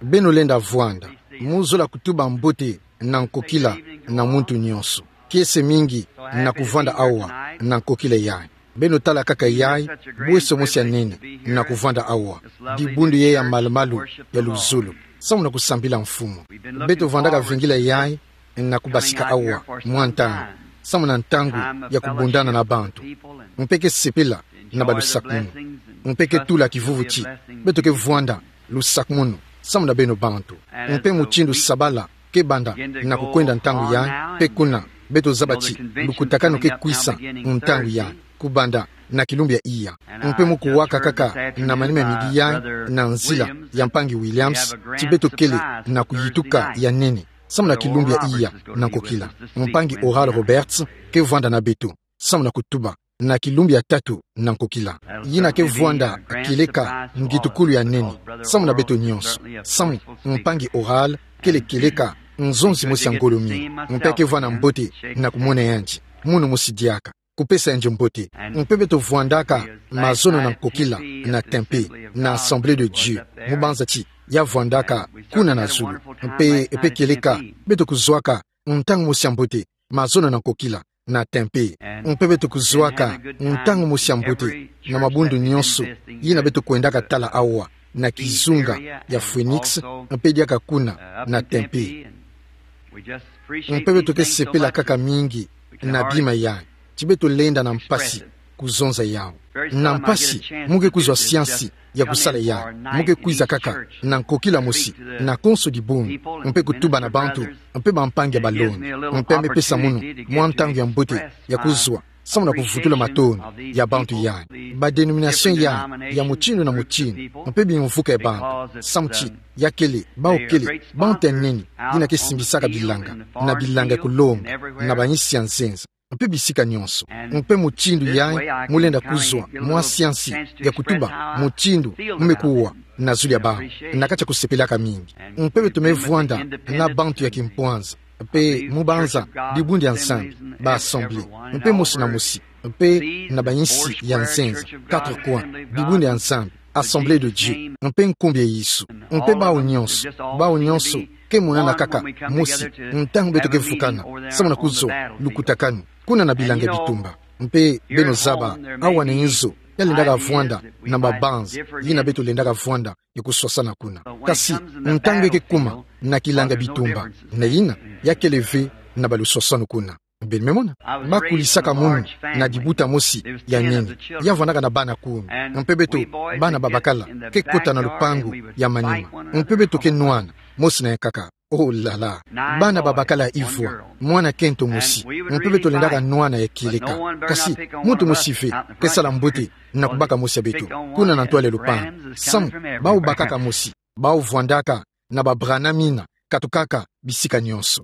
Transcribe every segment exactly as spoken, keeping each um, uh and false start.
Beno lenda vwanda. Mu zola kutuba mbote na nkokila na muntu nyonso. Kiese mingi na kuvwanda awa na nkokila yayi. Beno tala kaka yayi, bweso mosi ya nene na kuvwanda awa. Dibundu yayi ya malu-malu ya luzolo, samu na kusambila Mfumu. Beto vwandaka vingila yayi na kubasika awa mwa ntangu, samu na ntangu ya kubundana na bantu. Mpe ke sepela na balusakumunu. Mpe ke tula kivuvu ti beto ke vwanda lusakumunu samu na beno bantu. Mpe mutindu sabala ke banda na kukwenda ntangu yayi, mpe kuna beto zaba ti lukutakanu ke kwisa ntangu yayi, kubanda na kilumbu ya iya. Mpe mu kuwaka kaka na manima ya midi yayi na nzila ya mpangi Williams, ti beto kele na kuyituka ya nene samu na kilumbu ya iya na nkokila. Mpangi Oral Roberts ke vwanda na beto samu na kutuba na kilumbu ya tatu na nkokila. Yina ke vwanda kieleka ngitukulu ya nene samu na beto nyonso, samu mpangi Oral kele kieleka nzonzi mosi ya ngolo mingi. Mpe ke vwanda mbote na kumona yandi, munu mosi diaka, kupesa yandi mbote. Mpe beto vwandaka mazono na nkokila na tempe, na Assemblée de Dieu, mu banza ti ya vwandaka kuna na zulu. Mpe, mpe kieleka beto kuzwaka ntangu mosi ya mbote, mazono na nkokila na tempe. Mpe beto kuzwaka ntangu mosi ya mbote na mabundu nyonso yina beto kwendaka tala awa na kizunga ya Phoenix, mpe diaka kuna na tempe. Mpe beto ke sepela kaka mingi na bima yayi, ti beto lenda na mpasi kuzonza yawu. Na mpasi, mu ke kuzwa siansi ya kusala yayi. Mu ke kwiza kaka na nkokila mosi, na konso dibundu, mpe kutuba na bantu, mpe bampangi ya balongi. Mpe me pesa munu mwa ntangu ya mbote ya kuzwa, samu na kuvutula matondo ya bantu yayi. Ba dénomination yayi ya mutindu na mutindu, mpe bimvuka ya bantu. Samu ti ya kele, bawu kele bantu ya nene yina ke simbisaka bilanga, na bilanga ya kulonga, na bayinsi ya nzenza, mpe bisika nyonso. Mpe mutindu yayi mu lenda kuzwa mwa siansi ya kutuba mutindu mu me kuwa na zulu ya bawu, na kati ya kusepelaka mingi. Mpe beto me vwanda na bantu ya kimpwanza, mpe mu banza dibundu ya Nzambi, ba Assemblée, mpe mosi na mosi, mpe na bayinsi ya nzenza, quatre coins, dibundu ya Nzambi, Assemblée de Dieu, mpe nkumbu ya Yesu. Mpe bawu nyonso, bawu nyonso ke monana kaka mosi ntangu beto ke vukana, samu na kuzwa lukutakanu kuna na bilanga ya bitumba. Mpe beno zaba, awa na inzo, ya lendaka vwanda na mabanza yina beto lendaka vwanda ya kuswasana kuna. Kasi ntangu ya ke kuma na kilanga ya bitumba, na yina, ya kele ve na baluswaswanu kuna. Beno me mona, ba kulisaka munu na dibuta mosi ya nene, ya vwandaka na bana kumi. Mpe beto, bana babakala, ke kota na lupangu ya manima. Mpe beto ke nwana, mosi na yankaka. Oh là là. Bana babakala ivwa, mwana kento mosi. Mpe beto lendaka nwana ya kieleka. Kasi muntu mosi ve ke sala mbote na kubaka mosi ya beto kuna na ntwala ya lupangu. Samu, bawu bakaka mosi, bawu vwandaka na ba Branham yina, katukaka bisika nyonso.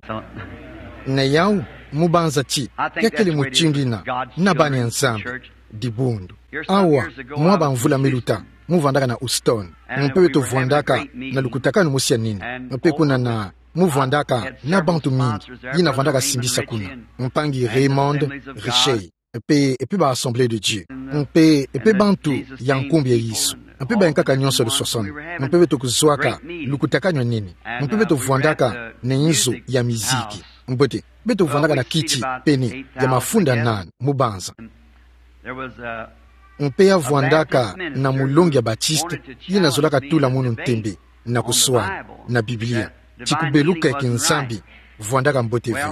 Na yawu, mu banza ti ya kele mutindu yina na bana ya Nzambi, dibundu. Awa, mwa bamvula me luta, mu vwandaka na Houston. Mpe beto vwandaka na lukutakanu mosi ya nene. Mpe kuna na, mu vwandaka na bantu mingi yina vwandaka simbisa kuna. Mpangi Raymond Richer. Mpe, mpe ba Assemblée de Dieu. Mpe, mpe bantu ya nkumbu ya Yesu. Mpe bayankaka nyonso ya luswaswanu. Mpe beto kuzwaka lukutakanu ya nene. Mpe beto vwandaka na inzo ya miziki. Mbote, beto vwandaka na kiti pene ya mafunda nana, mu banza. Mpe ya vwandaka na mulongi ya Baptiste, yina zolaka tula munu ntembe na kuswana na Biblia, ti kubeluka ya kinzambi vwandaka mbote ve.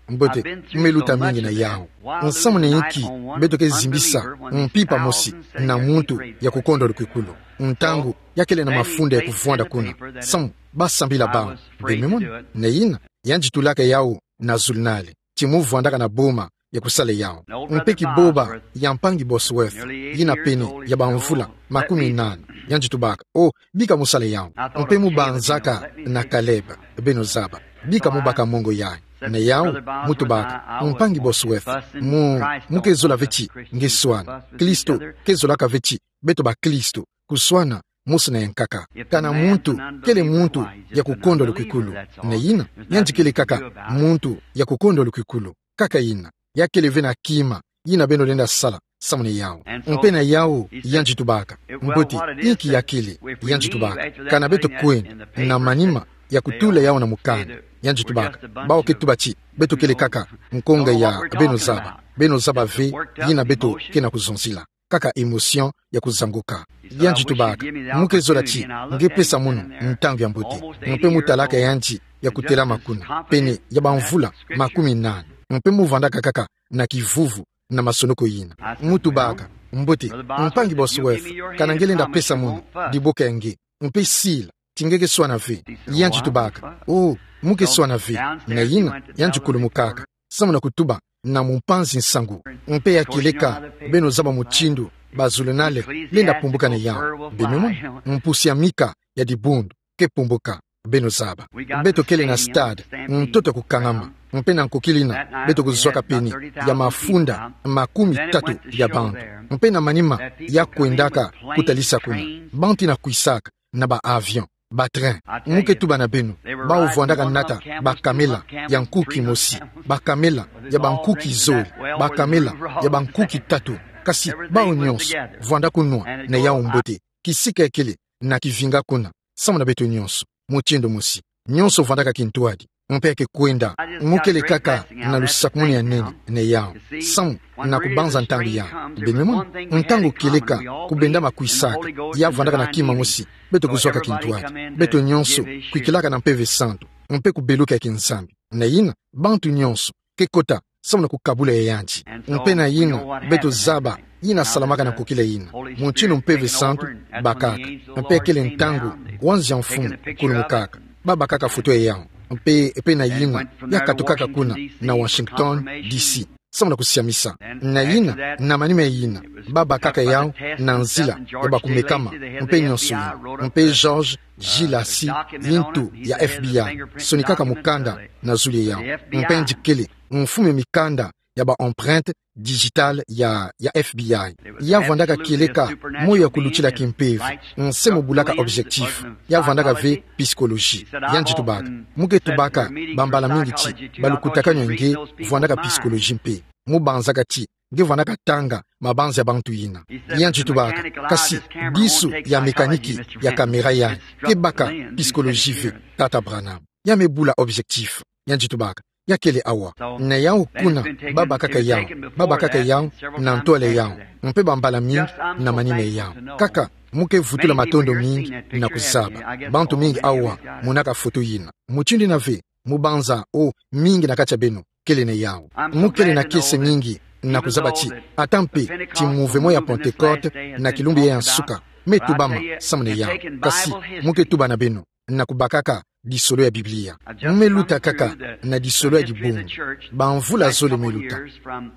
Mbote, mu me luta mingi na yawu. Nsamu na inki beto ke zimbisa mpimpa mosi na muntu ya kukondwa lukwikulu, ntangu ya kele na mafunda ya kuvwanda kuna? Samu, ba sambila bawu. Beno me mona, na yina, yandi tulaka yawu na zulunale, ti mu vwandaka na boma ya kusala yawu. Mpe kiboba ya mpangi Bosworth, yina pene ya bamvula makumi nana, yandi tubaka: "Oh, bika mu sala yawu." Mpe mu banzaka na Caleb, beno zaba, bika mu baka mongo yayi. Na yawu, mu tubaka: "Mpangi Bosworth, mu, mu ke zola ve ti nge swana. Kristo ke zolaka ve ti beto bakristo kuswana mosi na yankaka. Kana muntu kele muntu ya kukondwa lukwikulu, na yina, yandi kele kaka muntu ya kukondwa lukwikulu. Kaka yina, ya kele ve na kima yina beno lenda sala, samu na yawu. Mpe na yawu, yandi tubaka: Mbote, inki yakele? Yandi tubaka: Kana beto kwenda, na manima ya kutula yawu na mukanda, yandi tubaka, bawu ke tuba ti beto kele kaka nkonga ya beno zaba. Beno zaba ve yina beto ke na kuzonzila. Kaka émotion ya kuzanguka. Yandi tubaka: Mu ke zola ti nge pesa mono ntangu ya mbote. Mpe mu talaka yandi ya kutelama kuna, pene ya bamvula makumi nani. Mpe mu vandaka kaka na kivuvu na masonoko yina. Mu tubaka: Mbote, mpangi Bosworth, kana nge lenda pesa mono diboka ya nge? Mpe sila ti nge ke swana ve. Yandi tubaka: Oh, mu ke swana ve. Na yina, yandi kulumukaka, samu na kutuba na mumpanzi nsangu. Mpe ya kieleka, beno zaba mutindu bazulunale lenda pumbuka na yawu. Beno mona, mpusi ya mika ya dibundu ke pumbuka, beno zaba. Beto kele na stade, ntoto ya kukangama. Mpe na nkokila yina, beto kuzwaka pene ya mafunda makumi tatu ya bantu. Mpe na manima ya kwendaka kutalisa kuna, bantu yina kwisaka na ba avion, ba train. Mu ke tuba na beno, bawu vwandaka nata bakamela ya nkuki mosi, bakamela ya bankuki zole, bakamela ya bankuki tatu. Kasi bawu nyonso vwanda kunwa na yawu mbote. Kisika kele na kivinga kuna, samu na beto nyonso, mutindu mosi. Nyonso vwandaka kintwadi. Mpe ya ke kwenda. Mu kele kaka na lusakumunu ya nene na yawu, samu na kubanza ntangu yawu. Beno mona, ntangu kieleka kubendama kwisaka, ya vwandaka na kima mosi, beto kuzwaka kintwadi. Beto nyonso kwikilaka na Mpeve Santu, mpe kubeluka ya kinzambi. Na yina, bantu nyonso ke kota samu na kukabula ya yandi. Mpe na yina, beto zaba yina salamaka na nkokila yina, mutindu Mpeve Santu bakaka. Mpe kele ntangu wanzia Mfumu kulumukaka, babakaka foto ya yawu. Mpe, mpe na yina, ya katukaka kuna na Washington D C, samu na kusiamisa. Na yina, na manima ya yina, babakaka yawu na nzila ya bakumekama, mpe nyonso yina. Mpe George Gilasi, yintu ya F B I, sonikaka mukanda na zulu ya yawu. Mpe yandi kele mfumu ya mikanda ya ba empreinte digitale ya, ya F B I. Ya vwandaka kieleka moyo ya kulutila kimpeve, nse mu bulaka objectif. Ya vwandaka ve psychologie. Yandi tubaka: Mu ke tubaka bambala mingi ti balukutakanu ya nge vwandaka psychologie mpe. Mu banzaka ti nge vwandaka tanga mabanza ya bantu yina. Yandi tubaka: Kasi disu ya mécanique ya caméra yayi ke baka psychologie ve, tata Branham. Ya me bula objectif. Yandi tubaka: Ya kele awa. Na yawu kuna, babakaka yawu, babakaka yawu na ntwala ya yawu, mpe bambala mingi na manima ya yawu. Kaka, mu ke vutula matondo mingi na kuzaba. Bantu mingi awa monaka foto yina. Mutindu yina ve, mu banza, oh, mingi na kati ya beno kele na yawu. Mu kele na kiese mingi na kuzaba ti, ata mpe ti mouvement ya Pentecôte na kilumbu yayi ya nsuka me tubama samu na yawu. Kasi, mu ke tuba na beno na kubakaka disolo ya Biblia. Mu me luta kaka na disolo ya dibundu. Bamvula zole me luta,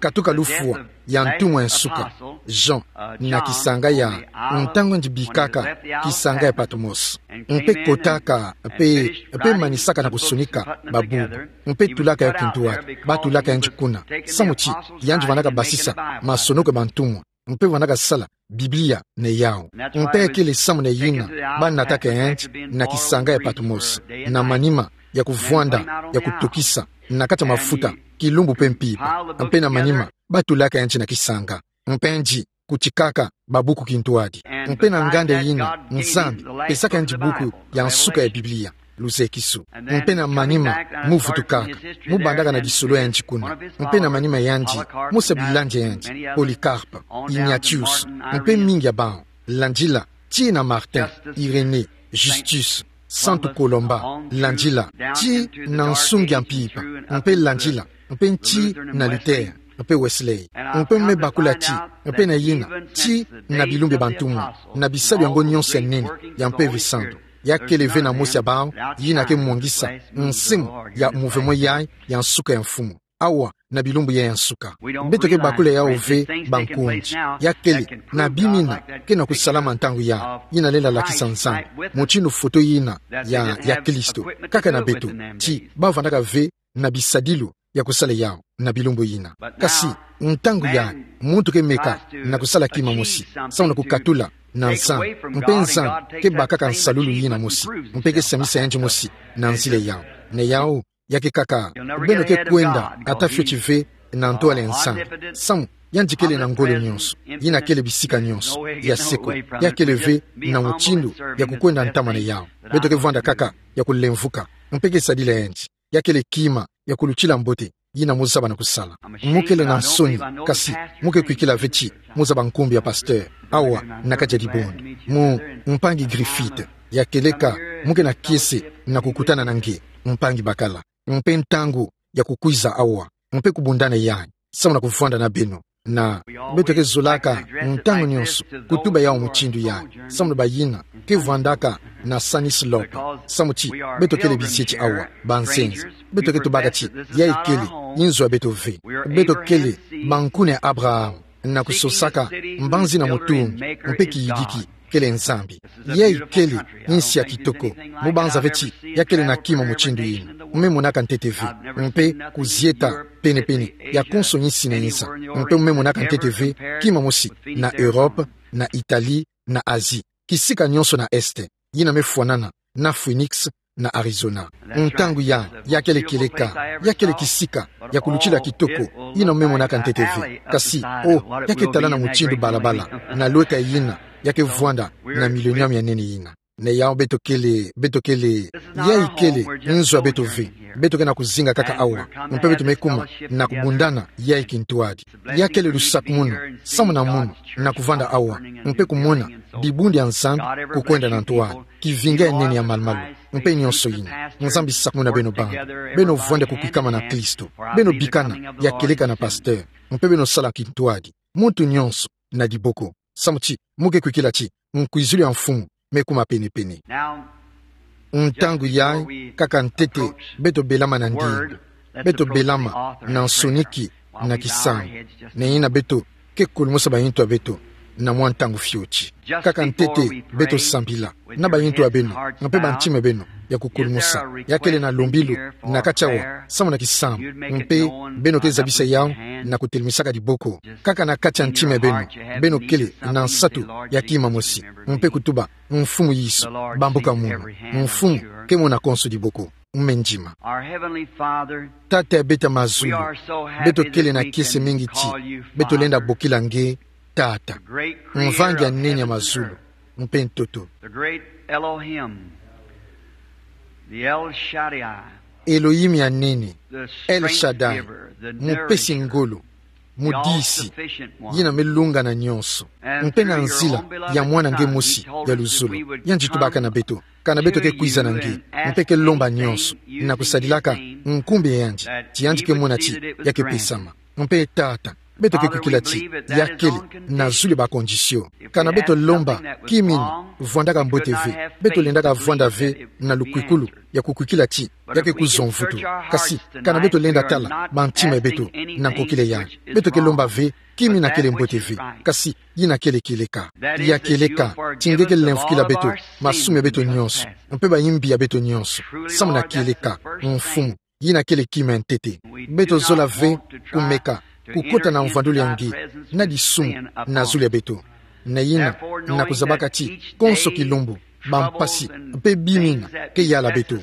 katuka lufwa ya ntumwa ya nsuka, Jean, na kisanga ya, ntangu yandi bikaka kisanga ya Patmos. Mpe kotaka, mpe, mpe manisaka na kusonika babuku, mpe tulaka yawu kintwadi, batulaka yandi kuna. Samu ti yandi vwandaka basisa masonoko ya bantumwa, mpe vwandaka sala Biblia na yawu. Mpe kele samu na yina banataka yandi na kisanga ya Patmos, na manima ya kuvwanda ya kutokisa na kati ya mafuta, kilumbu mpe mpimpa. Mpe na manima batulaka yandi na kisanga. Mpe yandi kutikaka babuku kintwadi. Mpe na nganda yina, Nzambi pesaka yandi buku ya nsuka ya Biblia, Luzekisu. Mpe na manima mu vutukaka, mu bandaka na disolo ya yandi kuna. Mpe na manima yandi, mu sa bilandi ya yandi, Polycarpe, Ignatius, mpe mingi ya bawu, landila tii na Martin, Irénée, Justus, Santu Colomba, landila tii na nsungi ya mpimpa, mpe landila, mpe tii na Luther, mpe Wesley. Mpe me bakula ti, mpe na yina, tii na bilumbu ya bantumwa, na bisalu yango nyonso ya nene ya Mpeve Santu, ya kele ve na mosi ya bawu yina ke mwangisa nsimu ya mouvement yayi ya nsuka ya Mfumu. Awa, na bilumbu yayi ya nsuka, beto ke bakula yawu ve bankundi. Ya kele na bima yina ke na kusalama ntangu yayi, yina lenda lakisa Nzambi mutindu foto yina ya, ya Kristo, kaka na beto, ti bavandaka ve na bisadilu ya kusala yawu na bilumbu yina. Kasi, ntangu yayi, muntu ke meka na kusala kima mosi, samu na kukatula na Nzambi, mpe Nzambi ke bakaka nsalulu yina mosi, mpe ke siamisa yandi mosi na nzila yawu. Na yawu, ya ke kaka, beno ke kwenda ata fioti ve na ntwala ya Nzambi. Samu yandi kele na ngolo nyonso, yina kele bisika nyonso, ya seko, ya kele ve na mutindu ya kukwenda ntama na yau. Beto ke vwanda kaka ya kulemvuka, mpe ke sadila yandi. Ya kele kima ya kulutila mbote yina mo zaba na kusala. Mo kele na nsoni, kasi mo ke kwikila ve ti mo zaba nkumbu ya pasteur awa na kati ya dibundu. Mu mpangi Griffith, ya keleka, mo ke na kiese na kukutana na nge, mpangi bakala. Mpe ntangu ya kukwiza awa, mpe kubundana yai, samu na kuvwanda na beno. Na beto ke zolaka ntangu nyonso kutuba yau mutindu yai, samu na bayina ke vwandaka na Sunnyslope, samu ti beto kele bizieti awa, banzenza. Beto ke tubaka ti yai kele nzo ya beto ve. Beto kele bankuna ya Abraham, na kusosaka mbanzi na mutungi, mpe kiyidiki kele Nzambi. Yai kele nsi ya kitoko. Mo banza ve ti ya kele na kima mutindu yina. Mo me monaka ntete ve. Mpe kuzieta penepene ya konso nsi na nza, mpe mo me monaka ntete ve kima mosi na Europe, na Italie, na Asie, kisika nyonso na Est, yina me fwanana na Phoenix, na Arizona. Ntangu ya, ya kele kieleka, ya kele kisika ya kulutila kitoko yina mo me monaka ntete ve. Kasi, oh, ya ke talana mutindu balabala na lweka yina ya ke vwanda na millénium ya nene yina. Na yau beto kele, beto kele, yai kele nzo ya beto ve. Beto ke na kuzinga kaka awa, mpe beto me kuma na kubundana yai kintwadi. Ya kele lusakumunu samu na mono na kuvwanda awa, mpe kumona dibundu ya Nzambi kukwenda na ntwadi, kivinga ya nene ya malumalu, mpe nyonso yina. Nzambi sakumuna beno bana. Beno vwanda kukwikama na Kristo. Beno bikana ya kieleka na pasteur, mpe beno sala kintwadi, muntu nyonso na diboko, samu ti mo ke kwikila ti nkwizulu ya Mfumu me kuma penepene. Ntangu yai, kaka ntete, beto belama na ndinga. Beto belama na nsoniki na kisambu. Na yina beto ke kulumusa bayintu ya beto na mwa ntangu fioti. Kaka ntete beto sambila, na bayintu ya beno, mpe bantima ya beno ya kukulumusa. Ya kele na lombilu na kati awa samu na kisambu, mpe beno ke zabisa yau na kutelemisaka diboko. Kaka na kati ya ntima ya beno, beno kele na nsatu ya kima mosi, mpe kutuba: Mfumu Yesu, bambuka mono. Mfumu ke mona konso diboko. Mendima. Our Heavenly Father, Tata ya beto ya mazulu, we are so happy beto kele na kiese mingi ti beto lenda bokila nge Tata, Mvangi ya nene ya mazulu mpe ntoto, the great Elohim, the El Shaddai, Elohim ya nene, El Shaddai, mupesi ngolo, mudisi, yina me lungana nyonso, mpe na nzila ya Mwana nge mosi ya luzolo, yandi tubaka na beto kana beto ke kwiza na nge, mpe ke lomba nyonso na kusadilaka nkumbu ya yandi, ti yandi ke mona ti ya ke pesama. Mpe Tata, beto ke kwikila ti ya kele na zulu ya ba condition. Kana beto lomba kima ina vwandaka mbote ve, beto lendaka vwanda ve na lukwikulu ya kukwikila ti ya ke kuzwa mvutu. Kasi kana beto lenda tala bantima ya beto na nkokila yai, beto ke lomba ve kima ina kele mbote ve, kasi yina kele kieleka. Ya kieleka, ti nge ke lemvukila beto masumu ya beto nyonso, mpe bayimbi ya beto nyonso, samu na kieleka, Mfumu, yina kele kima ya ntete. Beto zola ve kumeka kukota na mvwandulu ya nge na disumu na zulu ya beto. Na yina, na kuzabaka ti konso kilumbu, bampasi mpe bima ina ke yala beto,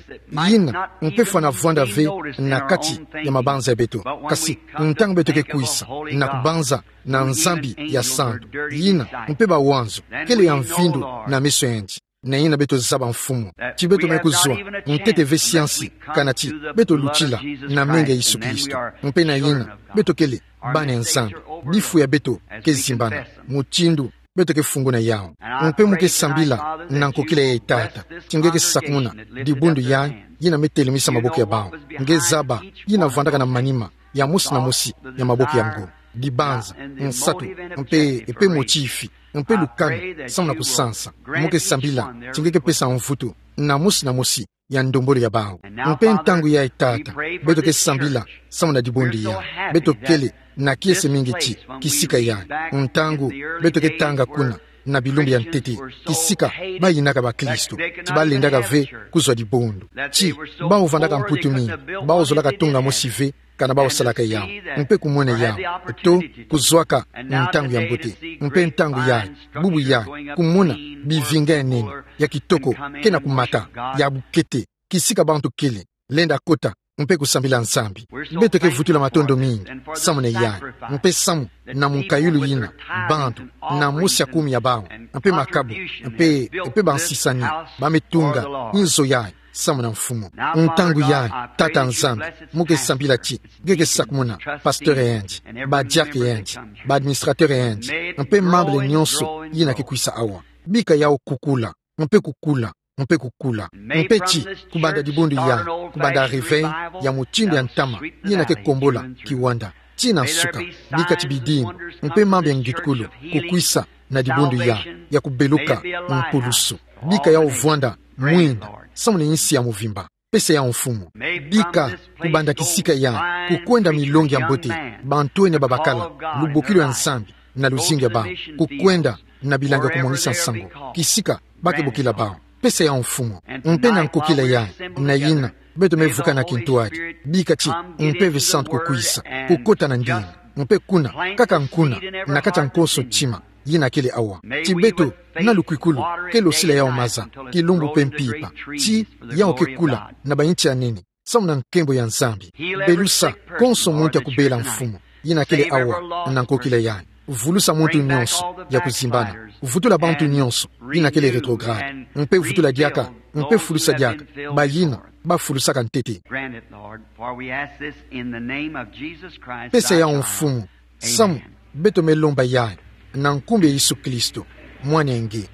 yina mpe fwana vwanda ve na kati ya mabanza ya beto. Kasi ntangu beto ke kwisa na kubanza na Nzambi ya santu, yina mpe mawanzu kele ya mvindu na meso ya yandi. Na yina beto zaba, Mfumu, ti beto me kuzwa ntete ve siansi kana ti beto lutila na menga ya Yesu Kristo. Mpe na yina beto kele bana ya Nzambi, bifu ya beto ke zimbana, mutindu beto ke funguna yau. Mpe mo ke sambila na nkokila yai, Tata, ti nge ke sakumuna dibundu yai yina me telemisa maboko ya bau. Nge zaba yina vwandaka na manima ya mosi na mosi ya maboko yango, dibanza, nsatu, mpe, mpe motifi, mpe lukanu, samu na kusansa. Mo ke sambila ti nge ke pesa mvutu na mosi na mosi ya ndombolo ya bau. Mpe ntangu yai, Tata, beto ke sambila samu na dibundu yai. Beto kele na kiese mingi ti kisika yai, ntangu beto ke tanga kuna na bilumbu ya ntete, kisika bayinaka bakristu, ti balendaka ve kuzwa dibundu, ti bau vandaka mputu mingi, bau zolaka tunga mosi ve kana bau salaka yau, mpe kumona yau, to kuzwaka ntangu ya mbote, mpe ntangu yai, bubu yai, kumona bivinga ya nene, ya kitoko, ke na kumata, ya bukete, kisika bantu kele lenda kota mpe kusambila Nzambi. Beto ke vutula matondo mingi samu na yayi, mpe samu na munkayulu yina, bantu, na mosi ya kumi ya bawu, mpe makabu, mpe, mpe bansisani, ba me tunga nzo yayi samu na Mfumu. Ntangu yayi, Tata Nzambi, mu ke sambila ti nge ke sakumuna pasteur yandi, ba diacre yandi, ba administrateur yandi, mpe membre nyonso yina ke kwisa awa. Bika yawu kukula, mpe kukula, mpe kukula. Mpe ti, kubanda dibundu yayi, kubanda réveil ya mutindu ya ntama yina ke kombola kiwanda, tii na nsuka, bika ti bidimbu, mpe mambu ya ngitukulu kukwisa na dibundu yayi, ya kubeluka mpulusu. Bika yawu vwanda mwinda samu na insi ya muvimba. Pesa yawu, Mfumu. Bika, kubanda kisika yayi, kukwenda milongi ya mbote, bantwenia babakala lubokilo ya Nzambi na luzingu ya bawu, kukwenda na bilanga kumwangisa nsangu kisika ba ke bokila bawu. Pesa yawu, Mfumu. Mpe na nkokila yayi, na yina, beto me vuka na kintwadi, bika ti Mpeve Santu kukwisa, kukota na ndinga, mpe kuna, kaka kuna, na kati ya konso ntima yina kele awa. Ti beto, na lukwikulu, ke losila yawu maza, kilumbu mpe mpimpa, tii yawu ke kula na ba inti ya nene, samu na nkembo ya Nzambi. Belusa konso muntu ya kubela, Mfumu, yina kele awa na nkokila yayi. Vulusa muntu nyonso ya kuzimbana. Vutula bantu nyonso yina kele rétrograde, mpe vutula diaka, mpe fulusa diaka bayina ba fulusaka ntete. Grant it, Lord, for we ask this in the name of Jesus Christ, thy Child. Pesa yawu, Mfumu, samu beto me lomba yayi na nkumbu ya Yesu Kristo, Mwana ya nge.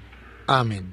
Amen.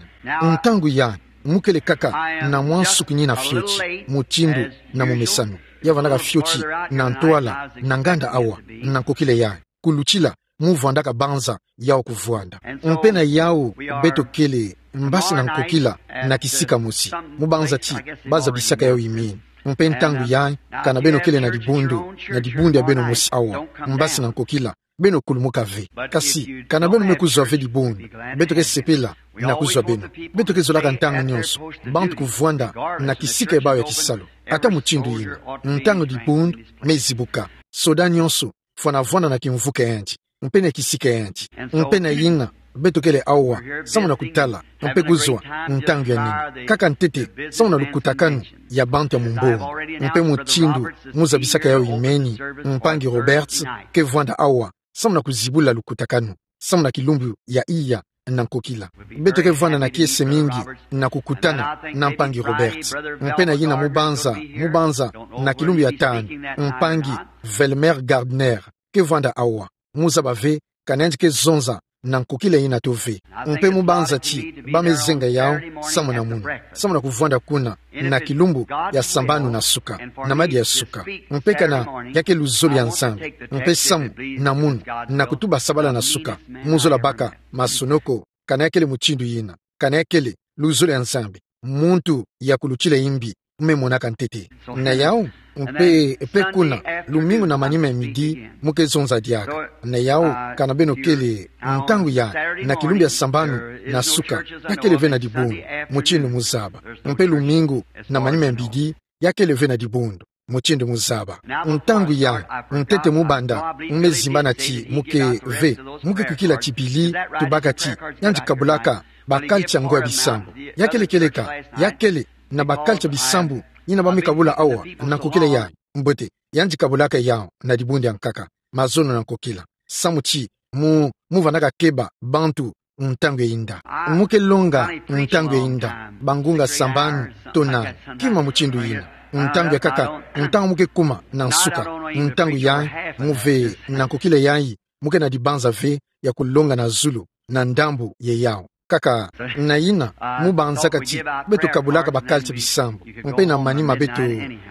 Ntangu yayi, mu kele kaka na mwa nsuki nina fioti, mutindu na mumesano. Ya vandaka fioti na ntwala na nganda awa, na nkokila yayi, kulutila mu vwandaka banza yawu kuvwanda. Mpe na yawu, beto kele mbasi na nkokila na kisika mosi, mu banza ti ba zabisaka yawu imeni. Mpe ntangu yayi, kana beno kele na dibundu, na dibundu ya beno mosi awa, mbasi na nkokila, beno kulumuka ve. Kasi, kana beno me kuzwa ve dibundu, beto ke sepela na kuzwa beno. Beto ke zolaka ntangu nyonso bantu kuvwanda na kisika ya bawu ya kisalu. Ata mutindu yina, ntangu dibundu me zibuka, soda nyonso fwana vwanda na kimvuka yandi, mpe na kisika yandi. Mpe na yina, beto kele awa samu na kutala, mpe kuzwa ntangu ya nini. Kaka ntete, samu na lukutakanu ya bantu ya mumbongo. Mpe mutindu mu zabisaka yawu imeni, mpangi Roberts ke vwanda awa samu na kuzibula lukutakanu, samu na kilumbu ya iya na nkokila. Beto ke vwanda na kiese mingi na kukutana na mpangi Roberts. Mpe na yina mu banza, mu banza na kilumbu ya tanu, mpangi Velmer Gardner ke vwanda awa. Mu zaba ve, kana yandi ke zonza na nkokila yina to ve. Mpe mu banza ti ba me zenga yawu samu na munu, samu na kuvwanda kuna na kilumbu ya sambanu na suka, na madia ya suka. Mpe kana ya ke luzolo ya Nzambi, mpe samu na munu, na kutuba sabala na suka, mu zola baka masonoko, kana ya kele mutindu yina, kana ya kele luzolo ya Nzambi, muntu ya kulutila imbi me monaka ntete. Na yawu, mpe, mpe kuna, lumingu na manima ya midi, mu ke zonza diaka. Na yawu, kana beno kele, ntangu yayi, na kilumbu ya sambanu na suka, ya kele ve na dibundu, mutindu mu zaba. Mpe lumingu na manima ya midi, ya kele ve na dibundu, mutindu mu zaba. Ntangu yayi, ntete mu banda, mu me zimbana ti mu ke ve, mu ke kwikila ti bili, tubaka ti yandi kabulaka ba culture ngo ya bisambu. Ya kele kieleka, ya kele na ba culture bisambu yina ba me kabula awa na nkokila yayi. Mbote, yandi kabulaka yawu na dibundu ya nkaka, mazono na nkokila. Samu ti mu, mu vandaka keba bantu ntangu ya inda. Mu ke longa ntangu ya inda bangunga sambanu to nani, kima mutindu yina. Ntangu ya nkaka, ntangu mu ke kuma na nsuka, ntangu yayi, mu ve na nkokila yayi, mu ke na dibanza ve ya kulonga na zulu, na ndambu ya yawu. Kaka, na yina, mu banzaka ti beto kabulaka ba culture bisambu, mpe na manima beto,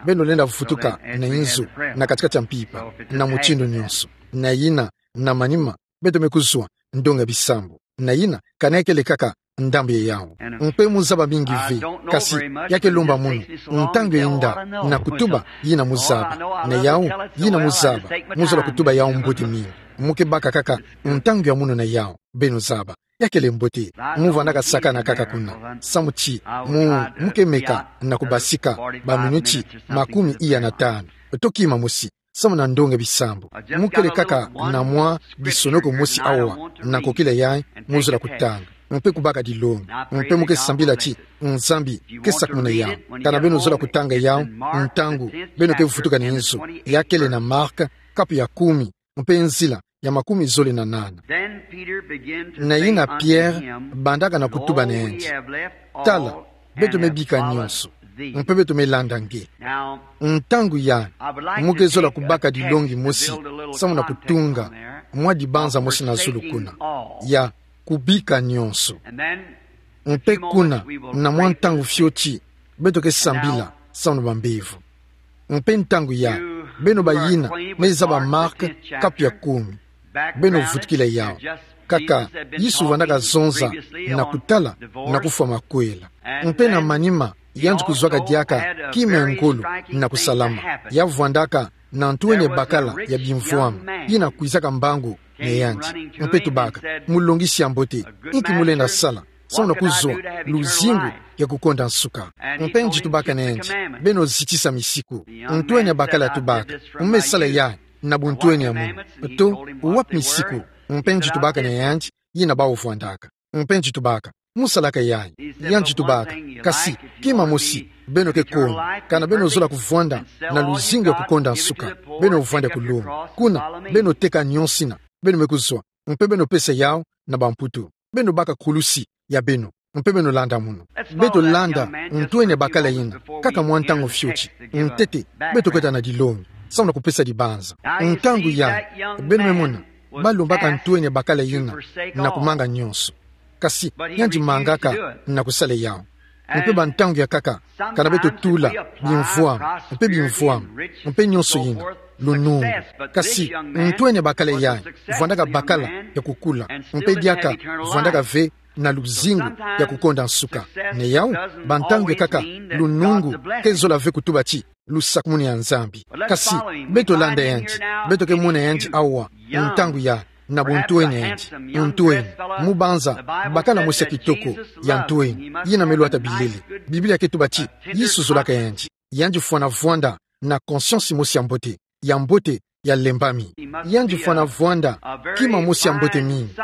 beno lenda vutuka na inzo, na kati-kati ya mpimpa, na mutindu nyonso. Na yina, na manima, beto me kuzwa ndonga bisambu. Na yina, kana ya kele kaka ndambu ya yawu. Mpe mu zaba mingi ve, kasi ya ke lomba munu ntangu ya inda na kutuba yina mu zaba. Na yawu, yina mu zaba, mu zola kutuba yawu mbote mingi. Mu ke baka kaka ntangu ya munu na yawu, beno zaba. Ya kele mbote, mu vandaka sakana kaka kuna. Samu ti mu, mu ke meka na kubasika ba minuti makumi iya na tanu to kima mosi, samu na ndonga bisambu. Mu kele kaka na mwa disonoko mosi awa na nkokila yayi, mu zola kutanga. mpe kubaka dilongi. Mpe mo ke sambila ti Nzambi ke sakumuna yau. Kana beno zola kutanga yau, ntangu beno ke vutukana nzo, ya kele na Mark, kapu ya kumi, mpe nzila ya makumi zole na nana. Na yina Pierre bandaka na kutuba na yandi: Tala, beto mebika nionso, mpe beto melanda nge. Ntangu yai, mo ke zola kubaka dilongi mosi, samu na kutunga mwa dibanza mosi na zulu kuna, ya kubika nionso. Mpe kuna, na mwa ntangu fioti, beto ke sambila samu na bambevo. Mpe ntangu yai, beno bayina mezaba Mark, kapu ya kumi, beno vutukila yau. Kaka Yesu vandaka zonza na kutala na kufwa makwela. Mpe na manima, yandi kuzwaka diaka kima ya ngolo na kusalama. Ya vwandaka na ntwenia bakala ya bimvwama, yina kwizaka mbangu na yandi, mpe tubaka: Mulongisi ya mbote, inki mo lenda sala samu na kuzwa luzingu ya kukonda nsuka? Mpe yandi tubaka na yandi: Beno zitisa misiku. Ntwenia bakala tubaka: Mo me sala yai na buntwenia mono, to wapi misiku? Mpe yandi tubaka na yandi yina bawu vwandaka. Mpe yandi tubaka: Mo salaka yai. Yandi tubaka: Kasi kima mosi beno ke koni, kana beno zola kuvwanda na luzingu ya kukonda nsuka, beno vwanda kulonga. Kuna, beno teka nionso yina beno me kuzwa, mpe beno pesa yau na bamputu. Beno baka kulusi ya beno, mpe beno landa mono. Beto landa ntwenia bakala yina kaka mwa ntangu fioti. Ntete, beto kota na dilongi samu na kupesa dibanza. Ntangu yai, beno me mona, balombaka ntwenia bakala yina na kumanga nionso. Kasi yandi mangaka na kusala yau. Mpe bantangu ya nkaka, kana beto tula bimvwama, mpe bimvwama, mpe nionso yina, lunungu. Kasi ntwenia bakala yai vwandaka bakala ya kukula, mpe diaka vwandaka ve na luzingu ya kukonda nsuka. Na yau, bantangu ya nkaka, lunungu ke zola ve kutuba ti lusakumunu ya Nzambi. Kasi beto landa yandi, beto ke mona yandi awa, ntangu yai, na buntwenia yandi, ntwenia, mo banza bakala mosi ya kitoko ya ntwenia, yina me lwata bilele. Biblia ke tuba ti Yesu zolaka yandi. Yandi fwana vwanda na conscience mosi ya mbote, ya mbote, ya lembami. Yandi fwana vwanda kima mosi ya mbote mingi.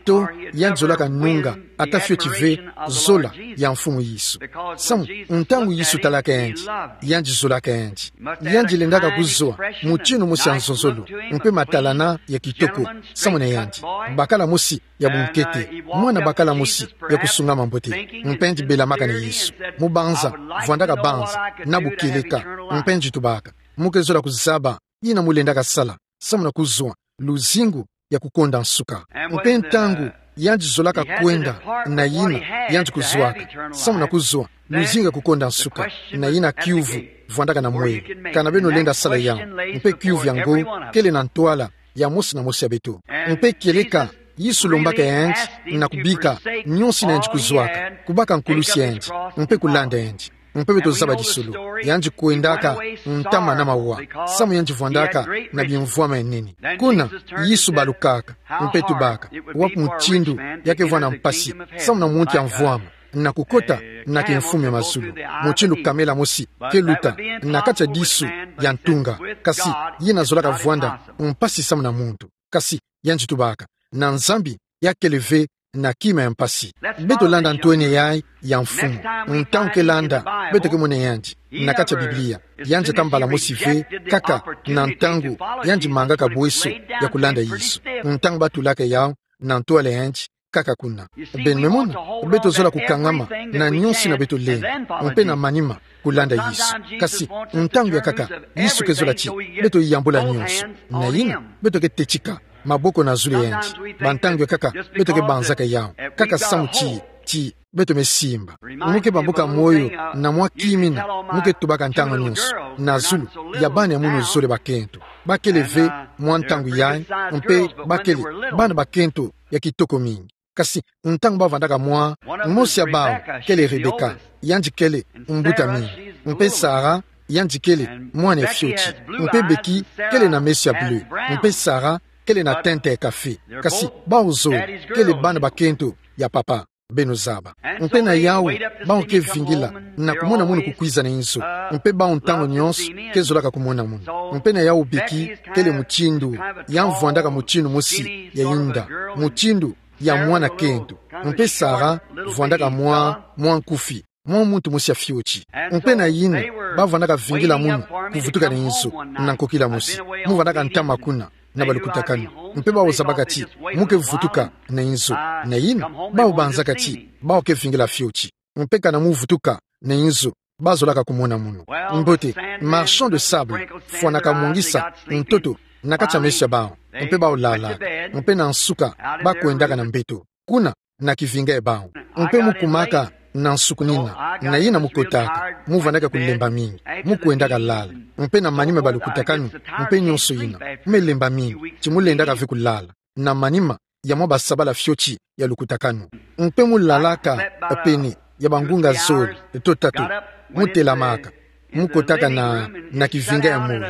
To yandi zolaka nunga ata fioti ve zola ya Mfumu Yesu. Samu, ntangu Yesu talaka yandi, yandi zolaka yandi. Yandi lendaka kuzwa mutindu mosi ya nzonzolo, mpe matalana ya kitoko samu na yandi. Bakala mosi ya bunkete, mwana bakala mosi ya kusungama mbote, mpe yandi belamaka na Yesu. Mo banza, vwandaka banza na bukeleka, mpe yandi tubaka: Mo ke zola kuzaba yina mo lendaka sala samu na kuzwa luzingu ya kukonda nsuka. Mpe ntangu yandi zolaka kwenda na yina yandi kuzwaka samu na kuzwa luzingu ya kukonda nsuka, na yina kiuvu vwandaka na mwelo: Kana beno lenda sala yau? Mpe kiuvu yango kele na ntwala ya mosi na mosi ya beto. Mpe kieleka Yesu lombaka yandi na kubika nionso yina yandi kuzwaka, kubaka nkulusi ya yandi, mpe kulanda yandi. Mpe beto zaba lisolo, yandi kwendaka ntama na mawa, samu yandi vwandaka na bimvwama ya nene. Kuna, Yesu balukaka, mpe tubaka: Wapi mutindu ya ke vwanda mpasi samu na muntu ya mvwama na kukota na kimfumu ya mazulu? Mutindu kamela mosi ke luta na kati ya disu ya ntunga, kasi yina zolaka vwanda mpasi samu na muntu. Kasi yandi tubaka: Na Nzambi ya kele ve na kima ya mpasi. Beto landa ntwenia yai ya Mfumu. Ntangu ke landa, beto ke mona yandi na kati ya Biblia, yandi ata mbala mosi ve, kaka na ntangu yandi mangaka bweso ya kulanda Yesu. Ntangu batulaka yau na ntwala ya yandi, kaka kuna. Beno me mona, beto zola kukangama na nionso yina beto lenda, mpe na manima kulanda Yesu. Kasi ntangu ya nkaka, Yesu ke zola ti beto yambula nionso. Na yina, beto ke tetika maboko na zulu ya yandi. Bantangu ya nkaka, beto ke banzaka yau kaka samu ti, ti beto me simba. Mo ke bambuka moyo na mwa kima yina mo ke tubaka ntangu nionso na zulu ya bana ya munu zole bakento. Ba kele ve mwa ntangu yai, mpe ba kele bana bakento ya kitoko mingi. Kasi ntangu ba vandaka mwa, mosi ya bau kele Rebecca, yandi kele mbuta mingi. Mpe Sarah, yandi kele mwana ya fioti. Mpe Becky kele na meso ya bleu. Mpe Sarah kele na tente ya kafe. Kasi bau zole kele bana bakento ya papa. Beno zaba. Mpe na yau, bau ke vingila na kumona munu kukwiza na inzo. Mpe bau ntangu nionso ke zolaka kumona munu. Mpe na yau Becky kele mutindu, ya vwandaka mutindu mosi ya inda. Mutindu ya mwana kento. Mpe Sara vwandaka mwa, mwa nkufi, mwa muntu mosi ya fioti. Mpe na yina, bavwandaka vingila munu kuvutuka na inzo, na nkokila mosi. Muvwandaka ntama kuna na balukutakanu. Mpe bawu zabaka ti mu ke vutuka na inzo. Na yina, bawu banzaka ti bawu ke vingila fioti. Mpe kana mu vutuka na inzo, bazolaka kumona munu. Mbote, marchand de sable fwanaka mongisa ntoto na kati ya meso ya bawu, mpe bawu lalaka. Mpe na nsuka, bakwendaka na mbeto, kuna na kivinga ya bawu. Mpe mu kumaka na nsukunina, na yina mu kotaka, mu vandaka kulemba mingi, mu kwendaka lala. Mpe na manima balukutakanu, mpe nyonso yina, mu me lemba mingi, ti mu lendaka ve kulala na manima ya mwa basabala fioti ya lukutakanu. Mpe mu lalaka pene ya bangunga zole to tatu, mu telamaka, mu kotaka na, na kivinga ya moyo.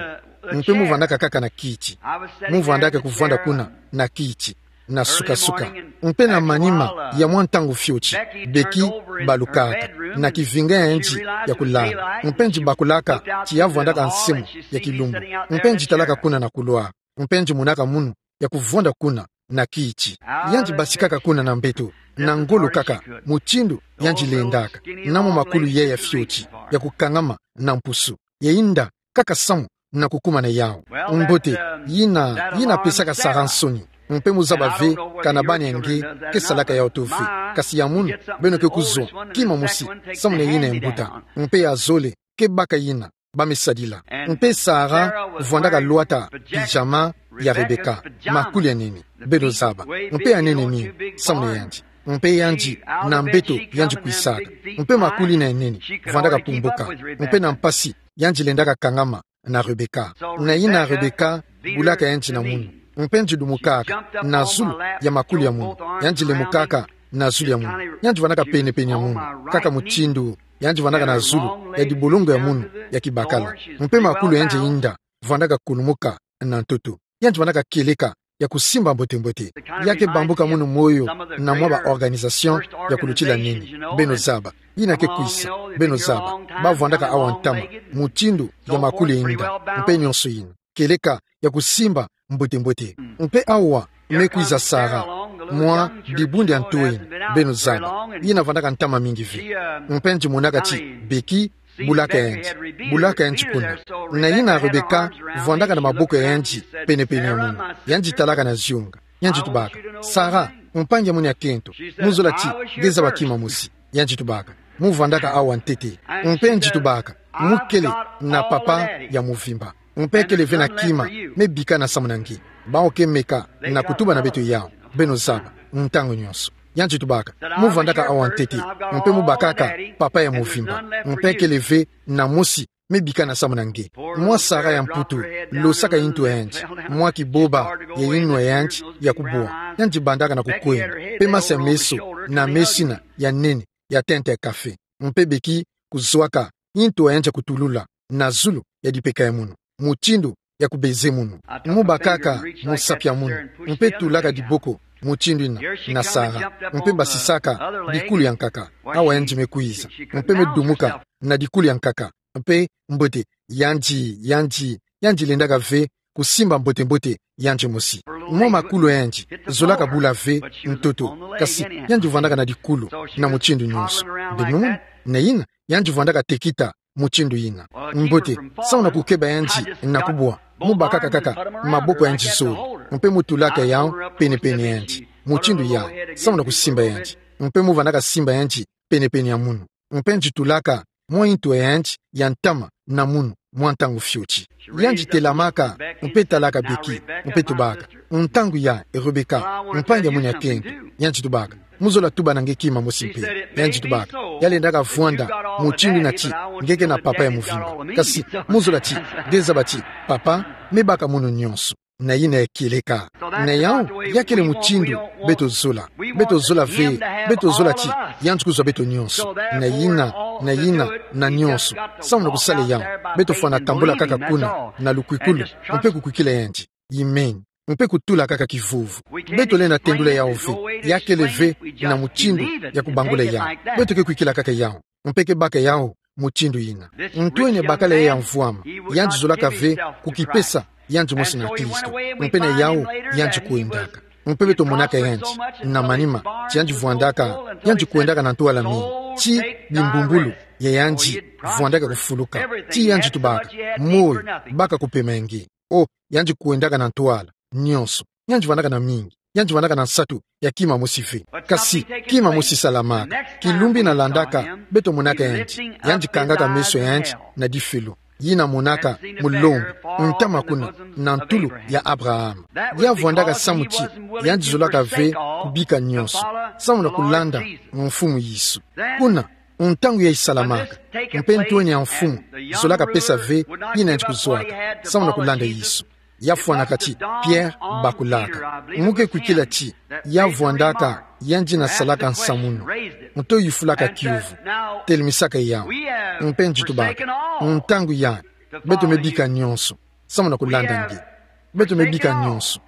Mpe mu vandaka kaka na kiti. Mu vandaka kuvwanda kuna na kiti, na sukasuka. Mpe na manima ya mwa ntangu fioti, Becky balukaka na kivinga ya yandi ya kulala. Mpe nji bakulaka ti ya vwandaka nsemo ya kilumbu. Mpe nji talaka kuna na couloir. Mpe nji monaka munu ya kuvwanda kuna na kiti. Yandi basikaka kuna na mbeto, na ngolo kaka, mutindu yandi lendaka, na mwa makulu yayi ya fioti, ya kukangama na mpusu, ya yinda kaka samu na kukuma na yawu. Mbote, yina, yina pesaka Sara nsoni. Mpe mu zaba ve kana bana ya nge ke salaka yawu to ve. Kasi ya munu, beno ke kuzwa kima mosi samu na yina ya mbuta. Mpe ya zole ke baka yina ba me sadila. Mpe Sara vwandaka lwata pyjama ya Rebecca, makulu ya nene, beno zaba. Mpe ya nene mingi samu na yandi. Mpe yandi na mbeto yandi kwisaka. Mpe makulu yina ya nene vwandaka pumbuka. Mpe na mpasi yandi lendaka kangama na Rebecca. Na yina Rebecca bulaka yandi na munu. Mpe nji dumukaka na zulu ya makulu ya munu. Yandi lemukaka na zulu ya munu. Yandi vwandaka pene-pene ya munu, kaka mutindu yandi vwandaka na zulu ya dibolongo ya munu ya kibakala. Mpe makulu yandi ya yinda vwandaka kulumuka na ntoto. Yandi vwandaka kieleka ya kusimba mbote-mbote. Ya ke bambuka munu moyo na mwa ba organisation ya kulutila nene, beno zaba. Yina ke kwisa, beno zaba. Ba vwandaka awa ntama, mutindu ya makulu ya yinda, mpe nyonso yina. Kieleka ya kusimba mbote-mbote. Mpe awa me kwiza Sara, mwa dibundu ya ntoyi, beno zaba. Yina vwandaka ntama mingi ve. Mpe nji monaka ti Becky bulaka yandi, bulaka yandi kuna. Na yina Rebecca vwandaka na maboko ya yandi pene-pene ya munu. Yandi talaka na zionga. Yandi tubaka: Sara, mpangi ya munu ya kento, mu zola ti nge zaba kima mosi. Yandi tubaka: Mu vwandaka awa ntete. Mpe nji tubaka: Mu kele na papa ya muvimba. Mpe kele ve na kima me bikana samu na nge. Bawu ke meka na kutuba na beto yawu, beno zaba, ntangu nyonso. Yandi tubaka: Mu vwandaka awa ntete. Mpe mu bakaka papa ya muvimba. Mpe kele ve na mosi me bikana samu na nge. Mwa Sara ya Mputu losaka yintu ya yandi, mwa kiboba ya yinwa ya yandi ya kubwa. Yandi bandaka na kukwenda. Mpe masa ya meso, na meso yina ya nene ya tente ya kafe. Mpe Becky kuzwaka yintu ya yandi ya kutulula na zulu ya dipeka ya munu, mutindu ya kubeze munu. Mu bakaka musapi ya munu, mpe tulaka diboko mutindu yina na Sara, mpe basisaka dikulu ya nkaka. Awa yandi me kwiza, mpe me dumuka na dikulu ya nkaka. Mpe mbote, yandi, yandi, yandi lendaka ve kusimba mbote-mbote yandi mosi. Mwa makulu ya yandi zolaka bula ve ntoto, kasi yandi vwandaka na dikulu na mutindu nyonso. Beno mona? Na yina, yandi vwandaka tekita mutindu yina. Mbote, samu na kukeba yandi na kubwa, mu bakaka kaka maboko ya yandi zole, mpe mu tulaka yawu pene-pene ya yandi, mutindu yayi, samu na kusimba yandi. Mpe mu vwandaka simba yandi pene-pene ya munu. Mpe nji tulaka mwa yintu ya yandi ya ntama na munu mwa ntangu fioti. Yandi telamaka, mpe talaka Becky, mpe tubaka: Ntangu yayi, Rebecca, mpangi ya munu ya kento, yandi tubaka: Mu zola tuba na nge kima mosi mpe. Yandi tubaka: Ya lendaka vwanda mutindu yina ti nge ke na papa ya muvimba. Kasi mu zola ti nge zaba ti papa me baka munu nyonso. Na yina ya kieleka. Na yawu, ya kele mutindu beto zola. Beto zola ve, beto zola ti yandi kuzwa beto nyonso. Na yina, na yina, na nyonso, samu na kusala yawu, beto fwana tambula kaka kuna na lukwikulu, mpe kukwikila yandi. Amen. Mpe kutula kaka kivuvu. Beto lenda tendula yawu ve. Ya kele ve na mutindu ya kubangula yawu. Beto ke kwikila kaka yawu, mpe ke baka yawu mutindu yina. Ntu yina bakala ya mvwama, yandi zolaka ve kukipesa yandi mosi na Kristo. Mpe na yawu, yandi kwendaka. Mpe beto monaka yandi na manima, ti yandi vwandaka, yandi kwendaka na ntwala mingi, ti bimbumbulu ya yandi vwandaka kufuluka, ti yandi tubaka, moyo, baka kupema nge. O, yandi kwendaka na ntwala, nionso, yandi vwandaka na mingi, yandi vwandaka na nsatu ya kima mosi ve. Kasi, kima mosi salamaka, kilumbu yina landaka, beto monaka yandi, yandi kangaka meso yandi na difelo. Yina monaka mulongo, ntama kuna, na ntulu ya Abraham. Ya vwandaka samu ti, yandi zolaka ve kubika nionso, samu na kulanda Mfumu Yesu. Kuna, ntangu yayi salamaka, mpe ntwenya ya mfumu, zolaka pesa ve, yina yandi kuzwaka, samu na kulanda Yesu. Ya fwanaka ti, Pierre bakulaka. Muke kwikila ti, ya vwandaka, yandi yina salaka nsamuno. Nto yufulaka kiuvu. Telimisaka yawu. Mpe nge tubaka. Ntangu yayi, beto me bika nionso, samu na kulanda nge. Beto me bika nionso.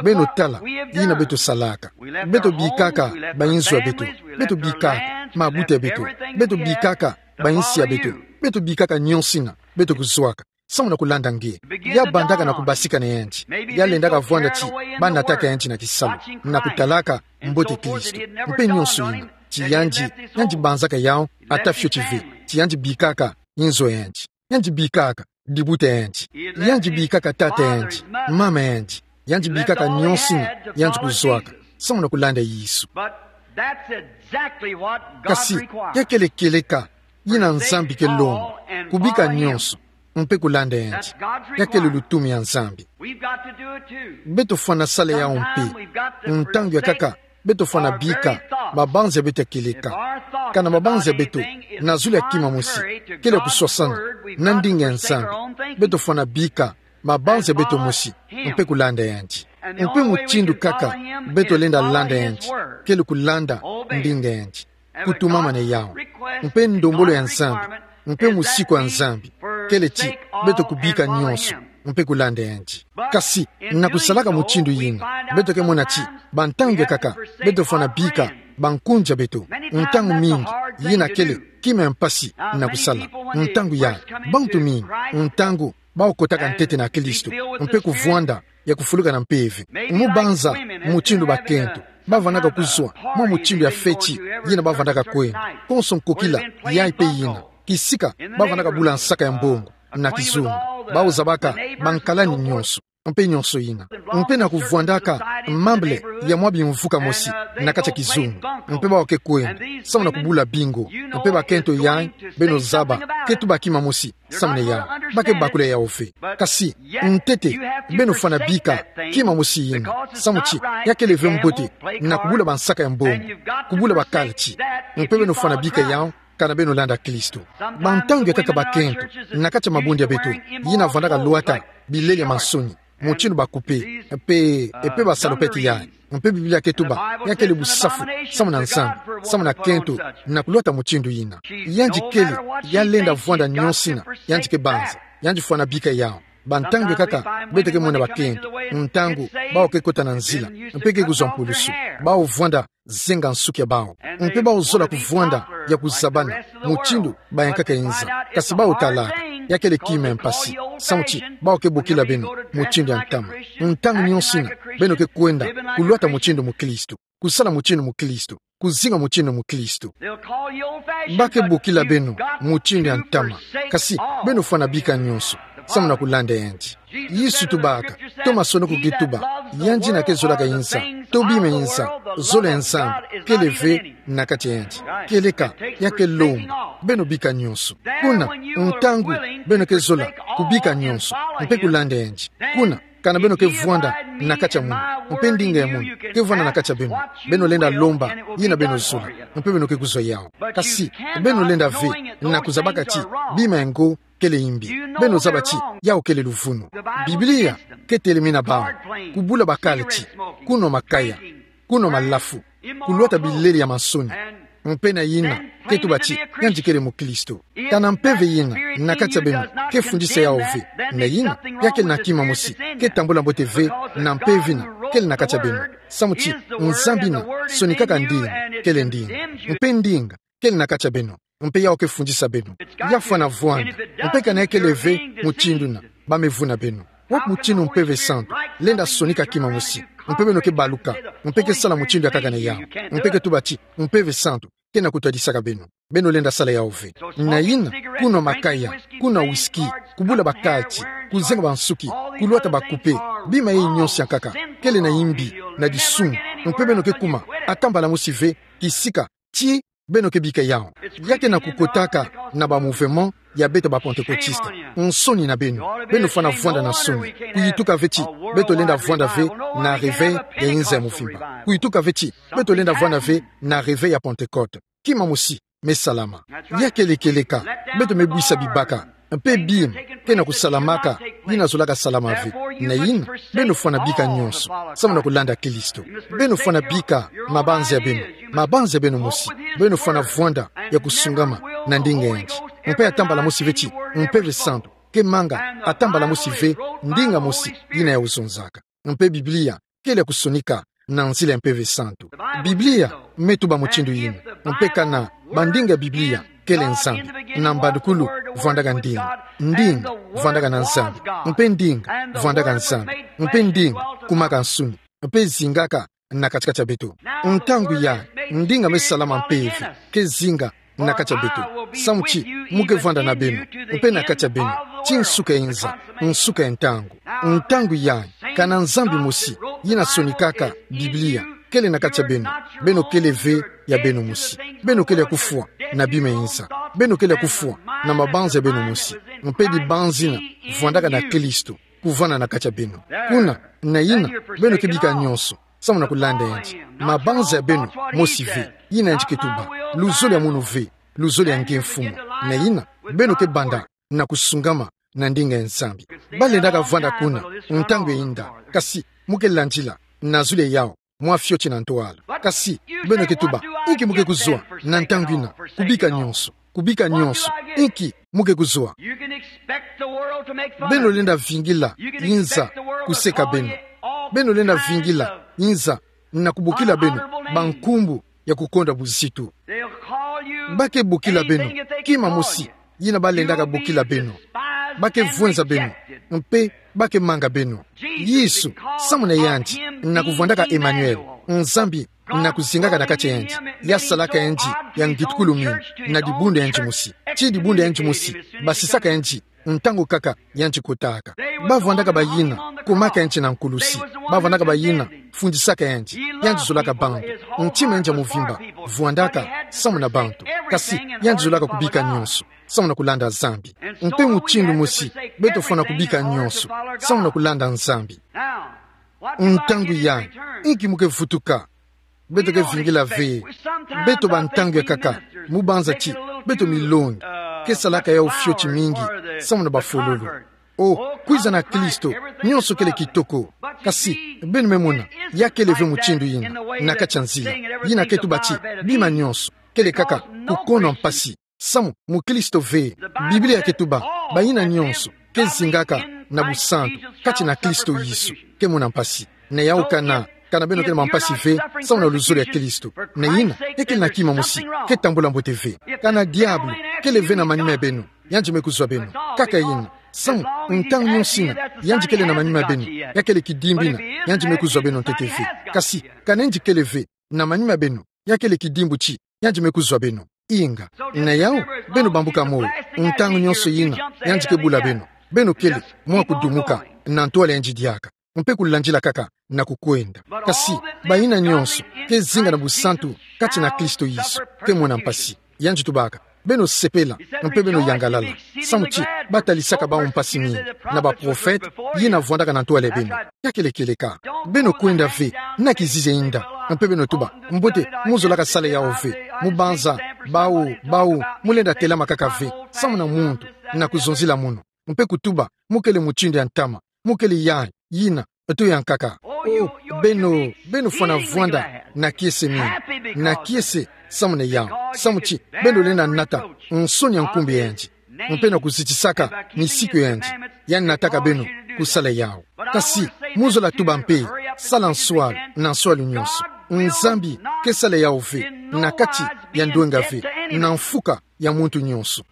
Beno tala, yina beto salaka. Beto bikaka, ba inzo ya beto. Beto bikaka, mabuta ya beto. Beto bikaka, ba insi ya beto. Beto bikaka nionso yina, beto kuzwaka. Samu na kulanda nge. Ya bandaka na kubasika na yandi. Ya lendaka vwanda ti, ba nataka yandi na kisalu. Na kutalaka, mbote Kristo. Mpe nionso yina. Ti yandi, yandi banzaka yawu, ata fioti ve. Ti yandi bikaka, inzo ya yandi. Yandi bikaka, dibuta ya yandi. Yandi bikaka tata ya yandi, mama ya yandi. Yandi bikaka nionso yina, yandi kuzwaka. Samu na kulanda Yesu. But that's exactly what God requires. Kasi, ya kele kieleka, yina Nzambi ke lomba, kubika nionso, mpe kulanda yandi. That's God's requirement. Ya kele lutumu ya Nzambi. We've got to do it too. Beto fwana sala yawu mpe. Sometime we've got to forsake our very thoughts. Ntangu yakaka, beto fwana bika, mabanza ya beto ya kieleka. If our thoughts about anything is contrary to God's word, we've got to forsake our own thinking and follow Him. Kana mabanza ya beto, na zulu ya kima mosi, kele kuswasana, na ndinga ya Nzambi. Beto fwana bika, mabanza ya beto mosi, mpe kulanda yandi. Mpe mutindu kaka, beto lenda landa yandi, kele kulanda ndinga yandi. Kutumamana yawu. Mpe ndombolo ya Nzambi, mpe musiku ya Nzambi, kele ti, beto kubika nionso, mpe kulanda yandi. Kasi, na kusalaka mutindu yina, beto ke mona ti, bantangu yakaka, beto fwana bika, bankunzi ya beto, ntangu mingi, yina kele, kima ya mpasi, na kusala, ntangu ya, bantu mingi, ntangu, bawu kotaka ntete na Kristo, mpe kuvwanda, ya kufuluka na mpeve. Mu banza, mutindu bakento, bavwandaka kuzwa, mwa mutindu ya feti, yina bavwandaka kwenda. Konso nkokila, yayi mpe yina. Kisika, bavwandaka bula nsaka ya mbongo, na kizunga. Bawu zabaka, bankalani nionso. Mpe nionso yina. Mpe na kuvwandaka, membre ya mwa bimvuka mosi, na kati ya kizunga. Mpe bawu ke kwenda, samu na kubula bingo. Mpe bakento yayi, beno zaba, ke tuba kima mosi, samu na yawu. Ba ke bakula yawu ve. Kasi, ntete, beno fwana bika, kima mosi yina. Samu ti, ya kele ve mbote, na kubula bansaka ya mbongo. Kubula bakalati. Mpe beno fwana bika yawu, kana beno landa Kristo. Bantangu yakaka bakento, na kati ya mabundu ya beto, yina vwandaka lwata, bilele ya mansoni, mutindu ba coupe, mpe, mpe ba salopette yayi. Mpe Biblia ke tuba, ya kele busafu, samu na Nzambi, samu na kento, na kulwata mutindu yina. Yandi kele, ya lenda vwanda nionso yina, yandi ke banza, yandi fwana bika yawu. Bantangu yakaka, beto ke mona bakento, ntangu, bawu ke kota na nzila, mpe ke kuzwa mpulusu, bawu vwanda, zenga nsuki ya bawu. Mpe bawu zola kuvwanda, ya kuzabana, mutindu, bayankaka inza. Kasi bawu talaka, ya kele kima ya mpasi. Samu ti, bawu ke bokila beno, mutindu ya ntama. Ntangu nionso yina, beno ke kwenda, kulwata mutindu mukristo. Kusala mutindu mukristo. Kuzinga mutindu mukristo. Ba ke bokila beno, mutindu ya ntama. Kasi, beno fwana bika nionso. Samu na kulanda yandi. Yesu tubaka, Toma sono ko ke tuba, yandi yina ke zolaka inza, tobima inza, zolo ya Nzambi, kele ve na kati ya yandi. Kieleka, ya ke lomba, beno bika nionso. Kuna, ntangu, beno ke zola, kubika nionso, mpe kulanda yandi. Kuna, kana beno ke vwanda na kati ya munu, mpe ndinga ya munu ke vwanda na kati ya beno, beno lenda lomba yina beno zola, mpe beno ke kuzwa yawu. Kasi, beno lenda ve, na kuzabaka ti, bima ya ngo, kele yimbi. Beno zaba ti, yawu kele luvunu. Biblia, ke telemina bawu, kubula bakalati, kunwa makaya, kunwa malafu, kulwata bilele ya mansoni. Mpe na yina, ke tuba ti, yandi kele mukristo. Kana mpeve yina, na kati ya beno, ke fundisa yawu ve. Na yina, ya kele na kima mosi, ke tambula mbote ve, na mpeve yina, kele na kati ya beno. Samu ti, Nzambi yina, sonikaka ndinga, kele ndinga. Mpe ndinga, kele na kati ya beno. Mpe yawu ke fundisa beno. Ya fwana vwanda. Mpe kana ya kele ve, mutindu yina, ba me vuna beno. Wapi mutindu Mpeve Santu lenda sonika kima mosi? Mpe beno ke baluka, mpe ke sala mutindu ya kaka na yau, mpe ke tuba ti, Mpeve Santu, ke na kutwadisaka beno. Beno lenda sala yau ve. Na yina, kunwa makaya, kunwa whisky, kubula bakati, kuzenga bansuki, kulwata bakupe, bima yeyi nyonso ya nkaka, kele na imbi, na disumu, mpe beno ke kuma, atambala mosi ve, kisika, ti beno ke bika yau. Ya ke na kukotaka na ba mouvement ya beto ba Pentecôtiste. Nsoni na beno. Beno fwana vwanda na nsoni. Kuyituka ve ti beto lenda vwanda ve na réveil ya inza ya mvimba. Kuyituka ve ti beto lenda vwanda ve na réveil ya Pentecôte. Kima mosi me salama. Ya kele kieleka, beto me bwisa bibaka, mpe bima ke na kusalamaka, yina zolaka salama ve. Na yina, beno fwana bika nyonso samu na kulanda Kristo. Beno fwana bika mabanza ya beno, mabanza ya beno mosi. Beno fwana vwanda ya kusungama na ndinga yandi. Mpe atambala mosi ve ti Mpeve Santu ke manga atambala mosi ve ndinga mosi yina ya ozonzaka. Mpe Biblia kele ya kusonika na nzila ya Mpeve Santu. Biblia me tuba mutindu yina. Mpe kana bandinga ya Biblia kele Nzambi. Na mbandukulu vwandaka ndinga. Ndinga vwandaka na Nzambi. Mpe ndinga vwandaka Nzambi. Mpe ndinga kumaka nsuni. Mpe zingaka na kati-kati ya beto. Ntangu yayi, ndinga me salama mpeve ke zinga na kati ya beto. Samu ti mu ke vwanda na beno, mpe na kati ya beno, ti nsuka ya inza, nsuka ya ntangu. Ntangu yayi, kana Nzambi mosi yina sonikaka Biblia kele na kati ya beno, beno kele ve ya beno mosi. Beno kele ya kufwa na bima ya inza. Beno kele ya kufwa na mabanza ya beno mosi. Mpe dibanzina vwandaka na Kristo kuvwanda na kati ya beno. Kuna, na yina, beno ke bika nyonso samu na kulanda yandi. Mabanza ya beno mosi ve, yina yandi ke tuba. Luzolo ya munu ve, luzolo ya nge Mfumu. Na yina, beno ke banda na kusungama na ndinga ya Nzambi. Balendaka vwanda kuna ntangu ya inda, kasi mu ke landila na zulu ya yau mwa fioti na ntwala. Kasi beno ke tuba, inki mu ke kuzwa na ntangu yina? Kubika nyonso, kubika nyonso. Inki mu ke kuzwa? Beno lenda vingila inza kuseka beno. Beno lenda vingila inza na kubokila beno bankumbu ya kukonda buzitu. Ba ke bokila beno kima mosi yina balendaka bokila beno. Ba ke vwenza beno, mpe ba ke manga beno. Yesu, samu na yandi, na kuvwandaka Emmanuel, Nzambi na kuzingaka na kati ya yandi, ya salaka yandi ya ngitukulu mingi, na dibundu ya yandi mosi. Ti dibundu ya yandi mosi basisaka yandi ntangu kaka yandi kotaka. Ba vwandaka bayina komaka yandi na nkulusi. Ba vwandaka bayina fundisaka yandi. Yandi zolaka bantu. Ntima yandi ya mvimba vwandaka samu na bantu. Kasi yandi zolaka kubika nyonso samu na kulanda Nzambi. Mpe mutindu mosi, beto fwana kubika nyonso samu na kulanda Nzambi. Ntangu yayi, inki mu ke vutuka? Beto ke vingila ve. Beto ba ntangu ya nkaka, mu banza ti beto milongi ke salaka yau fioti mingi samu na bafololo. O, kwiza na Kristo, nyonso kele kitoko. Kasi beno me mona, ya kele ve mutindu yina na kati ya nzila. Yina ke tuba ti bima nyonso kele kaka kukonda mpasi samu mukristo ve. Biblia ke tuba, bayina nyonso ke zingaka na busantu kati na Kristo Yesu ke mona mpasi. Na yau kana, kana beno kele mwa mpasi ve samu na luzolo ya Kristo, na yina, ya kele na kima mosi ke tambula mbote ve. Kana diabulu kele ve na manima ya beno, yandi me kuzwa beno. Kaka yina, samu ntangu nyonso yina yandi kele na manima ya beno, ya kele kidimbu yina, yandi me kuzwa beno ntete ve. Kasi kana yandi kele ve na manima ya beno, ya kele kidimbu ti yandi me kuzwa beno. Inga. Na yau, beno bambuka moyo. Ntangu nyonso yina yandi ke bula beno, beno kele mwa kudumuka na ntwala yandi diaka, mpe kulandila kaka na kukwenda. Kasi bayina nyonso ke zinga na busantu kati na Kristo Yesu ke mona mpasi. Yandi tubaka, beno sepela, mpe beno yangalala, samu ti ba talisaka bau mpasi mingi na baprofete yina vwandaka na ntwala ya beno. Ya kele kieleka. Beno kwenda ve na kizizi ya inda, mpe beno tuba, mbote, mu zolaka sala yau ve. Mu banza, bau, bau, mu lenda telama kaka ve samu na muntu na kuzonzila munu, mpe kutuba mu kele mutindu ya ntama, mu kele yayi, yina, to ya nkaka. O, beno, beno fwana vwanda na kiese mingi, na kiese samu na yau, samu ti beno lenda nata nsoni ya nkumbu ya yandi, mpe na kuzitisaka misiku ya yandi, yandi nataka beno kusala yau. Kasi mu zola tuba mpe, sala nswalu na nswalu nyonso. Nzambi ke sala yau ve na kati ya ndwenga ve, na mfuka ya muntu nyonso.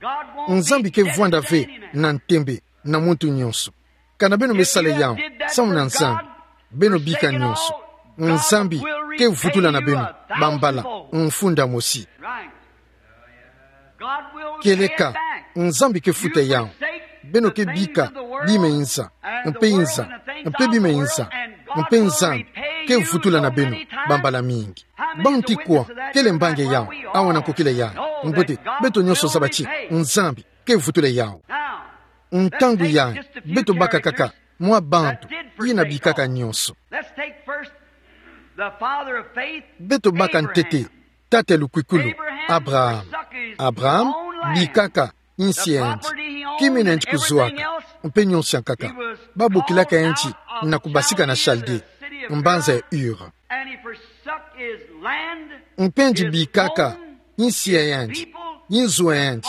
Nzambi ke vwanda ve na ntembe na muntu nyonso. Kana beno me sala yawu, samu na Nzambi, beno bika nyonso. Nzambi ke vutula na beno bambala mfunda mosi. Kieleka, Nzambi ke futa yawu. Beno ke bika bima inza, mpe inza, mpe bima inza, mpe Nzambi ke vutula na beno bambala mingi. Bantu kwa kele mbangi yawu, awa na nkokila yayi? Mbote, beto nyonso zaba ti Nzambi ke vutula yawu. Ntangu yayi, beto baka kaka mwa bantu yina bikaka nyonso. Beto baka ntete tata lukwikulu, Abraham. Abraham bikaka insi ya yandi, kima yina yandi kuzwaka, mpe nyonso ya nkaka. Babokilaka yandi na kubasika na Chaldée, mbanza ya Ur. Mpe yandi bikaka insi ya yandi, inzo ya yandi,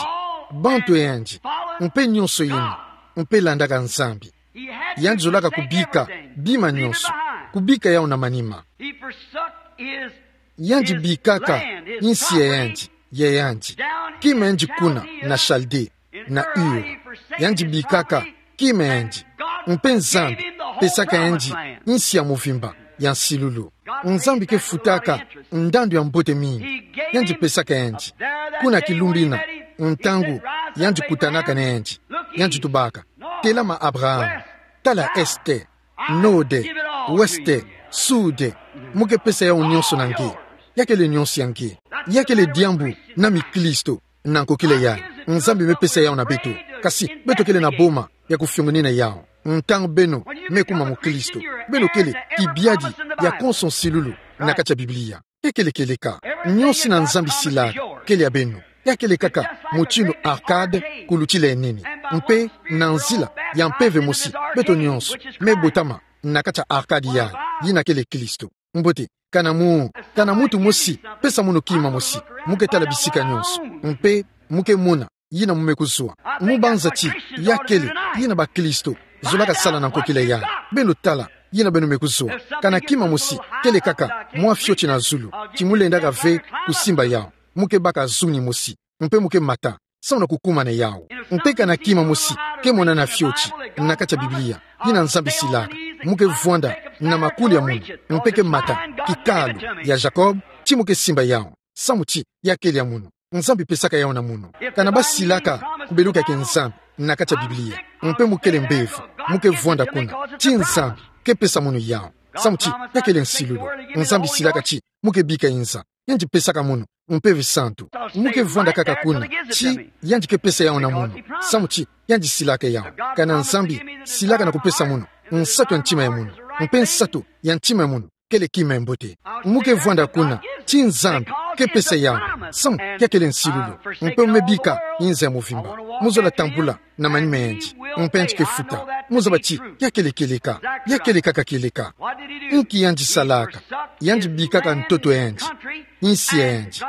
bantu ya yandi, mpe nyonso yina, mpe landaka Nzambi. Yandi zolaka kubika bima nyonso, kubika yawu na manima. Yandi bikaka insi ya yandi, ya yandi, kima yandi kuna na Chaldée, na Ur. Yandi bikaka kima yandi, mpe Nzambi pesaka yandi insi ya mvimba ya nsilulu. Nzambi ke futaka ndandu ya mbote mingi. Yandi pesaka yandi. Kuna kilumbu yina, ntangu yandi kutanaka na yandi, yandi tubaka: Telama, Abraham, tala este, node, weste, sude, mu ke pesa yawu nyonso na nge. Ya kele nyonso ya nge. Ya kele diambu na mikristo na nkokila yayi. Nzambi me pesa yawu na beto. Kasi beto kele na boma ya kufiongonina yawu. Ntangu beno me kuma mukristo, beno kele kibiadi ya konso nsilulu na kati ya Biblia. Ya kele kieleka. Nyonso yina Nzambi silaka kele ya beno. Ya kele kaka motinu Arcade kulutila ya nene. Mpe na nzila ya mpeve mosi, beto nyonso me botama na kati ya Arcade yayi, yina kele Kristo. Mbote, kana mu, kana muntu mosi pesa munu kima mosi, mu ke tala bisika nyonso, mpe mu ke mona yina mu me kuzwa. Mu banza ti ya kele yina bakristo zolaka sala na nkokila yayi. Beno tala yina beno me kuzwa. Kana kima mosi kele kaka mwa fioti na zulu, ti mu lendaka ve kusimba yawu, mu ke baka zuni mosi, mpe mu ke mata samu na kukumana yawu. Mpe kana kima mosi ke monana fioti na kati ya Biblia yina Nzambi silaka, mu ke vwanda na makuli ya munu, mpe ke mata kikalu ya Jacob, ti mu ke simba yawu, samu ti ya kele ya munu. Nzambi pesaka yawu na munu. Kana basilaka kubeluka kia Nzambi na kati ya Biblia, mpe mu kele mbevo, mu ke vwanda kuna, ti Nzambi ke pesa munu yawu, samu ti ya kele nsilulu. Nzambi silaka ti mu ke bika inza, yandi pesaka munu Mpeve Santu. Mu ke vwanda kaka kuna, ti yandi ke pesa yawu na munu, samu ti yandi silaka yawu. Kana Nzambi silaka na kupesa munu nsatu ya ntima ya munu, mpe nsatu ya ntima ya munu kele kima ya mbote. Mu ke vwanda kuna, ti Nzambi ke pesa yawu, samu ya kele nsilulu. Mpe mu me bika inza ya mvimba, mu zola tambula na manima ma yandi, mpe yandi ke futa. Mu zaba ti ya kele kieleka, ya kele kaka kieleka. Nki yandi salaka? Yandi bikaka ntoto ya yandi, insi ya yandi,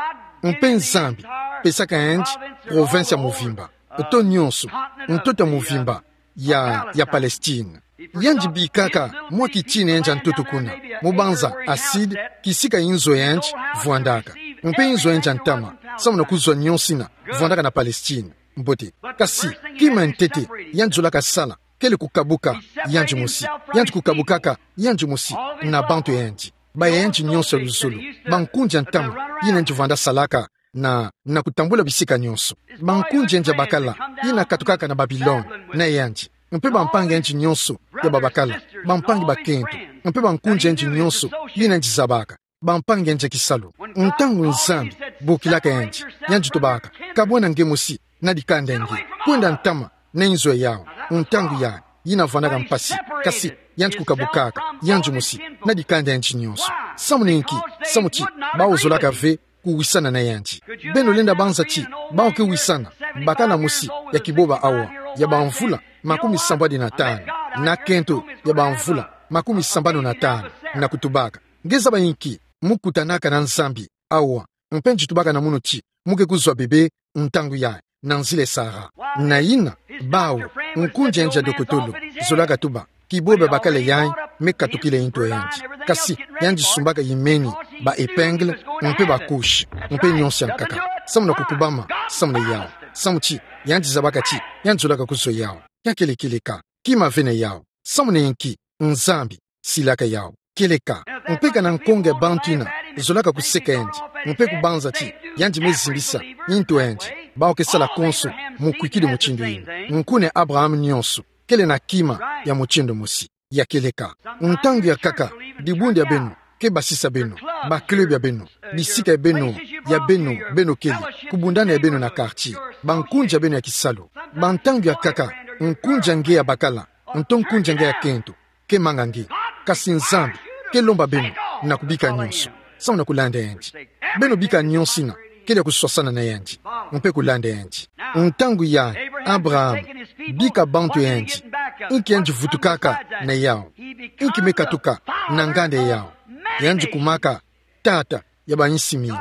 mpe Nzambi pesaka yandi province ya mvimba, to nyonso ntoto ya mvimba ya, ya Palestine. Yandi bikaka mwa kitina ya yandi ya ntoto kuna, mu banza Aside, kisika inzo ya yandi vwandaka, mpe inzo ya yandi ya ntama, samu na kuzwa nyonso yina vwandaka na Palestine. Mbote. Kasi kima ya ntete yandi zolaka sala kele kukabuka yandi mosi. Yandi kukabukaka yandi mosi na bantu ya yandi, baya yandi nyonso ya luzolo, bankundi ya ntama yina yandi vwanda salaka na, na kutambula bisika nyonso. Bankundi ya yandi ya bakala yina katukaka na Babilone na yandi, mpe bampangi ya yandi nyonso ya babakala, bampangi bakento, mpe bankundi ya yandi nyonso yina yandi zabaka, bampangi ya yandi ya kisalu. Ntangu Nzambi bokilaka yandi, yandi tubaka: Kabwana nge mosi na dikanda ya nge, kwenda ntama na inzo ya yawu. Ntangu yayi, yina vwandaka mpasi, kasi yandi kukabukaka yandi mosi na dikanda ya yandi nyonso. Samu na inki? Samu ti bawu zolaka ve kuwisana na yandi. Beno lenda banza ti bawu ke wisana bakala mosi ya kiboba awa, ya bamvula makumi sambwadi na tanu, na kento ya bamvula makumi sambanu na tanu, na kutubaka: Nge zaba inki? Mu kutanaka na Nzambi awa, mpe yandi tubaka na munu ti mu ke kuzwa bebe ntangu yayi, na nzila Sara. Na yina, bawu, nkundi ya yandi ya dokotolo zolaka tuba: Kiboba ya bakala yayi me katukila nto ya yandi. Kasi yandi sumbaka yimeni, ba épingle, mpe ba couche, mpe nyonso ya nkaka, samu na kukubama samu na yawu. Samu ti yandi zabaka ti yandi zolaka kuzwa yawu. Ya kele kieleka. Kima ve na yawu. Samu na inki? Nzambi silaka yawu. Kieleka. Mpe kana nkonge bantu ina zolaka kuseka yandi, mpe kubanza ti yandi me zimbisa ntu yandi, bawu ke sala konso mukwikidi mutindu ina. Nkuna Abraham nyonso kele na kima ya mutindu mosi. Ya kieleka. Ntangu yankaka, dibundu ya beno ke basisa beno, ba club ya beno, bisika ya beno, ya beno, beno kele, kubundana ya beno na quartier, bankunzi ya beno ya kisalu. Bantangu yankaka, nkunzi ya nge ya bakala, nto nkunzi ya nge ya kento, ke manga nge. Kasi Nzambi ke lomba beno na kubika nyonso samu na kulanda yandi. Beno bika nyonso ina kele ya kuswasana na yandi, mpe kulanda yandi. Ntangu yayi, Abraham bika bantu ya yandi, inki yandi vutukaka na yawu? Inki me katuka na nganda yawu? Yandi kumaka tata ya bayinsi mingi.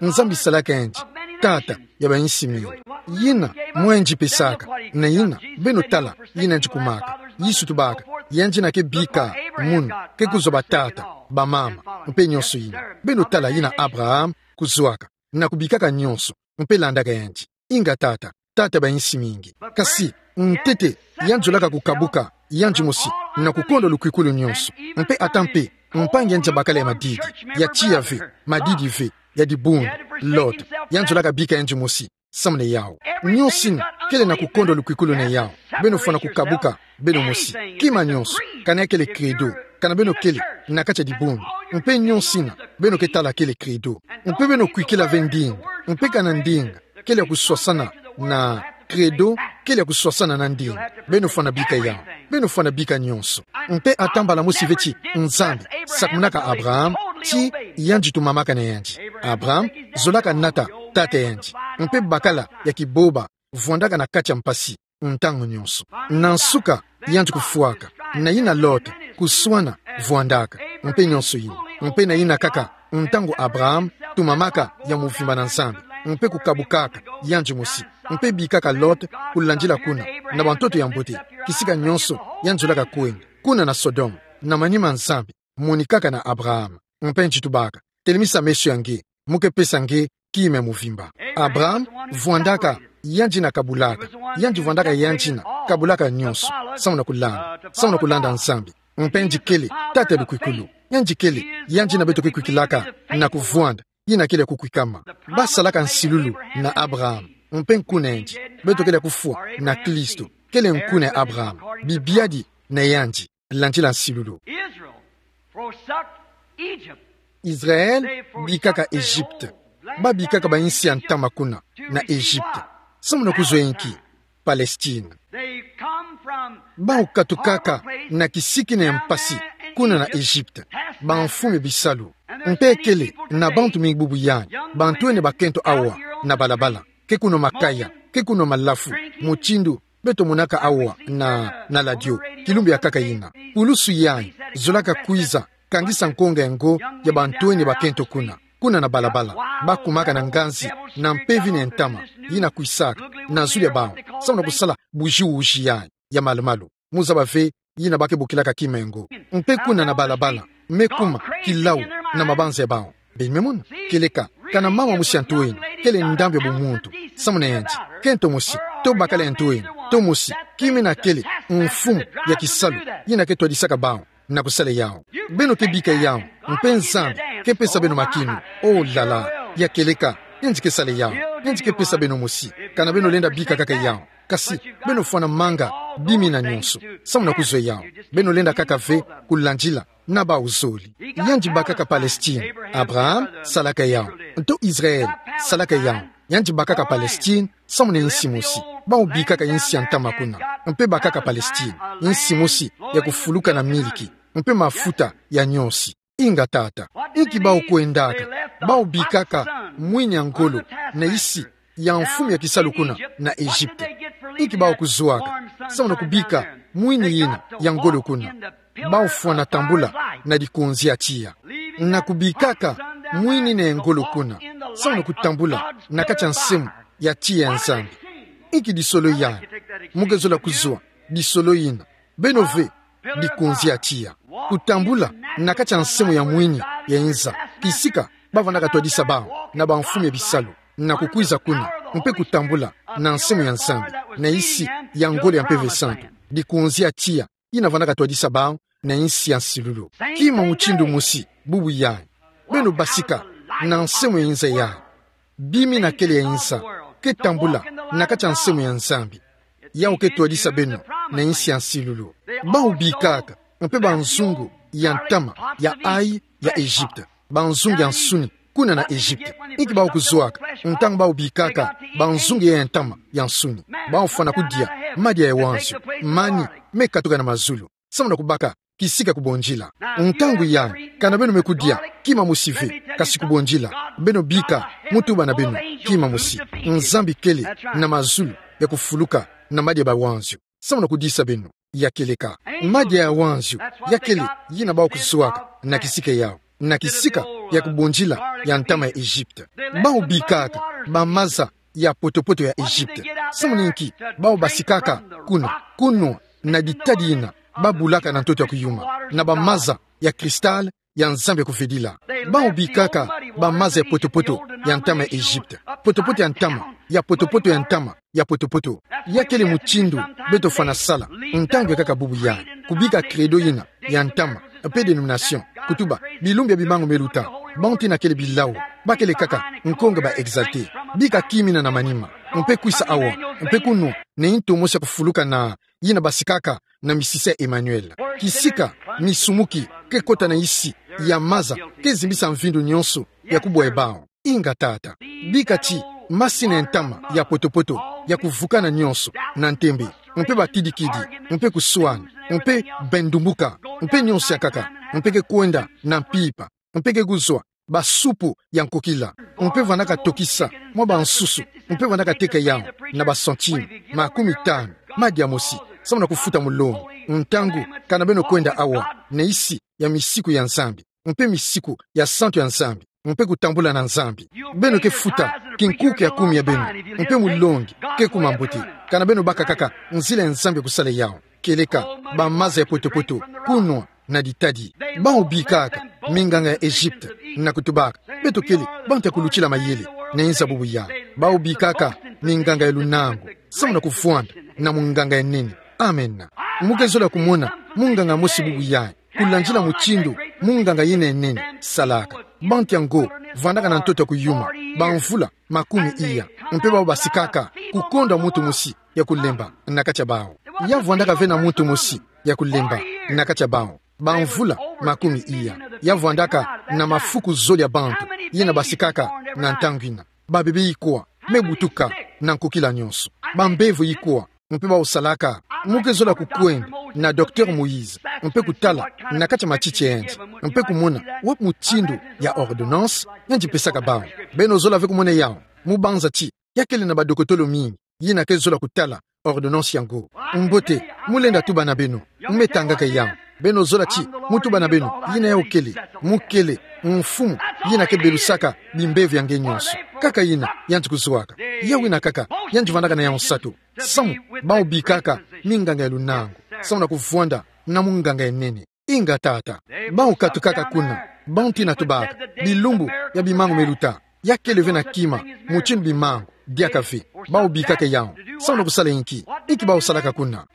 Nzambi salaka yandi tata ya bayinsi mingi. Yina mwendi pesaka, na yina beno tala yina yandi kumaka. Yesu tubaka, yandi na ke bika munu, ke kuzwa batata, bamama, mpe nyonso yina. Beno tala yina Abraham kuzwaka, na kubikaka nyonso, mpe landaka yandi. Inga tata, tata ya bayinsi mingi. Kasi, ntete, yandi zolaka kukabuka yandi mosi na kukondwa lukwikulu nyonso. Mpe ata mpe mpangi yandi ya bakala ya madidi, ya tiya ve, madidi ve, ya dibundu, Lot, yandi zolaka bika yandi mosi samu na yawu. Nyonso ina kele na kukondwa lukwikulu na yawu. Beno fwana kukabuka beno mosi. Kima nyonso, kana ya kele credo, kana beno kele na kati ya dibundu, mpe nyonso ina beno ke tala kele credo. Mpe beno kwikila ve ndinga, mpe kana ndinga kele ya kuswasana na credo, kele ya kuswasana na ndinga, beno fwana bika yawu. Beno fwana bika nyonso. Mpe ata mbala mosi ve ti Nzambi sakumunaka Abraham ti yandi tumamaka na yandi. Abraham zolaka nata tata ya yandi, mpe bakala ya kiboba vwandaka na kati ya mpasi ntangu nyonso. Na nsuka, yandi kufwaka, na yina Lot kuswana vwandaka, mpe nyonso yina. Mpe na yina kaka ntangu Abraham tumamaka ya muvimba na Nzambi, mpe kukabukaka yandi mosi, mpe bikaka Lot kulandila kuna na bantoto ya mbote, kisika nyonso yandi zolaka kwenda, kuna na Sodome. Na manima Nzambi monikaka na Abraham, mpe yandi tubaka: Telemisa meso ya nge, mu ke pesa nge kima ya muvimba. Abraham vwandaka yandi na kabulaka, yandi vwandaka yandi na kabulaka nyonso samu na kulanda, samu na kulanda Nzambi. Mpe yandi kele tata ya lukwikulu. Yandi kele yandi na beto ke kwikilaka na kuvwanda, yina kele ya kukwikama. Basalaka nsilulu na Abraham, mpe nkuna yandi. Beto kele ya kufwa na Kristo, kele nkuna ya Abraham, bibiadi na yandi, landila nsilulu. Israel forsook Egypt. Israel bikaka Egypte. Ba bikaka bayinsi ya ntama kuna na Egypte. Samu na kuzwa inki? Palestine. They come from that other place. Bawu katukaka na kisiki na ya mpasi kuna na Egypte, bamfumu ya bisalu. Mpe kele na bantu mingi bubu yandi, bantwenia bakento awa na balabala, ke kuno makaya, ke kuno malafu, mutindu beto monaka awa na, na radio, kilumbu ya nkaka yina. Pulusu yayi zolaka kwiza kangisa nkonga ya ngo ya bantwenia bakento kuna, kuna na balabala. Bakumaka na nganzi na mpeve na ntama yina kwisaka na zulu ya bawu, samu na kusala bujiwuji yayi ya malumalu. Mu zaba ve yina ba ke bokilaka kima ya ngo. Mpe kuna na balabala, me kuma kilawu na mabanza ya bawu. Beno me mona? Kieleka, kana mama mosi ya ntwenia, kele ndambu ya bumuntu samu na yandi. Kento mosi, to bakala ya ntwenia, to mosi, kima yina kele mfumu ya kisalu, yina ke twadisaka bawu na kusala yawu. Beno ke bika yawu, mpe Nzambi ke pesa beno makinu. Oh là là, ya kieleka, yandi ke sala yawu, yandi ke pesa beno mosi, kana beno lenda bika kaka yawu. Kasi beno fwana manga bima yina nyonso samu na kuzwa yawu. Beno lenda kaka ve kulandila na bawu zole. Yandi bakaka Palestine. Abraham salaka yawu. Nto Israel salaka yawu. Yandi bakaka Palestine samu na yinsi mosi. Bawu bikaka yinsi ya ntama kuna. Mpe bakaka Palestine, yinsi mosi ya kufuluka na miliki mpe mafuta ya nyosi. Inga tata, inki bawu kwendaka? Bawu bikaka mwini ya ngolo na yisi ya mfumu ya kisalu kuna na Egypte. Inki bawu kuzwaka samu na kubika mwini yina ya ngolo kuna? Bawu fwana tambula na dikonzi ya tiya. Na kubikaka mwini yina ya ngolo kuna samu na kutambula na kati ya nsemo ya tiya ya Nzambi. Inki disolo yayi? Mu ke zola kuzwa disolo yina. Beno ve, dikonzi ya tiya. Kutambula na kati ya nsemo ya mwini ya inza, kisika ba vandaka twadisa bawu na bamfumu ya bisalu, na kukwiza kuna, mpe kutambula na nsemo ya Nzambi, na yisi ya ngolo ya Mpeve Santu, dikonzi ya tiya. yina vandaka twadisa bau na insi ya nsilulu. Kima mutindu mosi, bubu yayi. Beno basika na nsemoi ya inza yayi. Bimi na kele ya inza, ke tambula na kati ya nsemoi ya Nzambi. Yawu ke twadisa beno na insi ya nsilulu. Bau bikaka, mpe banzungu ya ntama ya ayi ya Egypte. Banzungu ya nsuni, kuna na Egypte. Inki bau kuzwaka, ntangu bau bikaka banzungu ya ntama ya nsuni? Bau fwana kudia madia ya wanzio, mani me katuka na mazulu. Samu na kubaka kisika ku bondila. Ntangu yayi, kana beno me kudia kima mosi ve, kasi ku bondila. Beno bika mu tuba na beno kima mosi. Nzambi kele na mazulu ya kufuluka na madia ba wanzio. Samu na kudisa beno, ya keleka. Madia ya wanzio, ya kele yina bau kuzwaka na kisika yawu. Na kisika ya ku bondila ya ntama ya Egypte. Bau bikaka bamaza ya poto-poto ya Egypte. Samu na inki? Bau basikaka kuna, kunwa na ditadi yina ba bulaka na ntoto ya kuyuma, na bamaza ya cristal ya Nzambi ya kuvedila. Bau bikaka bamaza ya poto-poto ya ntama ya Egypte. Poto-poto ya ntama, ya poto-poto ya ntama, ya poto-poto. Ya kele mutindu beto fwana sala, ntangu ya kaka bubu yayi. Kubika credo yina ya ntama, mpe dénomination, kutuba, bilumbu ya bimangu me luta, bantu yina kele bilau, ba kele kaka nkonga ba exalté. Bika kima yina na manima, mpe kwisa awa, mpe kunwa na ntomosi ya kufuluka na yina basikaka na misisa ya Emmanuel. Kisika misumuki ke kota na isi ya maza, ke zimbisa mvindu nyonso ya kubwa ya bau. Inga, Tata. Bika ti masini ya ntama ya poto-poto ya kuvukana nyonso na ntembe, mpe bakidi-kidi, mpe kuswana, mpe bendumbuka, mpe nyonso ya nkaka, mpe ke kwenda na mpimpa, mpe ke kuzwa basupu ya nkokila, mpe vandaka tokisa mwa bansusu, mpe vandaka teka yawu na ba centime makumi tanu, madia mosi, samu na kufuta mulongi. Ntangu kana beno kwenda awa na isi ya misiku ya Nzambi, mpe misiku ya santu ya Nzambi, mpe kutambula na Nzambi, beno ke futa kinkuke ya kumi ya beno, mpe mulongi ke kuma mbote. Kana beno baka kaka nzila ya Nzambi ya kusala yawu. Kieleka bamaza ya poto-poto, kunwa na ditadi. Bau bikaka minganga ya Egypte na kutubaka: Beto kele bantu ya kulutila mayele na inza bubu yayi. Bau bikaka minganga ya lunangu, samu na kuvwanda na munganga ya nene. Amen. Mu ke zola kumona munganga mosi bubu yayi, kulandila mutindu munganga yina ya nene salaka. Bantu yango vandaka na ntoto ya kuyuma bamvula makumi iya, mpe bau basikaka kukonda muntu mosi ya kulemba na kati ya bau. Ya vwandaka ve na muntu mosi ya kulemba na kati ya bau bamvula makumi iya. Ya vwandaka na mafuku zole ya bantu yina basikaka na ntangu yina. Babebe ikwa me butuka na nkokila nyonso. Bambevo ikwa, mpe bau salaka. Mu ke zola kukwenda na docteur Moïse, mpe kutala na kati ya matiti yandi, mpe kumona wapi mutindu ya ordonnance yandi pesaka bau. Beno zola ve kumona yawu. Mu banza ti ya kele na badokotolo mingi yina ke zola kutala ordonnance yango. Mbote, mu lenda tuba na beno. Mu me tangaka yawu. Beno zola ti mu tuba na beno yina yawu kele. Mu kele mfumu yina ke belusaka bimbevo ya nge nyonso. Kaka yina yandi kuzwaka. Yawu yina kaka yandi vandaka na yawu nsato. Samu bau bikaka minganga ya lunangu, samu na kuvwanda na munganga ya nene. Inga, Tata. Bau katukaka kuna, bantu yina tubaka bilumbu ya bimangu me luta. Ya kele ve na kima mutindu bimangu diaka ve. Bau bikaka yawu. Samu na kusala inki? Inki bau salaka kuna?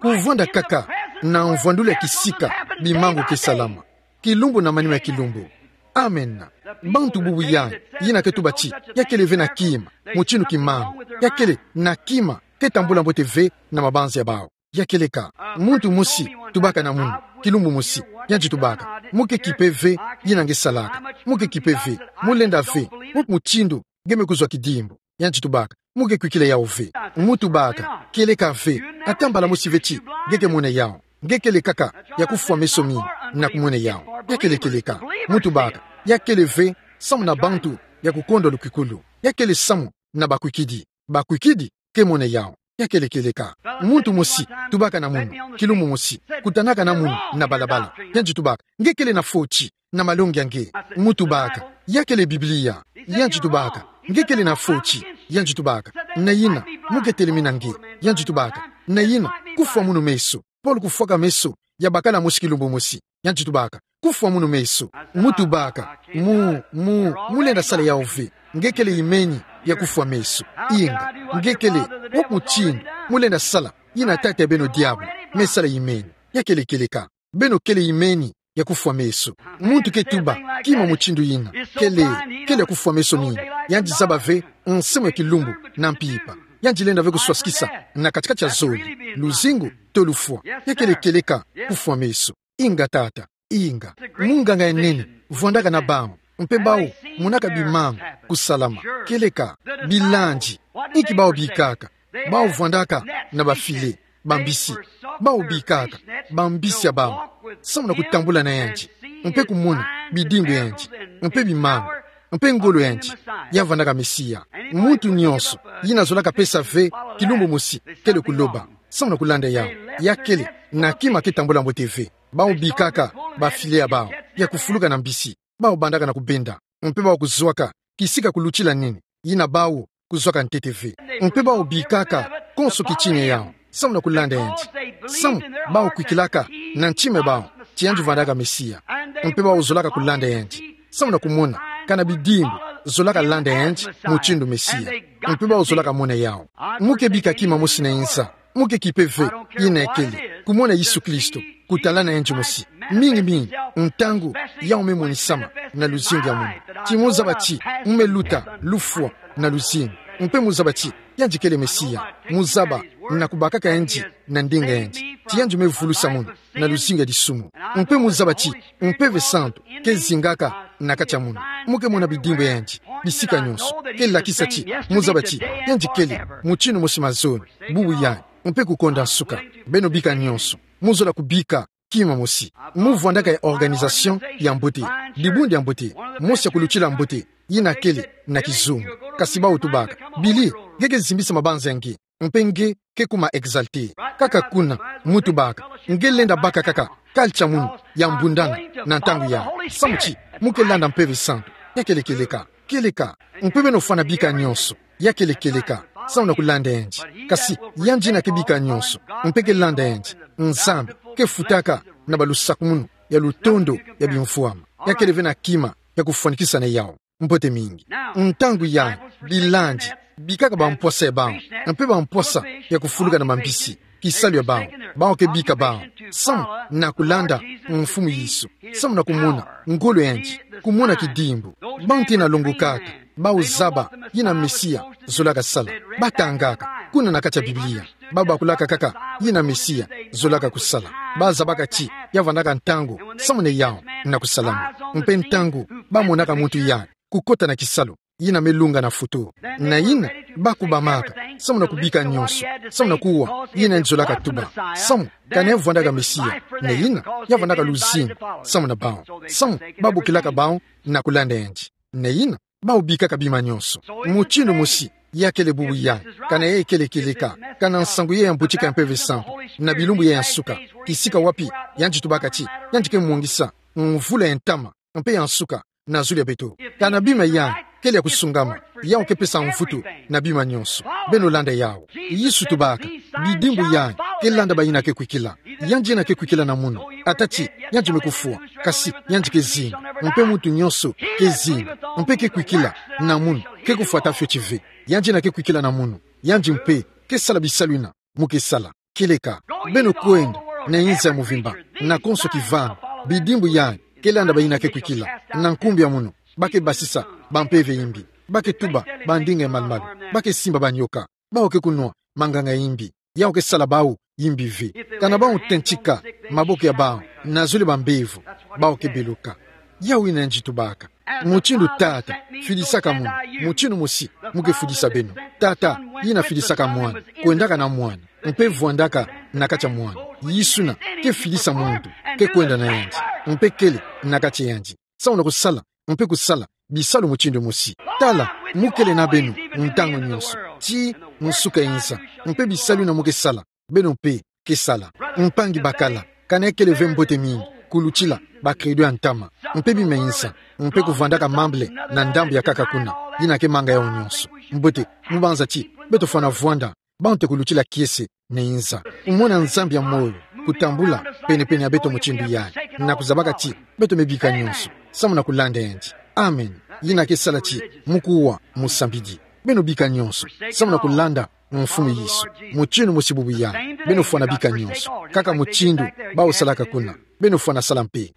Kuvwanda kaka na mvwandulu ya kisika bimangu ke salama, kilumbu na manima ya kilumbu. Amen. Bantu bubu yayi yina ke tuba ti ya kele ve na kima mutindu kimangu, ya kele na kima ke tambula mbote ve na mabanza ya bau. Ya kieleka. Muntu mosi tubaka na munu, kilumbu mosi, yandi tubaka: Mu ke kipe ve yina nge salaka. Mu ke kipe ve. Mu lenda ve wapi mutindu nge me kuzwa kidimbu. Yandi tubaka: Mu ke kwikila yawu ve. Mu tubaka: Kieleka ve. Ata mbala mosi ve ti nge ke mona yawu. Nge kele kaka ya kufwa meso mingi na kumona yawu. Ya kele kieleka. Mu tubaka: Ya kele ve samu na bantu ya kukonda lukwikulu. Ya kele samu na bakwikidi. Bakwikidi ke mona yawu. Ya kele kieleka. Muntu mosi tubaka na munu, kilumbu mosi, kutanaka na munu na balabala. Yandi tubaka: Nge kele na foti na malongi ya nge. Mu tubaka: Ya kele Biblia. Yandi tubaka: Nge kele na foti. Yandi tubaka: Na yina, mu ke telemina nge. Yandi tubaka: Na yina, kufwa munu meso. Paul kufwaka meso ya bakala mosi kilumbu mosi. Yandi tubaka: Kufwa munu meso. Mu tubaka: Mu, mu, mu lenda sala yawu ve. Nge kele imeni ya kufwa meso. Inga, nge kele. Wapi mutindu mu lenda sala yina tata ya beno diabu me sala imeni. Ya kele kieleka. Beno kele imeni ya kufwa meso. Muntu ke tuba kima mutindu yina, kele, kele ya kufwa meso mina. Yandi zaba ve nsimu ya kilumbu na mpimpa. Yandi lenda ve kuswasikisa na kati-kati ya zole, luzingu to lufwa. Ya kele kieleka kufwa meso. Inga, tata. Inga. Munganga ya nene vwandaka na bawu, mpe bawu monaka bimanga kusalama. Kieleka, bilandi. Inki bawu bikaka? Bawu vwandaka na bafile, bambisi. Bawu bikaka bambisi ya bawu samu na kutambula na yandi, mpe kumona bidimbu ya yandi, mpe bimanga, mpe ngolo ya yandi ya vwandaka Mesia. Muntu nyonso yina zolaka pesa ve kilumbu mosi kele kuloba samu na kulanda yawu, ya kele na kima ke tambula mbote ve. Bawu bikaka bafile ya bawu ya kufuluka na mbisi. Bawu bandaka na kubenda, mpe bawu kuzwaka kisika kulutila nini yina bawu kuzwaka ntete ve. Mpe bawu bikaka konso kitina ya yawu samu na kulanda yandi, samu bawu kwikilaka na ntima ya bawu ti yandi vwandaka Mesia. Mpe bawu zolaka kulanda yandi samu na kumona kana bidimbu zolaka landa yandi mutindu Mesia. Mpe bawu zolaka mona yawu. Mu ke bika kima mosi na inza. Mu ke kipe ve yina ya kele kumona Yesu Kristo, kutalana yandi mosi. Mingi mingi, ntangu yawu me monisama na luzingu ya munu, ti mu zaba ti mu me luta, lufwa na luzingu, mpe mu zaba ti yandi kele Mesia. Mu zaba na kubakaka yandi na ndinga yandi, ti yandi me vulusa munu na luzingu ya disumu. Mpe mu zaba ti Mpeve Santu ke zingaka na kati ya munu. Mu ke mona bidimbu ya yandi bisika nyonso. Ke lakisa ti mu zaba ti yandi kele mutindu mosi mazono, bubu yayi, mpe kukonda nsuka. Beno bika nyonso, mu zola kubika kima mosi. Mu vwandaka ya organisation ya mbote, dibundu ya mbote, mosi ya kulutila mbote, yina kele na kizunga. Kasi bawu tubaka: Billy, nge ke zimbisa mabanza ya nge, mpe nge ke kuma exalté. Kaka kuna, mu tubaka: Nge lenda baka kaka culture munu ya mbundana na ntangu yayi, samu ti mu ke landa Mpeve Santu. Ya kele kieleka. Kieleka. Mpe beno fwana bika nyonso. Ya kele kieleka samu na kulanda yandi. Kasi yandi yina ke bika nyonso, mpe ke landa yandi, Nzambi, ke futaka na balusakumunu ya lutondo ya bimvwama. Ya kele ve na kima ya kufwanikisa na yawu. Mbote mingi. Ntangu yayi, bilandi bikaka bampwasa ya bawu, mpe bampwasa ya kufuluka na mambisi, kisalu ya bawu. Bawu ke bika bawu samu na kulanda Mfumu Yesu, samu na kumona ngolo ya yandi, kumona kidimbu. Bawu nte na longo kaka, bawu zaba yina Mesia zolaka sala. Batangaka kuna na kati ya Biblia, babakulaka kaka yina Mesia zolaka kusala. Bazabaka ti ya vwandaka ntangu samu na yawu na kusalama. Mpe ntangu bamonaka muntu yayi kukota na kisalu, yina me lunga na futu, na yina bakubamaka samu na kubika nyonso, samu na kuwa yina yandi zolaka tuba, samu kana ya vwandaka Mesia, na yina ya vwandaka luzingu samu na bawu, samu babokilaka bawu na kulanda yandi, na yina bawu bikaka bima nyonso. Mutindu mosi ya kele bubu yayi, kana yayi kele kieleka, kana nsangu yayi ya mbutika ya Mpeve Santu, na bilumbu yayi ya nsuka, kisika wapi yandi tubaka ti yandi ke mongisa mvula ya ntama mpe ya nsuka na zulu ya beto. Kana bima yayi kele ya kusungama, yawu ke pesa mvutu na bima nyonso. Beno landa yawu. Yesu tubaka: Bidimbu yayi ke landa bayina ke kwikila. Yandi yina ke kwikila na munu, ata ti yandi me kufwa, kasi yandi ke zinga. Mpe muntu nyonso ke zinga mpe ke kwikila na munu, ke kufwa ata fioti ve. Yandi yina ke kwikila na munu, yandi mpe ke sala bisalu yina mu ke sala. Kieleka. Beno kwenda na inza ya muvimba, na konso kivana. Bidimbu yayi ke landa bayina ke kwikila. Na nkumbu ya munu, ba ke basisa bampeve yimbi, ba ke tuba bandinga ya malu-malu, ba ke simba banyoka, bawu ke kunwa manganga yimbi. Yawu ke sala bawu yimbi ve. Kana bawu tentika maboko ya bawu na zole bambevo, bawu ke beloka. Yawu yina yandi tubaka. Mutindu Tata fidisaka munu, mutindu mosi mu ke fidisa beno. Tata yina fidisaka Mwana, kwendaka na Mwana, mpe vwandaka na kati ya Mwana. Yesu yina ke fidisa muntu ke kwenda na yandi, mpe kele na kati ya yandi, samu na kusala mpe kusala bisalu mutindu mosi. Tala, mu kele na beno ntangu nyonso, tii nsuka ya inza. Mpe bisalu yina mu ke sala, beno mpe ke sala. Mpangi bakala, kana ya kele ve mbote mingi kulutila ba credo ya ntama, mpe bima ya inza, mpe kuvwandaka mambele na ndambu ya nkaka kuna, yina ke manga yawu nyonso. Mbote, mu banza ti beto fwana vwanda bawu nte kulutila kiese na inza. Kumona Nzambi ya moyo kutambula pene-pene ya beto mutindu yayi, na kuzabaka ti beto me bika nyonso samu na kulanda yandi. Amen. Yina ke sala ti mu kuwa musambidi. Beno bika nyonso samu na kulanda Mfumu Yesu. Mutindu mosi bubu ya. Beno fwana bika nyonso. Kaka mutindu bawu salaka kuna. Beno fwana sala mpe.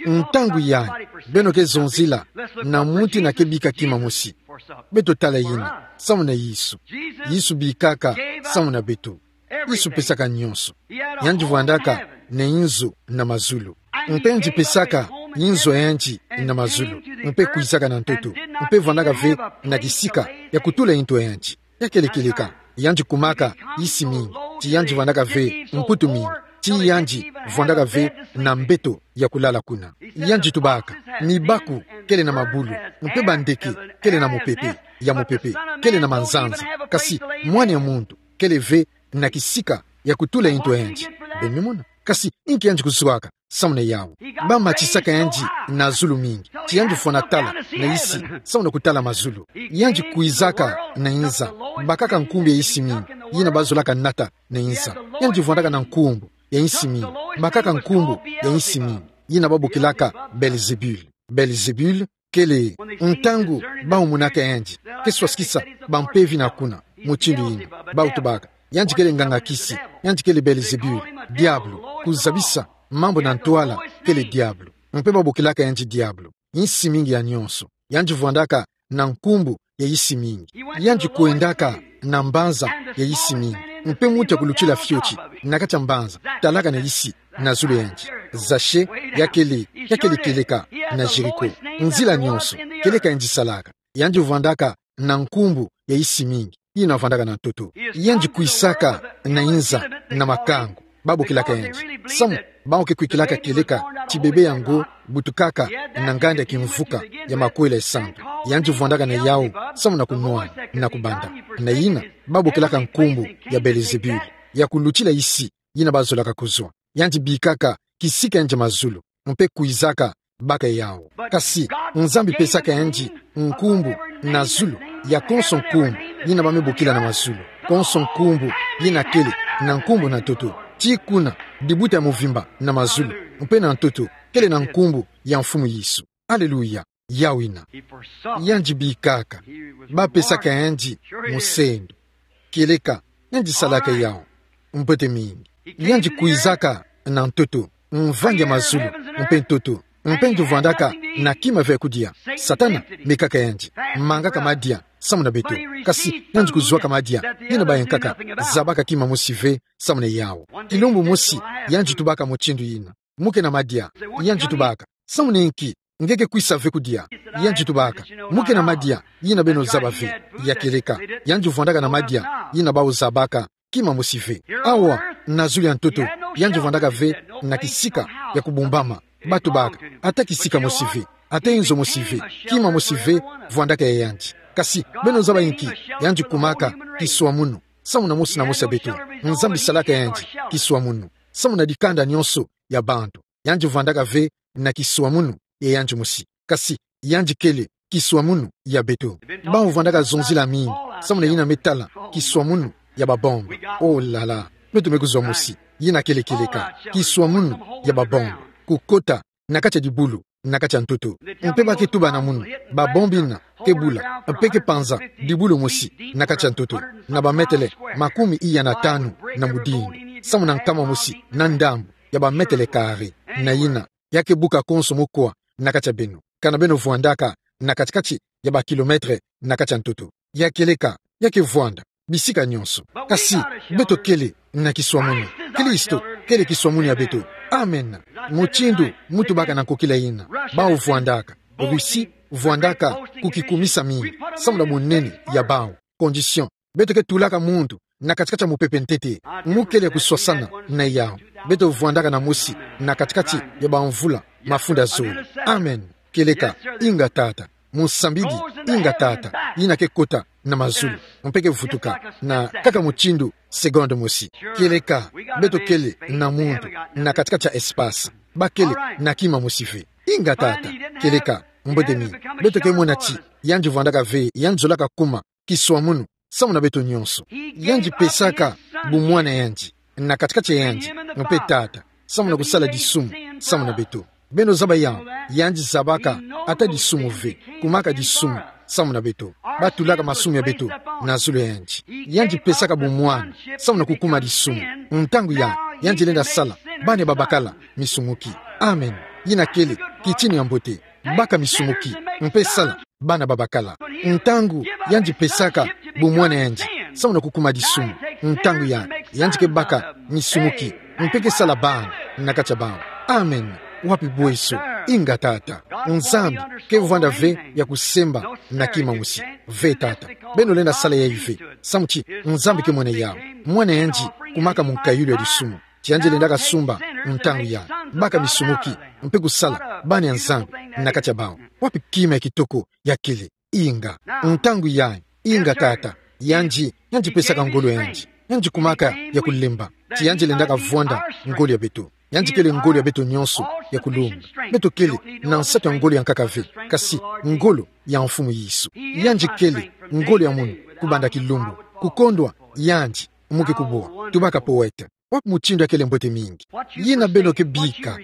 Ntangu ya, beno ke zonzila na muntu ina ke bika kima mosi. Beto tala yina, samu na Yesu. Yesu bikaka samu na beto. Yesu pesaka nyonso. Yandi vwandaka na inzo na mazulu. Mpe yandi pesaka inzo yandi na mazulu. Mpe kwizaka na ntoto. Mpe vwandaka ve na kisika ya kutula nto yandi. Ya kele kieleka, yandi kumaka isi mingi, ti yandi vwandaka ve mputu mingi, ti yandi vwandaka ve na mbeto ya kulala kuna. Yandi tubaka, mibaku kele na mabulu, mpe bandeke kele na mupepe, ya mupepe, kele na manzanza, kasi mwana ya muntu kele ve na kisika ya kutula nto yandi. Beno mona? Kasi inki yandi kuzwaka samu na yawu? Ba matisaka yandi na zulu mingi, ti yandi fwana tala na isi, samu na kutala mazulu. Yandi kwizaka na inza, bakaka nkumbu ya isi mingi, yina bazolaka nata na inza. Yandi vwandaka na nkumbu ya isi mingi, bakaka nkumbu ya isi mingi, yina babokilaka Belzebul. Belzebul kele, ntangu bawu monaka yandi ke swasikisa bampeve na kuna, mutindu yina, bawu tubaka, yandi kele nganga kisi, yandi kele Belzebul, diabulu, kuzabisa mambu na ntwala kele diabulu. Mpe babokilaka yandi diabulu. Isi mingi ya nyonso. Yandi vwandaka na nkumbu ya isi mingi. Yandi kwendaka na mbanza ya isi mingi. Mpe muntu ya kulutila fioti na kati ya mbanza talaka na isi na zulu yandi. Zache, ya kele, ya kele kieleka na Jéricho. Nzila nyonso, kieleka yandi salaka. Yandi vwandaka na nkumbu ya isi mingi, yina vwandaka na ntoto. Yandi kwisaka na inza na makangu. Babokilaka yandi. Samu, bawu ke kwikilaka kieleka ti bebe yango butukaka na nganda kimvuka ya makwela esantu. Yandi vwandaka na yawu, samu na kunwana, na kubanda. Na yina, babokilaka nkumbu ya Belzebul, ya kulutila isi, yina bazolaka kuzwa. Yandi bikaka kisika yandi mazulu, mpe kwizaka baka yawu. Kasi, Nzambi pesaka yandi nkumbu na zulu, ya konso nkumbu yina ba me bokila na mazulu. Konso nkumbu yina kele na nkumbu na ntoto. Ti kuna, dibuta ya muvimba na mazulu, mpe na ntoto, kele na nkumbu ya Mfumu Yesu. Aleluya. Yawu yina. Yandi bikaka. Ba pesaka yandi musendo. Kieleka, yandi salaka yawu mbote mingi. Yandi kwizaka na ntoto, mvangi ya mazulu, mpe ntoto, mpe yandi vwandaka na kima ve kudia. Satana mekaka yandi, mangaka madia samu na beto. Kasi yandi kuzwaka madia yina bayenkaka, zabaka kima mosi ve samu na yawu. Kilumbu mosi, yandi tubaka mutindu yina: Mu ke na madia. Yandi tubaka: Samu na inki nge ke kwisa ve kudia? Yandi tubaka: Mu ke na madia yina beno zaba ve. Ya kieleka, yandi vwandaka na madia yina bawu zabaka kima mosi ve. Awa, na zulu ya ntoto, yandi vwandaka ve na kisika ya kubumbama. Ba tubaka: Ata kisika mosi ve, ata inzo mosi ve, kima mosi ve vwandaka ya yandi. Kasi beno zaba inki? Yandi kumaka kiswamunu samu na mosi na mosi ya beto. Nzambi salaka yandi kiswamunu samu na dikanda nyonso ya bantu. Yandi vwandaka ve na kiswamunu ya yandi mosi. Kasi yandi kele kiswamunu ya beto. Bawu vwandaka zonzila mingi samu na yina me tala kiswamunu ya babombe. Oh là là. Beto me kuzwa mosi. Yina kele kieleka. Kiswamunu ya babombe. Kukota na kati ya dibulu, na kati ya ntoto. Mpe ba ke tuba na munu: Babombe yina ke bula, mpe ke panza dibulu mosi na kati ya ntoto, na bametele makumi iya na tanu na mudindu, samu na nkama mosi na ndambu ya bametele kare. Na yina, ya ke buka konso mokwa na kati ya beno, kana beno vwandaka na kati-kati ya bakilometre na kati ya ntoto. Ya kieleka, ya ke vwanda bisika nyonso. Kasi beto kele na kiswamunu. Kristo kele kiswamunu ya beto. Amen. Mutindu mu tubaka na nkokila yina: Bawu vwandaka, Russie vwandaka kukikumisa mingi samu na bunene ya bawu. Condition. Beto ke tulaka muntu na kati-kati ya mupepe ntete. Mu kele kuswasana na yawu. Beto vwandaka na mosi na kati-kati ya bamvula mafunda zole. Amen. Kieleka, inga Tata. Musambidi, inga Tata, yina ke kota na mazulu, mpe ke vutuka na kaka mutindu seconde mosi. Kieleka, beto kele na muntu na kati-kati ya espace. Ba kele na kima mosi ve. Inga Tata. Kieleka, mbote mingi. Beto ke mona ti yandi vwandaka ve, yandi zolaka kuma kiswamunu samu na beto nyonso. Yandi pesaka bumwana yandi na kati-kati ya yandi mpe Tata, samu na kusala disumu samu na beto. Beno zaba yawu, yandi zabaka ata disumu ve, kumaka disumu samu na beto. Batulaka masumu ya beto na zulu ya yandi. Yandi pesaka bumwani samu na kukuma disumu. Ntangu ya, yandi lenda sala bana babakala misumuki. Amen. Yina kele kitini ya mbote. Baka misumuki, mpe sala bana babakala. Ntangu yandi pesaka bumwani ya yandi samu na kukuma disumu. Ntangu ya, yandi ke baka misumuki, mpe ke sala bana na kati ya bawu. Amen. Wapi bweso? Inga, Tata. Nzambi ke vwanda ve ya kusemba na kima mosi. Ve, Tata. Beno lenda sala yayi ve, samu ti Nzambi ke mwene yawu. Mwana yandi kumaka mu nkayulu ya disumu. Ti yandi lendaka sumba ntangu ya, baka misumuki, mpe kusala bana ya Nzambi na kati ya bawu. Wapi kima ya kitoko ya kele? Inga. Ntangu ya, inga, Tata. Yandi, yandi pesaka ngolo ya yandi. Yandi kumaka ya kulemba. Ti yandi lendaka vwanda ngolo ya beto. Yandi kele ngolo ya beto nyonso ya kulonga. Beto kele na nsatu ya ngolo ya nkaka ve, kasi ngolo ya Mfumu Yesu. Yandi kele ngolo ya munu kubanda kilumbu. Kukondwa yandi, mu ke kubwa. Tubaka poète. Wapi mutindu ya kele mbote mingi? Yina beno ke bika.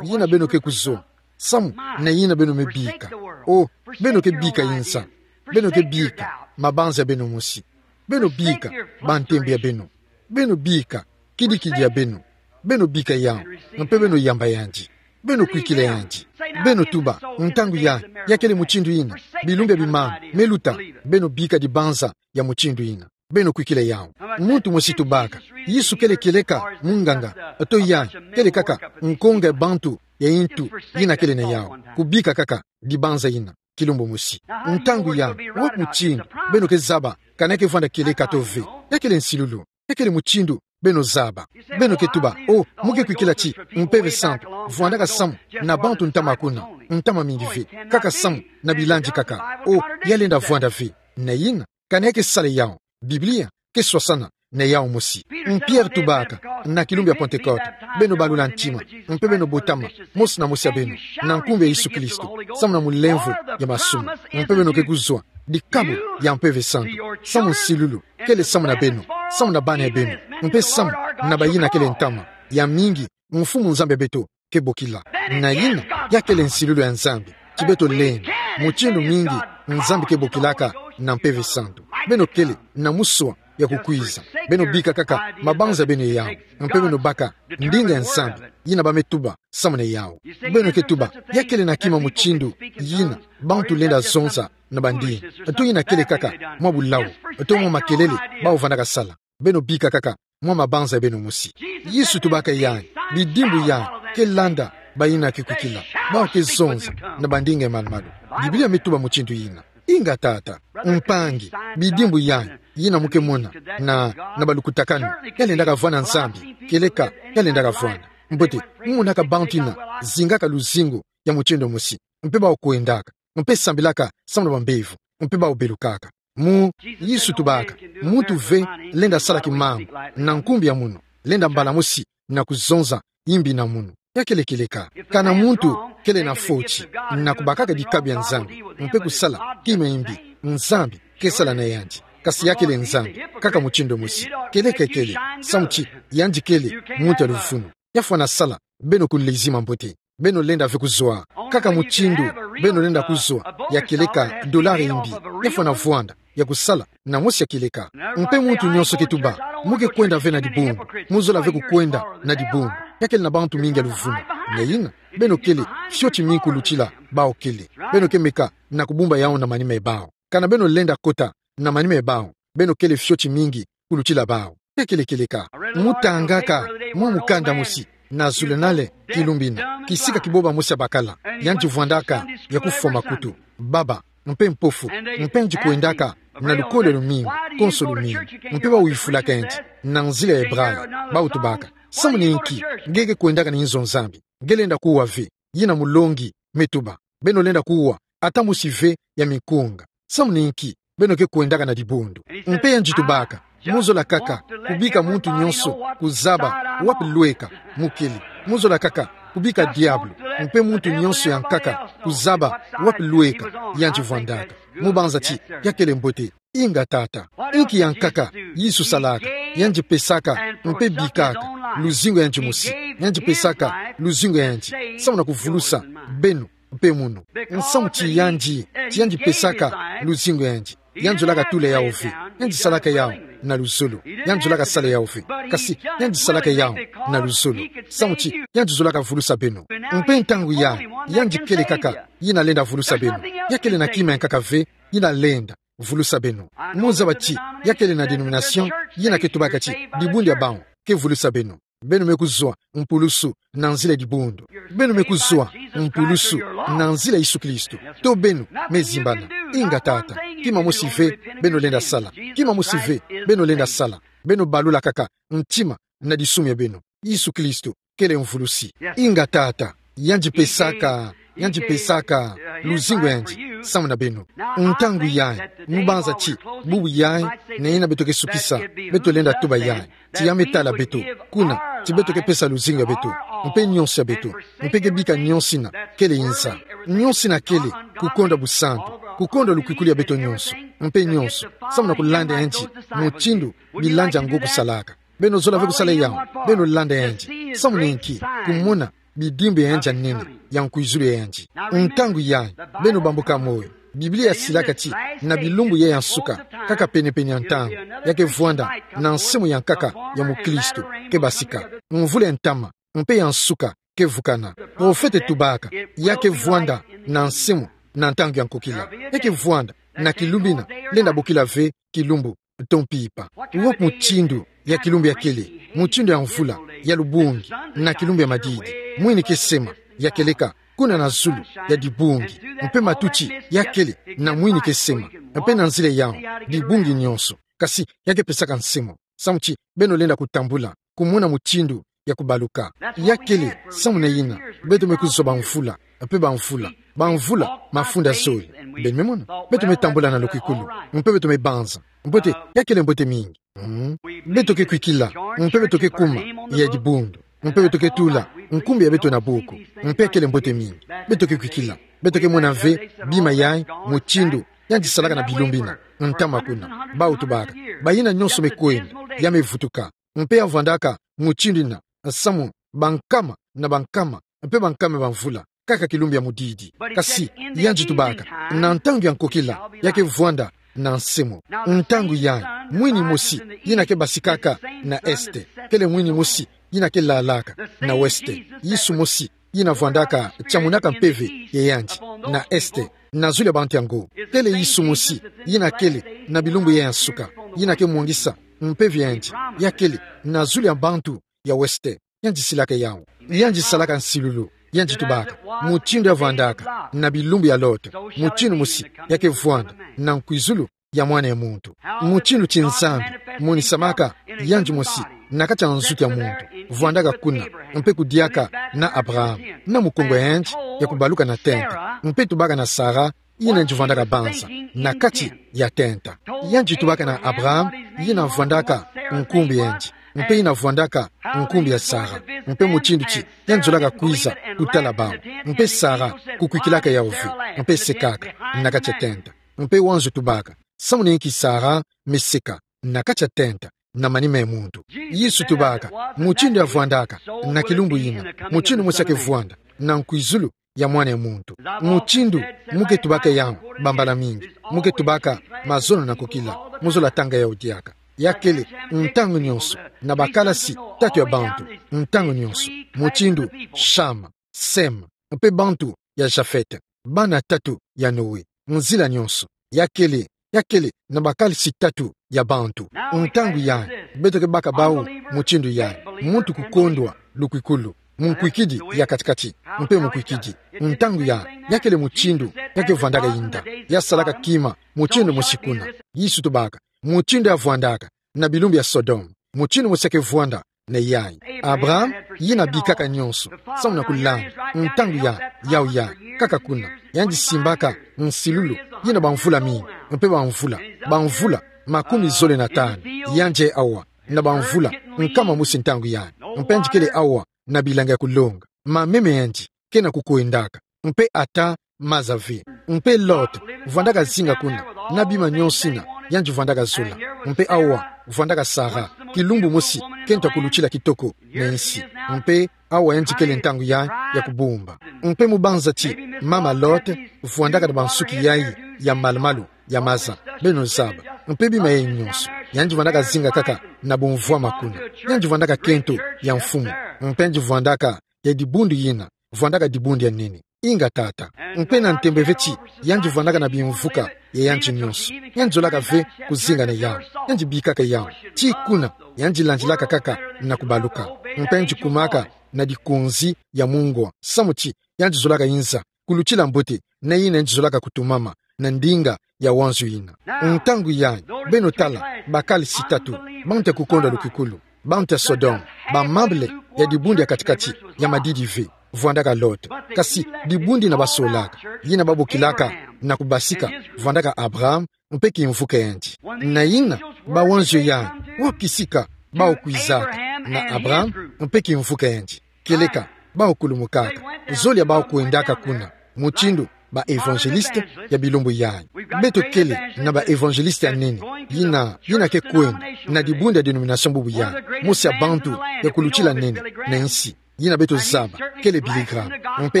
Yina beno ke kuzwa samu na yina beno me bika. O, beno ke bika insa. Beno ke bika mabanza ya beno mosi. Beno bika bantembe ya beno. Beno bika kidikidi ya beno. Beno bika yawu, mpe beno yamba yandi. Beno kwikila yandi. Beno tuba, ntangu ya, ya kele mutindu yina. Bilumbu ya bimama me luta. Beno bika dibanza ya mutindu yina. Beno kwikila yawu. Muntu mosi tubaka, Yesu kele kieleka munganga, to ya kele kaka nkonga ya bantu ya yintu yina kele na yawu, kubika kaka dibanza yina kilumbu mosi. Ntangu ya, wapi mutindu beno ke zaba, kana ke vwanda kieleka to ve? Ya kele nsilulu. Ya kele mutindu beno zaba. Beno ke tuba, o, mu ke kwikila ti Mpeve Santu vwandaka samu na bantu ntama kuna, ntama mingi ve, kaka samu na bilandi kaka. O, ya lenda vwanda ve. Na yina, kana ya ke sala yawu? Biblia ke swasana na yawu mosi. Mpierre tubaka, na kilumbu ya Pentecote, beno balula ntima, mpe beno botama, mosi na mosi ya beno, na nkumbu ya Yesu Kristo, samu na mulemvo ya masumu, mpe beno ke kuzwa dikabu ya Mpeve Santu, samu nsilulu kele samu na beno, samu na bana ya beno, mpe samu na bayina kele ntama ya mingi Mfumu Nzambi ya beto ke bokila. Na yina, ya kele nsilulu ya Nzambi ti beto lenda, mutindu mingi Nzambi ke bokilaka na Mpeve Santu. Beno kele na muswa ya kukwiza. Beno bika kaka mabanza ya beno yawu, mpe beno baka ndinga ya Nzambi yina ba me tuba samu na yawu. Beno ke tuba, ya kele na kima mutindu yina bantu lenda zonza na bandinga? To yina kele kaka mwa bulawu, to mwa makelele bawu vandaka sala? Beno bika kaka mwa mabanza ya beno mosi. Yesu tubaka yayi, bidimbu yayi ke landa bayina ke kwikila, bawu ke zonza na bandinga ya malu-malu. Biblia me tuba mutindu yina. Inga tata, mpangi, bidimbu yayi yina mu ke mona na, na balukutakanu, ya lendaka vwanda Nzambi, kieleka ya lendaka vwanda. Mbote, mu monaka bantu yina zingaka luzingu ya mutindu mosi, mpe bawu kwendaka, mpe sambilaka samu na bambevo, mpe bawu belukaka. Mu, Yesu tubaka, muntu ve lenda sala kimambu na nkumbu ya munu, lenda mbala mosi na kuzonza yimbi na munu. Ya kele kieleka. Kana muntu kele na foti na kubakaka dikabu ya Nzambi, mpe kusala kima yimbi, Nzambi ke sala na yandi. Kasi ya kele Nzambi kaka mutindu mosi. Kieleka kele, samu ti yandi kele muntu ya luvunu. Ya fwana sala, beno kuleziwa mbote. Beno lenda ve kuzwa kaka mutindu beno lenda kuzwa, ya kieleka dollar yimbi. Ya fwana vwanda ya kusala na mosi ya kieleka. Mpe muntu nyonso ke tuba, mu ke kwenda ve na dibundu, mu zola ve kukwenda na dibundu. Ya kele na bantu mingi ya luvunu. Na yina, beno kele fioti mingi kulutila bawu kele. Beno ke meka na kubumba yawu na manima ya bawu. Kana beno lenda kota na manima ya bawu, beno kele fioti mingi kulutila bawu. Ya kele kieleka. Mu tangaka mwa mukanda mosi na zulunale kilumbu yina, kisika kiboba mosi ya bakala, yandi vwandaka ya kufwa makutu, baba, mpe mpofu, mpe yandi kwendaka na lukolo lumingi, konso lumingi, mpe bawu yufulaka yandi na nzila ya Ebraya, bawu tubaka: Samu na inki nge ke kwendaka na inzo Nzambi? Nge lenda kuwa ve. Yina mulongi me tuba: Beno lenda kuwa ata mosi ve ya minkonga. Samu na inki beno ke kwendaka na dibundu? Mpe yandi tubaka: Mu zola kaka kubika muntu nyonso kuzaba wapi lweka mu kele. Mu zola kaka kubika diabulu mpe muntu nyonso ya nkaka kuzaba wapi lweka yandi vwandaka. Mu banza ti ya kele mbote. Inga tata. Inki ya nkaka Yesu salaka? Yandi pesaka mpe bikaka luzingu ya yandi mosi. Yandi pesaka luzingu ya yandi samu na kuvulusa beno mpe munu. Nsamu ti yandi, ti yandi pesaka luzingu yandi, yandi zolaka tula yawu ve. Yandi salaka yawu na luzolo. Yandi zolaka sala yawu ve. Kasi yandi salaka yawu na luzolo. Samu ti yandi zolaka vulusa beno. Mpe ntangu yayi, yandi kele kaka yina lenda vulusa beno. Ya kele na kima ya nkaka ve yina lenda vulusa beno. Mu zaba ti ya kele na dénomination yina ke tubaka ti dibundu ya bawu ke vulusa beno. Beno me kuzwa mpulusu na nzila ya dibundu. Beno me kuzwa mpulusu na nzila ya Yesu Kristo. To beno me zimbana. Inga tata. Kima mosi ve beno lenda sala. Kima mosi ve beno lenda sala. Beno balula kaka ntima na disumu ya beno. Yesu Kristo kele mvulusi. Inga tata. Yandi pesaka, yandi pesaka luzingu yandi samu na beno. Ntangu yayi, mu banza ti bubu yayi, na yina beto ke sukisa, beto lenda tuba yayi ti ya me tala beto, kuna ti beto ke pesa luzingu ya beto, mpe nionso ya beto, mpe ke bika nionso yina kele nza. Nionso yina kele kukondwa busantu, kukondwa lukwikulu ya beto nionso, mpe nionso samu na kulanda yandi mutindu bilandi ya ngo kusalaka. Beno zola ve kusala yawu, beno landa yandi. Samu na inki? Kumona bidimbu ya yandi ya nene, ya nkwizulu ya yandi. Ntangu yayi, beno bambuka moyo. Biblia yasilaka ti na bilumbu yayi ya nsuka, kaka penepene ya ntangu, ya ke vwanda na nsemo ya nkaka ya mukristu ke basika. Mvula ya ntama mpe ya nsuka ke vukana. Profete tubaka, ya ke vwanda na nsemo na ntangu ya nkokila. Ya ke vwanda na kilumbu yina lenda bokila ve kilumbu to mpimpa. Wo mutindu ya kilumbu ya kele, mutindu ya mvula ya lubungi na kilumbu ya madidi. Mwini ke sema, ya keleka kuna na zulu ya dibungi, mpe matuti ya kele na mwini ke sema, mpe na nzila yawu dibungi nionso. Kasi ya ke pesaka nsemo samu ti beno lenda kutambula, kumona mutindu ya kubaluka. Ya kele samu na yina beto me kuzwa bamvula mpe bamvula, bamvula mafunda zole. Beno me mona, beto me tambula na lukwikulu, mpe beto me banza mbote, ya kele mbote mingi. Hmm. Beto ke kwikila, mpe beto ke kuma ya dibundu, mpe beto ke tula nkumbu ya beto na buku, mpe ya kele mbote mingi. Beto ke kwikila, beto ke mona ve bima yayi, mutindu yandi salaka na bilumbu yina, ntama kuna. Bawu tubaka, bayina nionso me kwenda, ya me vutuka. Mpe ya vwandaka mutindu yina samu bankama na bankama mpe bankama bamvula, kaka kilumbu ya mudidi. Kasi yandi tubaka, na ntangu ya nkokila, ya ke vwanda na nsemo. Ntangu yayi, mwini mosi yina ke basikaka na este, kele mwini mosi yina ke lalaka na weste. Yesu mosi yina vwandaka, tiamunaka mpeve ya yandi na este, na zulu ya bantu yango. Kele Yesu mosi yina kele na bilumbu yayi ya nsuka, yina ke mwangisa mpeve ya yandi, ya kele na zulu ya bantu ya weste. Yandi silaka yawu. Yandi salaka nsilulu. Yandi tubaka, mutindu ya vwandaka na bilumbu ya Lota, mutindu mosi ya ke vwanda na nkwizulu ya Mwana ya Muntu. Mutindu ti Nzambi monisamaka yandi mosi na kati ya nzutu ya muntu, vwandaka kuna, mpe kudiaka na Abraham, na mukongo ya yandi ya kubaluka na tenta, mpe tubaka na Sara, yina yandi vwandaka banza na kati ya tenta. Yandi tubaka na Abraham yina vwandaka nkumbu ya yandi, mpe yina vwandaka nkumbu ya Sara, mpe mutindu ti yandi zolaka kwiza kutala bawu, mpe Sara kukwikilaka yawu ve, mpe sekaka na kati ya tenta. Mpe wanzo tubaka, samu na inki Sara me seka na kati ya tenta na manima ya muntu? Yesu tubaka, mutindu ya vwandaka na kilumbu yina, mutindu mosi ya ke vwanda na nkwizulu ya Mwana ya Muntu. Mutindu mu ke tubaka yawu bambala mingi, mu ke tubaka mazono na nkokila, mu zola tanga yawu diaka. Ya kele ntangu nionso na bakalasi tatu ya bantu, ntangu nionso, mutindu Shama, Sem, mpe bantu ya Jafet, bana tatu ya Noe, nzila nionso. Ya kele, ya kele na bakalasi tatu ya bantu. Ntangu yayi, beto ke baka bawu mutindu yayi, muntu kukondwa lukwikulu, munkwikidi ya kati-kati, mpe munkwikidi. Ntangu yayi, ya kele mutindu ya ke vwandaka yinda, ya salaka kima mutindu mosi kuna. Yesu tubaka, mutindu ya vwandaka na bilumbu ya Sodome, mutindu mosi ya ke vwanda na yayi. Abraham yina bikaka nionso samu na kulanda. Ntangu yayi, yawu yayi, kaka kuna, yandi simbaka nsilulu yina bamvula mingi, mpe bamvula, bamvula makumi zole na tanu. Yandi awa na bamvula nkama mosi ntangu yayi, mpe yandi kele awa na bilanga ya kulonga. Mameme ya yandi ke na kukwendaka, mpe ata maza ve. Mpe Lot vwandaka zinga kuna, na bima nionso yina yandi vwandaka zola. Mpe awa vwandaka Sara, kilumbu mosi ke nta kulutila kitoko na nsi. Mpe awa yandi kele ntangu yayi ya kubumba. Mpe mu banza ti mama Lot vwandaka na bansuki yayi ya malumalu ya maza, beno zaba. Mpe bima yayi nyonso yandi vwandaka zinga kaka na bumvwama kuna. Yandi vwandaka kento ya mfumu, mpe yandi vwandaka ya dibundu yina vwandaka dibundu ya nene. Inga tata. Mpe na ntembe ve ti yandi vwandaka na bimvuka ya yandi nyonso. Yandi zolaka ve kuzinga na yawu. Yandi bikaka yawu. Ti kuna yandi landilaka kaka na kubaluka. Mpe yandi kumaka na dikonzi ya mungwa, samu ti yandi zolaka inza kulutila mbote na yina yandi zolaka kutumama na ndinga ya wanzio yina. Ntangu yayi, beno tala, bakali sitatu, bantu ya kukonda lukikulu, bantu ya Sodome, bamambele ya dibundu ya kati-kati ya madidi ve, vwandaka Lot. Kasi dibundu yina basolaka, yina babokilaka na kubasika, vwandaka Abraham mpe kimvuka yandi. Na yina, bawanzio yayi, wapi kisika bawu kwizaka? Na Abraham mpe kimvuka yandi. Kieleka, bawu kulumukaka. Zole ya bawu kwendaka kuna, mutindu ba évangéliste ya bilumbu yayi. Beto kele na ba évangéliste ya nene, yina, yina ke kwenda na dibundu ya dénomination bubu yayi. Mosi ya bantu ya kulutila nene na nsi, yina beto zaba, kele Billy Graham. Mpe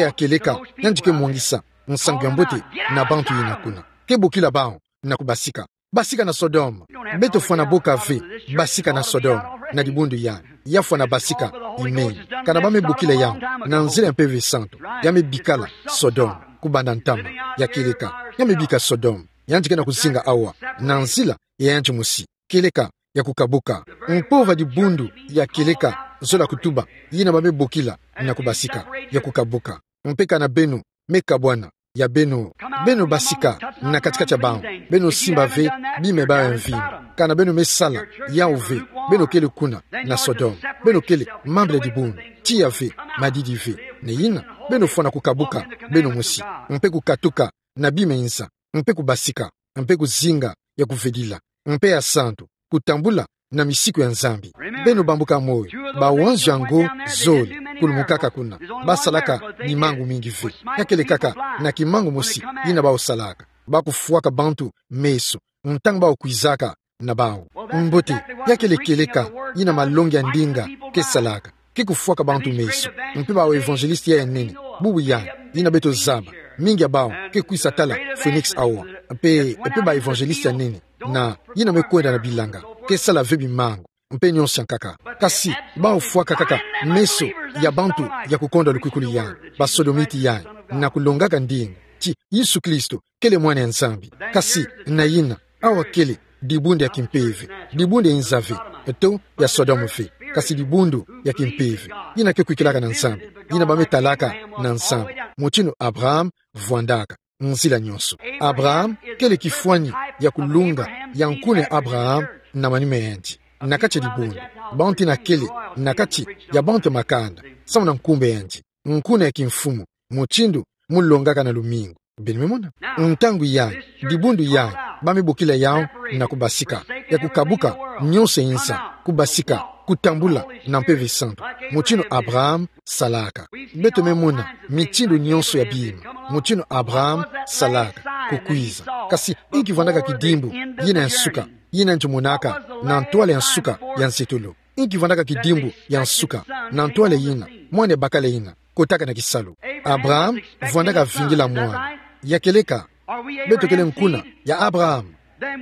ya kieleka, yandi ke mwangisa nsangu ya mbote na bantu yina kuna. Ke bokila bawu na kubasika. Basika na Sodome. Beto fwana boka ve basika na Sodome na dibundu yayi. Ya fwana basika imeni. Kana ba me bokila yawu na nzila ya Mpeve Santu, ya me bikala Sodome kubanda ntama. Ya kieleka, ya me bika Sodome, yandi ke na kuzinga awa na nzila ya yandi mosi. Kieleka, ya kukabuka. Mpova dibundu ya kieleka, zola kutuba, yina ba me bokila na kubasika, ya kukabuka. Mpe kana beno me kabwana, ya beno, beno basika na kati-kati ya bawu, beno simba ve bima ya bawu ya mvimba. Kana beno me sala yawu ve, beno kele kuna na Sodome. Beno kele mambele dibundu, tiya ve, madidi ve. Na yina, beno fwana kukabuka beno mosi, mpe kukatuka na bima ya nza, mpe kubasika, mpe kuzinga ya kuvedila, mpe ya santu, kutambula na misiku ya Nzambi. Beno bambuka moyo, bawanzio yango zole kulumukaka kuna, basalaka bimangu mingi ve. Ya kele kaka na kimangu mosi yina bawu salaka, ba kufwaka bantu meso ntangu bawu kwizaka na bawu. Mbote, ya kele kieleka yina malongi ya ndinga ke salaka. Ke kufwaka bantu meso. Mpe ba évangéliste ya nene, bubu yayi, yina beto zaba, mingi ya bawu ke kwisa tala Phoenix awa. Mpe, mpe ba évangéliste ya nene, na yina me kwenda na bilanga, ke sala ve bimangu, mpe nyonso ya nkaka. Kasi bawu fwaka kaka meso ya bantu ya kukonda lukikulu yayi, ba sodomite yayi, na kulongaka ndinga ti Yesu Kristo kele Mwana ya Nzambi. Kasi na yina, awa kele dibundu ya kimpeve, dibundu ya inza ve, to ya Sodome ve, kasi dibundu ya kimpeve, yina ke kwikilaka na Nzambi, yina ba me talaka na Nzambi, mutindu Abraham vwandaka nzila nyonso. Abraham kele kifwani ya kulunga ya nkuna ya Abraham na manima ya yandi. Na kati ya dibundu, bantu yina kele na kati ya bantu ya makanda, samu na nkumbu ya yandi, nkuna ya kimfumu, mutindu mu longaka na lumingu. Beno me mona? Ntangu yayi, dibundu yayi, ba me bokila yawu na kubasika, ya kukabuka nyonso ya inza, kubasika, kutambula na Mpeve Santu, mutindu Abraham salaka. Beto me mona mitindu nyonso ya bima, mutindu Abraham salaka, kukwiza. Kasi inki vwandaka kidimbu yina ya nsuka, yina yandi monaka na ntwala ya nsuka ya nzietolo? Inki vwandaka kidimbu ya nsuka na ntwala yina mwana ya bakala yina kotaka na kisalu? Abraham vwandaka vingila mwana. Ya kieleka, beto kele nkuna ya Abraham.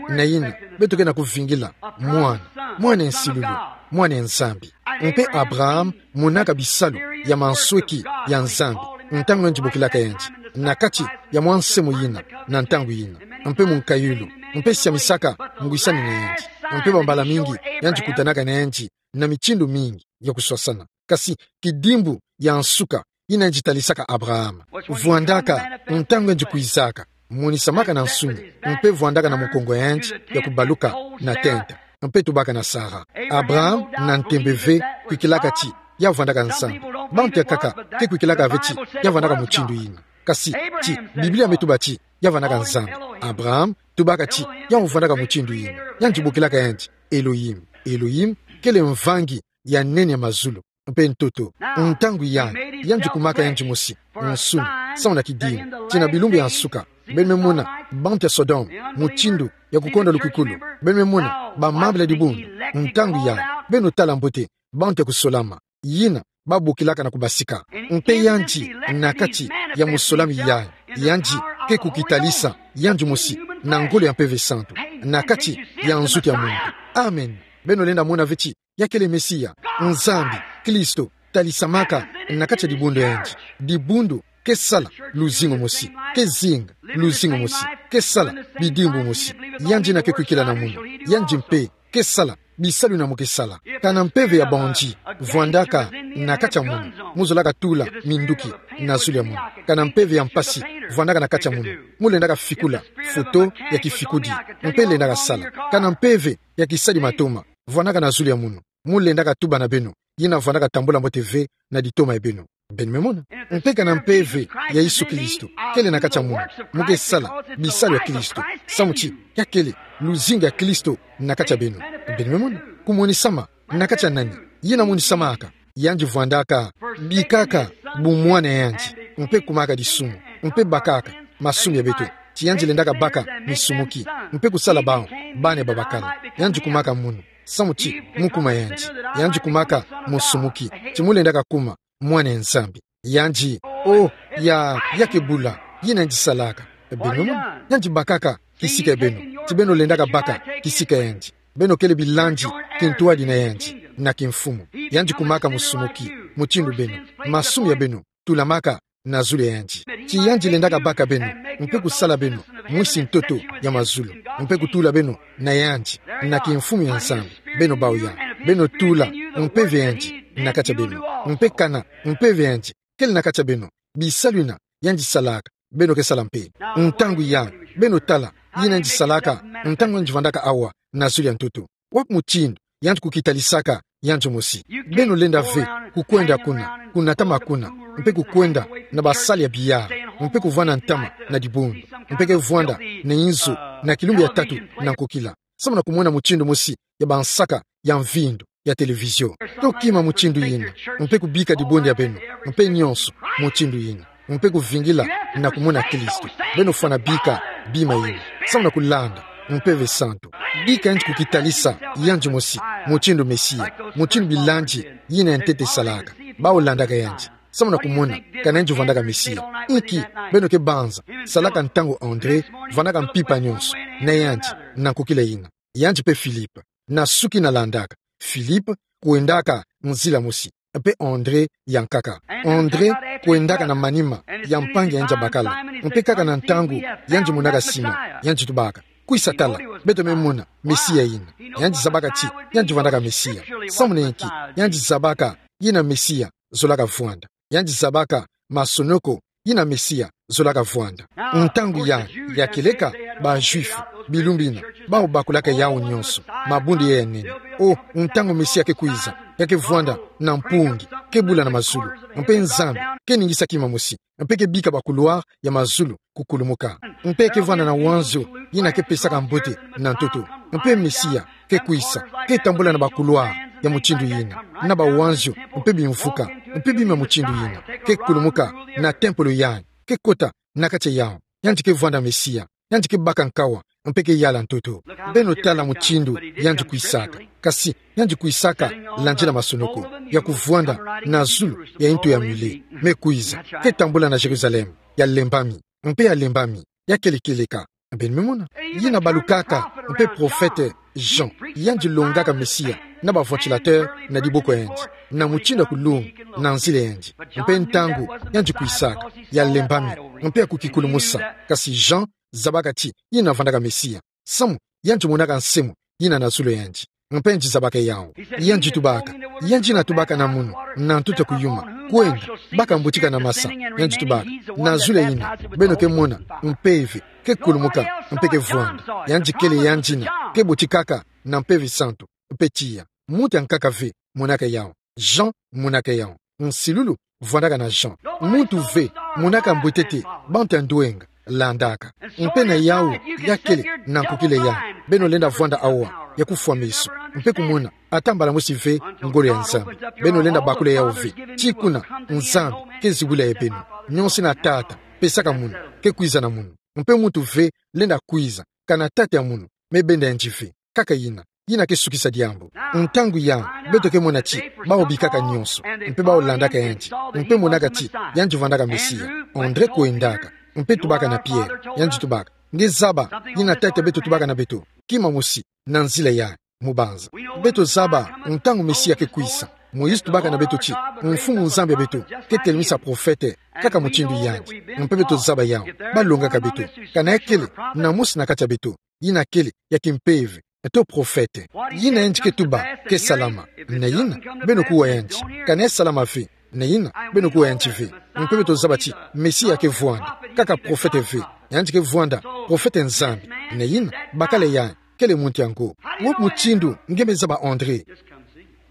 Na yina, beto ke na kuvingila mwana, mwana ya nsilulu, mwana ya Nzambi. Mpe Abraham monaka bisalu ya mansweki ya Nzambi ntangu yandi bokilaka yandi na kati ya mwa nse moyina na ntangu yina, mpe mu nkayulu, mpe siamisaka ngwisani na yandi, mpe bambala mingi yandi kutanaka na yandi na mitindu mingi ya kuswasana. Kasi kidimbu ya nsuka yina yandi talisaka Abraham vwandaka ntangu yandi kwizaka, monisamaka na nsuni, mpe vwandaka na mukongo ya yandi ya kubaluka na tenta, mpe tubaka na Sara. Abraham na ntembe ve kwikilaka ti ya vwandaka Nzambi. Bantu ya nkaka ke kwikilaka ve ti ya vwandaka mutindu yina. Kasi ti Biblia me tuba ti ya vwandaka Nzambi. Abraham tubaka ti ya vwandaka mutindu yina. Yandi bokilaka yandi Elohim. Elohim kele mvangi ya nene ya mazulu mpe ntoto. Ntangu yayi, yandi kumaka yandi mosi nsuni, samu na kidimbu ti na bilumbu ya nsuka, beno me mona bantu ya Sodome, mutindu ya kukonda lukikulu, beno me mona bamambila dibundu. Ntangu yayi, beno tala mbote bantu ya kusolama, yina babokilaka na kubasika. Mpe yandi, na kati ya mosolami yayi, yandi ke kukitalisa yandi mosi na ngolo ya Mpeve Santu, na kati ya nzutu ya muntu. Amen. Beno lenda mona ve ti ya kele Mesia, Nzambi, Kristo, talisamaka na kati ya dibundu ya yandi. Dibundu ke sala luzingu mosi, ke zinga luzingu mosi, ke sala bidimbu mosi. Yandi yina ke kwikila na munu, yandi mpe ke sala bisalu yina mu ke sala. Kana mpeve ya bondi vwandaka na kati ya munu, mu zolaka tula minduki na zulu ya munu. Kana mpeve ya mpasi vwandaka na kati ya munu, mu lendaka fikula foto ya kifikudi, mpe lendaka sala. Kana mpeve ya kisadi matoma vwandaka na zulu ya munu, mu lendaka tuba na beno, yina vwandaka tambula mbote ve na ditoma ya beno. Beno me mona. Mpe kana mpeve ya Yesu Kristo kele na kati ya munu, mu ke sala bisalu ya Kristo, samu ti ya kele luzingu ya Kristo na kati ya beno. Beno me mona. Kumonisama na kati ya nani? Yina monisamaka, yandi vwandaka bikaka bumwana ya yandi, mpe kumaka disumu, mpe bakaka masumu ya beto, ti yandi lendaka baka misumuki, mpe kusala bawu bana babakala. Yandi kumaka munu, samu ti mu kuma yandi, yandi kumaka musumuki, ti mu lendaka kuma mwana ya Nzambi. Yandi, oh, ya, ya ke bula, yina yandi salaka. Beno mona, yandi bakaka kisika ya beno, ti beno lendaka baka kisika ya yandi. Beno kele bilandi kintwadi na yandi, na kimfumu. Yandi kumaka musumuki, mutindu beno, masumu ya beno tulamaka na zulu ya yandi. Ti yandi lendaka baka beno, mpe kusala beno mwisi ntoto ya mazulu, mpe kutula beno na yandi, na kimfumu ya Nzambi. Beno bawu ya, beno tula mpeve ya yandi na kati ya beno, mpe kana mpeve ya yandi kele na kati ya beno, bisalu yina yandi salaka, beno ke sala mpe. Ntangu ya, beno tala yina yandi salaka ntangu yandi vwandaka awa na zulu ya ntoto. Wapi mutindu yandi kukitalisaka yandi mosi? Beno lenda ve kukwenda kuna, kunatama kuna, mpe kukwenda na basali ya biyala, mpe kuvwanda ntama na dibundu, mpe ke vwanda na inzo na kilumbu ya tatu na nkokila, samu na kumona mutindu mosi ya bansaka ya mvindu ya televizio. To kima mutindu yina, mpe kubika dibundu ya beno, mpe nionso mutindu yina, mpe kuvingila na kumona Kristo. Beno fwana bika bima yina, samu na kulanda Mpeve Santu. Bika yandi kukitalisa yandi mosi mutindu Mesia, mutindu bilandi yina ya ntete salaka. Bawu landaka yandi, samu na kumona kana yandi vwandaka Mesia. Inki beno ke banza salaka ntangu André vwandaka mpimpa nionso na yandi na nkokila yina? Yandi mpe Philippe, na suki na landaka. Philippe kwendaka nzila mosi, mpe André ya nkaka. André kwendaka na manima ya mpangi ya yandi ya bakala, mpe kaka na ntangu yandi monaka Simon, yandi tubaka: Kwisa tala, beto me mona Mesia yina. Yandi zabaka ti yandi vwandaka Mesia. Samu na inki yandi zabaka yina Mesia zolaka vwanda? Yandi zabaka masonoko yina Mesia zolaka vwanda. Ntangu ya, ya kieleka, ba Juifs, bilumbu yina, bawu bakulaka yawu nionso, mabundu ya nene. Oh, ntangu Mesia ke kwiza, ya ke vwanda na mpungi, ke bula na mazulu, mpe Nzambi ke ningisa kima mosi, mpe ke bika ba couloirs ya mazulu kukulumuka, mpe ke vwanda na wanzio yina ke pesaka mbote na ntoto. Mpe Mesia ke kwisa, ke tambula na ba couloirs ya mutindu yina, na ba wanzio mpe bimvuka, mpe bima mutindu yina, ke kulumuka na tempelo yayi, ke kota na kati ya yawu. Yandi ke vwanda Mesia, yandi ke baka nkawa, mpe ke yala ntoto. Beno tala mutindu yandi kwisaka. Kasi yandi kwisaka landila masonoko, ya kuvwanda na zulu ya ntu ya mule, me kwiza, ke tambula na Jérusalem ya lembami, mpe ya lembami, ya kele kieleka. Beno me mona. Yina balukaka mpe prophète Jean, yandi longaka Mesia na ba ventilateurs na diboko ya yandi, na mutindu ya kulunga na nzila ya yandi. Mpe ntangu yandi kwisaka, ya lembami, mpe ya kukikulumusa. Kasi Jean zabaka ti yina vwandaka Mesia, samu yandi monaka nsemo yina na zulu ya yandi. Mpe yandi zabaka yawu. Yandi tubaka: Yandi yina tubaka na munu na ntoto ya kuyuma: Kwenda, baka mbutika na masa. Yandi tubaka: Na zulu ya yina beno ke mona mpeve ke kulumuka, mpe ke vwanda. Yandi kele yandi yina ke botikaka na Mpeve Santu. Mpe tiya muntu ya nkaka ve monaka yawu. Jean monaka yawu. Nsilulu vwandaka na Jean. Muntu ve monaka mbwetete bantu ya ndwenga landaka. Mpe na yawu ya kele na nkokila yayi, beno lenda vwanda awa, ya kufwa meso, mpe kumona ata mbala mosi ve ngolo ya Nzambi. Beno lenda bakula yawu ve. Ti kuna Nzambi ke zibula ya beno. Nionso yina Tata pesaka munu, ke kwiza na munu. Mpe muntu ve lenda kwiza, kana Tata ya munu me benda yandi ve. Kaka yina. yina ke sukisa diambu. Ntangu ya, beto ke mona ti, bawu bikaka nyonso, mpe bawu landaka yandi, mpe monaka ti, yandi vandaka Mesia. André kwendaka, mpe tubaka na Pierre, yandi tubaka: Nge zaba, yina ntete beto tubaka na beto, kima mosi, na nzila ya mubanza. Beto zaba, ntangu Mesia ke kwisa, Moïse tubaka na beto ti, Mfumu Nzambi ya beto ke telemisa profete kaka mutindu yandi. Mpe beto zaba yawu, balongaka beto. Kana ya kele na mosi na kati ya beto, yina kele ya kimpeve, eto profete. Yina yandi ke tuba ke salama, na yina, beno kuwa yandi. Kana ya salama ve, na yina, beno kuwa yandi ve. Mpe beto zaba ti, Mesia ke vwanda kaka profete ve, yandi ke vwanda profete Nzambi, na yina, bakala ya kele muntu yango. Wapi mutindu nge me zaba André?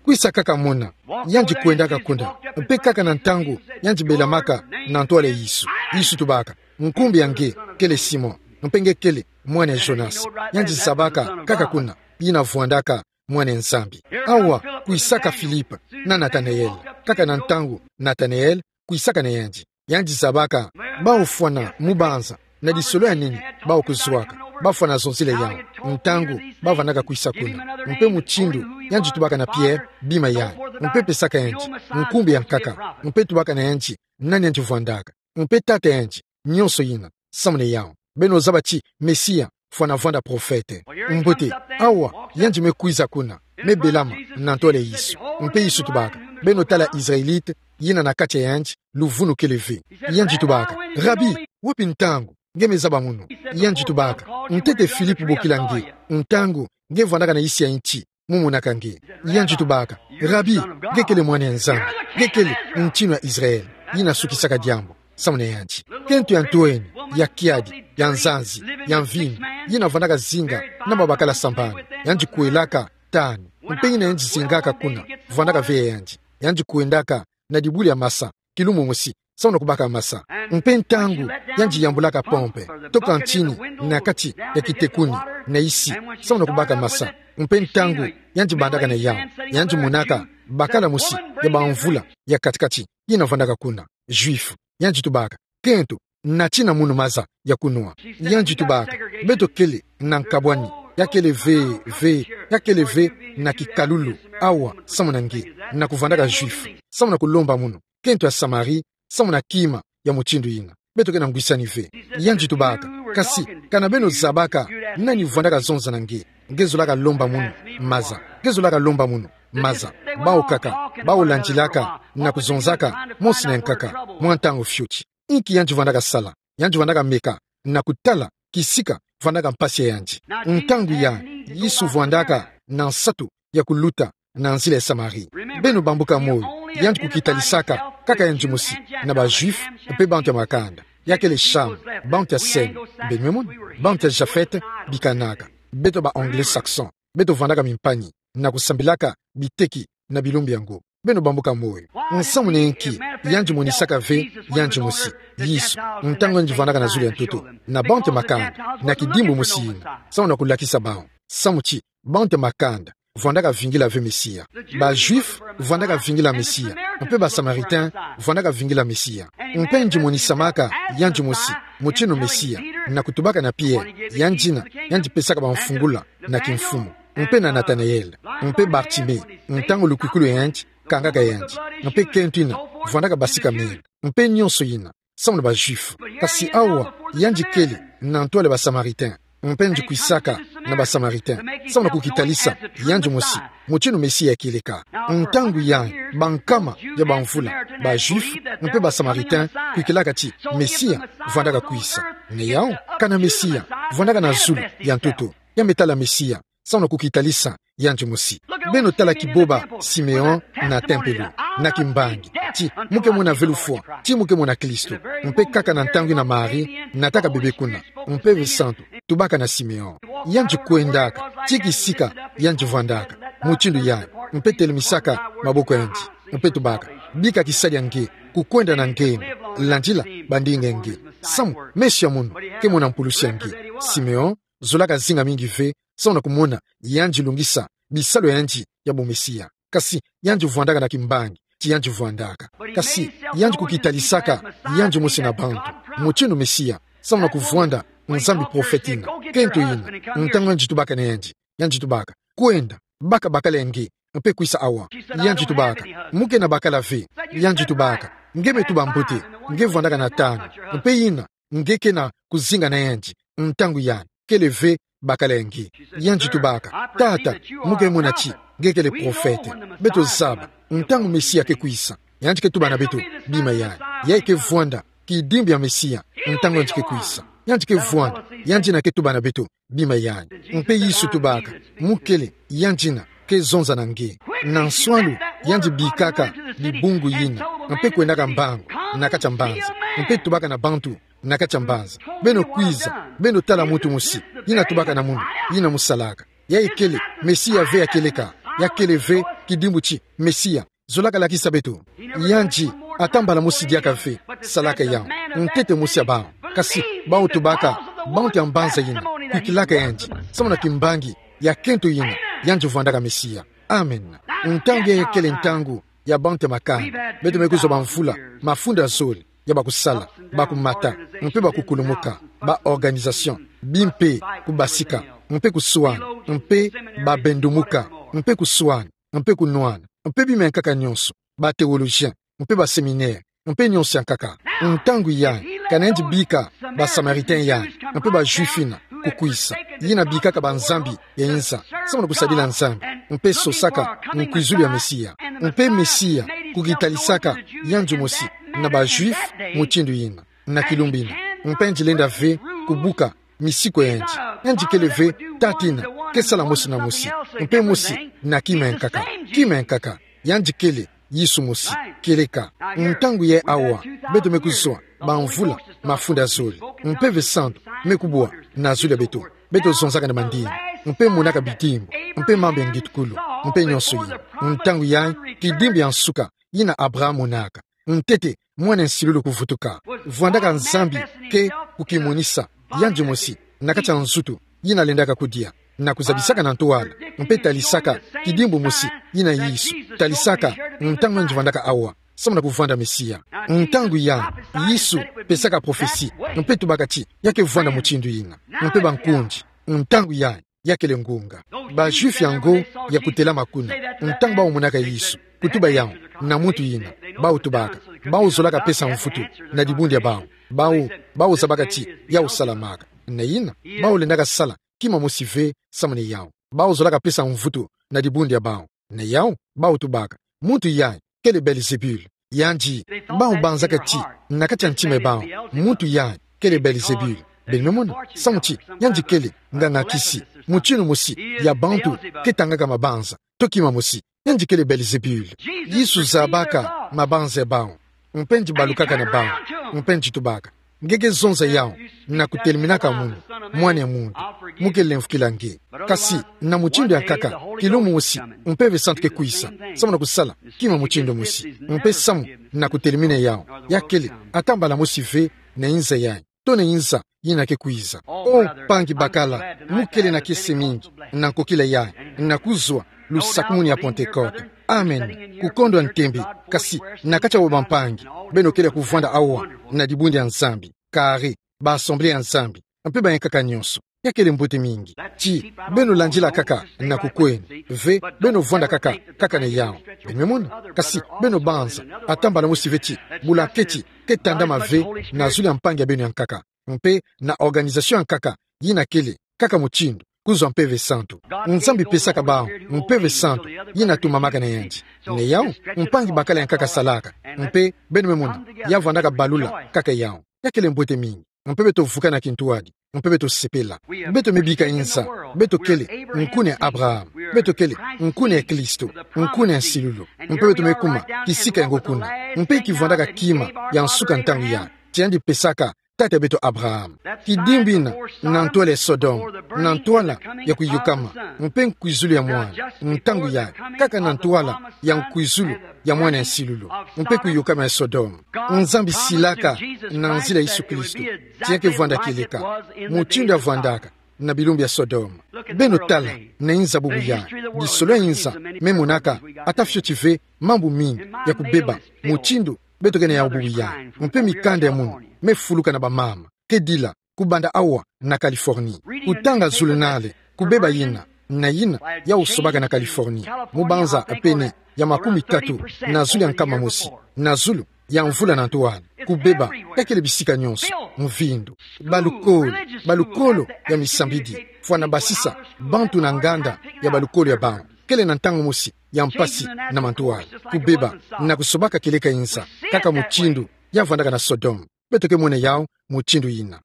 Kwisa kaka mona, yandi kwendaka kuna, mpe kaka na ntangu yandi belamaka na ntwala ya Yesu, Yesu tubaka: Nkumbu ya nge kele Simon, mpe nge kele mwana ya Jonas. Yandi zabaka kaka kuna, yina vwandaka Mwana ya Nzambi. Awa, kwisaka Philippe na Nathanaël, kaka na ntangu Nathanaël kwisaka na yandi. Yandi zabaka, bawu fwana mubanza, na lisolo ya nini bawu kuzwaka, bafwana zonzele yawu, ntangu bavandaka kwisa kuna. Mpe mutindu yandi tubaka na Pierre: Bima yayi, mpe pesaka yandi nkumbu ya nkaka, mpe tubaka na yandi nani yandi vwandaka, mpe tata yandi, nyonso yina, samu na yawu. Beno zaba ti Mesia fwana vwanda profete. Mbote, awa, yandi me kwiza kuna, me belama na ntwala ya Yesu. Mpe Yesu tubaka: Beno tala Israélite yina na kati ya yandi luvunu kele ve. Yandi tubaka: Rabi, wapi ntangu nge me zaba munu? Yandi tubaka: Ntete Philippe bokila nge, ntangu nge vwandaka na yisi ya nti, mu monaka nge. Yandi tubaka: Rabi, nge kele Mwana ya Nzambi, nge kele ntinu ya Israël. Yina sukisaka diambu samu na yandi. Kento ya ntwenya, ya kiadi, ya nzanzi, ya mvindu, yina vwandaka zinga na babakala sambanu, yandi kwelaka tanu, mpe yina yandi zingaka kuna, vwandaka ve ya yandi. Yandi kwendaka na dibulu ya masa, kilumbu mosi, samu na kubaka masa. Mpe ntangu yandi yambulaka pompe, to kantini, na kati ya kitekuni, na yisi, samu na kubaka masa. Mpe ntangu yandi bandaka na yawu, yandi monaka bakala mosi ya bamvula ya kati-kati, yina vwandaka kuna, Juif. Yandi tubaka: Kento, natina munu maza ya kunwa? Yandi tubaka: Beto kele na nkabwani, ya kele ve, ve, ya kele ve na kikalulu, awa, samu na nge, na kuvwandaka Juif, samu na kulomba munu, kento ya Samarie, samu na kima ya mutindu yina. Beto ke na ngwisani ve. Yandi tubaka: Kasi kana beno zabaka nani vwandaka zonza na nge, nge zolaka lomba munu maza, nge zolaka lomba munu maza. Bawu kaka, bawu landilaka na kuzonzaka, mosi na nkaka, mwa ntangu fioti. Inki yandi vwandaka sala? Yandi vwandaka meka na kutala kisika vwandaka mpasi ya yandi. Ntangu ya, Yesu vwandaka na nsatu ya kuluta na nzila ya Samarie. Beno bambuka moyo, yandi kukitalisaka kaka yandi mosi na ba Juif mpe bantu ya makanda. Ya kele Cham, bantu ya Sem, beno me mona, bantu ya Japhet, bikanaka. Beto ba Anglo-Saxon, beto vwandaka mimpani na kusambilaka biteki na bilumbu yango. Beno bambuka moyo. Nsamu na inki yandi monisaka ve yandi mosi, Yesu, ntangu yandi vwandaka na zulu ya ntoto, na bantu ya makanda, na kidimbu mosi yina, samu na kulakisa bawu samu ti bantu ya makanda vwandaka vingila ve Mesia. Ba Juif vwandaka vingila Mesia, mpe ba Samaritain vwandaka vingila Mesia. Mpe yandi monisamaka yandi mosi mutinu Mesia na kutubaka na Pierre, yandina yandi pesaka bamfungula na kimfumu, mpe na Nathanaël, mpe Bartimée, ntangu lukwikulu ya yandi kangaka yandi, mpe kento ina vwandaka basika menga, mpe nyonso yina, samu na ba Juif. Kasi awa, yandi kele na ntwala ya ba Samaritain, mpe yandi kwisaka na ba Samaritain, samu na kukitalisa yandi mosi mutinu Mesia ya kieleka. Ntangu yayi, bankama ya bamvula, ba Juif mpe ba Samaritain kwikilaka ti Mesia vwandaka kwisa. Ni yawu, kana Mesia vwandaka na zulu ya ntoto, ya me tala Mesia samu na kukitalisa yandi mosi. Beno tala kiboba Simeon na tempelo, na kimbangi, ti mu ke mona ve lufwa ti mu ke mona Kristo. Mpe kaka na ntangu ina Marie nataka bebe kuna, Mpeve Santu tubaka na Simeon. Yandi kwendaka, ti kisika yandi vwandaka, mutinu yayi, mpe telemisaka maboko ya yandi, mpe tubaka: Bika kisadi ya nge, kukwenda na nge, landila bandinga ya nge. Samu, meso ya munu ke mona mpulusi ya nge. Simeon zolaka zinga mingi ve samu na kumona yandi lungisa bisalu ya yandi ya bumesia. Kasi yandi vwandaka na kimbangi ti yandi vwandaka. Kasi yandi kukitalisaka yandi mosi na bantu, mutinu Mesia, samu na kuvwanda Nzambi, profete ina, kento ina, ntangu yandi tubaka na yandi, yandi tubaka: kwenda baka bakala ya nge, mpe kwisa awa. Yandi tubaka: Mo ke na bakala ve. Yandi tubaka: Nge me tuba mbote, nge vwandaka na tanu, mpe ina nge ke na kuzinga na yandi, ntangu yandi kele ve bakala ya nge. Yandi tubaka: Tata, mo ke mona ti nge kele profete. Beto zaba ntangu Mesia ke kwisa. Yandi ke tuba na beto bima yandi. Yayi ke vwanda kidimbu ya Mesia, ntangu yandi ke kwisa. Yandi ke vwanda, yandi na ke tuba na beto bima yandi. Mpe Yesu tubaka: Mo kele yandi na ke zonza na nge. Na nswalu, yandi bikaka dibungu yina, mpe kwendaka mbangu na kati ya mbanza, mpe tubaka na bantu na kati ya mbanza: Beno kwiza, beno tala muntu mosi yina tubaka na munu yina mo salaka. Yayi kele Mesia ve ya kieleka, ya kele ve kidimbu ti Mesia zolaka lakisa beto. Yandi ata mbala mosi diaka ve salaka yawu ntete mosi ya bawu. Kasi bawu tubaka bantu ya mbanza yina kwikilaka yandi samu na kimbangi ya kento yina yandi vwandaka Mesia. Amen. Ntangu yayi kele ntangu ya bantu ya makanda. Beto me kuzwa bamvula mafunda zole ya bakusala, bakumata, mpe bakukulumuka, ba organisation, bimpe, kubasika, mpe kuswana, mpe babendumuka, mpe kuswana, mpe kunwana, mpe bima ya nkaka nyonso, ba théologien, mpe ba séminaire, mpe nyonso ya nkaka. Ntangu yayi, kana yandi bika ba Samaritain yandi, mpe ba Juif yina kukwisa, yina bikaka banzambi ya inza samu na kusadila Nzambi, mpe sosaka nkwizulu ya Mesia. Mpe Mesia kukitalisaka yandi mosi na ba Juif mutindu yina, na kilumbu yina. Mpe yandi lenda ve kubuka misiku ya yandi. Yandi kele ve tata yina ke sala mosi na mosi, mpe mosi na kima ya nkaka. Kima ya nkaka, yandi kele Yesu mosi. Kieleka, ntangu yayi awa, beto me kuzwa bamvula mafunda zole, Mpeve Santu me kubwa na zulu ya beto. Beto zonzaka na mandini, mpe monaka bidimbu, mpe mambu ya ngitukulu, mpe nyonso yina. Ntangu yayi, kidimbu ya nsuka yina Abraham monaka, ntete mwana ya nsilulu kuvutuka, vwandaka Nzambi ke kukimonisa yandi mosi na kati ya nzutu yina lendaka kudia, na kuzabisaka na ntwala, mpe talisaka kidimbu mosi yina Yesu talisaka ntangu yandi vwandaka awa samu na kuvwanda Mesia. Ntangu yayi, Yesu pesaka prophetie, mpe tubaka ti ya ke vwanda mutindu yina. Mpe bankundi, ntangu yayi, ya kele ngunga. Ba Juif yango ya kutelama kuna, ntangu bawu monaka Yesu kutuba yawu na muntu yina, bawu tubaka: Bawu zolaka pesa mvutu na dibundu ya bawu. Bawu, bawu zabaka ti yawu salamaka. Na yina, bawu lendaka sala kima mosi ve samu na yawu. Bawu zolaka pesa mvutu na dibundu ya bawu. Na yawu, bawu tubaka: Muntu yayi kele Belzebul. Yandi, bawu banzaka ti na kati ya ntima ya bawu, muntu yayi kele Belzebul. Beno me mona, samu ti yandi kele nganga kisi, mutindu mosi ya bantu ke tangaka mabanza, to kima mosi. Yandi kele Belzebul. Yesu zabaka mabanza ya bawu, mpe yandi balukaka na bawu, mpe yandi tubaka: Nge ke zonza yawu na kuteleminaka munu mwana ya muntu, mo ke lemvukila nge. Kasi na mutindu ya nkaka, kilumbu mosi, Mpeve Santu ke kwisa samu na kusala kima mutindu mosi, mpe samu na kutelemina yawu, ya kele ata mbala mosi ve na inza yayi, to na inza yina ke kwiza. O mpangi bakala, mo kele na kiese mingi na nkokila yayi, na kuzwa lusakumunu ya Pentecote. Amen. Kukondwa ntembe, kasi na kati ya bampangi, beno kele kuvwanda awa na dibundu ya Nzambi, kari ba Assemblée ya Nzambi, mpe ba nkaka nyonso. Ya kele mbote mingi. Ti beno landila kaka na kukwenda ve, beno vwanda kaka, kaka na yawu. Beno me mona, kasi beno banza ata mbala mosi ve ti bulaketi ke tandama ve na zulu ya mpangi ya beno ya nkaka, mpe na organisation ya nkaka yina kele kaka mutindu kuzwa Mpeve Santu. Nzambi pesaka bawu Mpeve Santu yina tumamaka na yandi. Na yawu, mpangi bakala ya nkaka salaka, mpe beno me mona, ya vwandaka balula kaka yawu. Ya kele mbote mingi. Mpe beto vukana kintwadi, mpe beto sepela. Beto me bika inza, beto kele nkuna ya Abraham, beto kele nkuna ya Kristo, nkuna ya nsilulu. Mpe beto me kuma kisika yango kuna, mpe ki vwandaka kima ya nsuka ntangu yayi, ti yandi pesaka tata ya beto Abraham. Kidimbu yina na ntwala ya Sodome, na ntwala ya kuyokama mpe nkwizulu ya mwana, ntangu yayi, kaka na ntwala ya nkwizulu ya mwana ya nsilulu, mpe kuyokama ya Sodome. Nzambi silaka na nzila ya Yesu Kristo ti ya ke vwanda kieleka, mutindu ya vwandaka na bilumbu ya Sodome. Beno tala na inza bubu yayi, bisolo ya inza me monaka ata fioti ve mambu mingi ya kubeba, mutindu beto ke na yawu bubu yayi. Mpe mikanda ya munu me fuluka na bamama ke dila kubanda awa na Californie. Kutanga zulunale, kubeba yina, Na yina, yawu sobaka na Californie, mu banza pene ya makumi tatu na zulu ya nkama mosi na zulu ya mvula na ntoala, kubeba, ya kele bisika nyonso, mvindu. Balukolo, balukolo ya misambidi, fwana basisa bantu na nganda ya balukolo ya bawu. Kele na ntangu mosi ya mpasi na mantoala, kubeba, na kusobaka kieleka inza, kaka mutindu ya vandaka na Sodome. Beto ke mona yawu mutindu yina.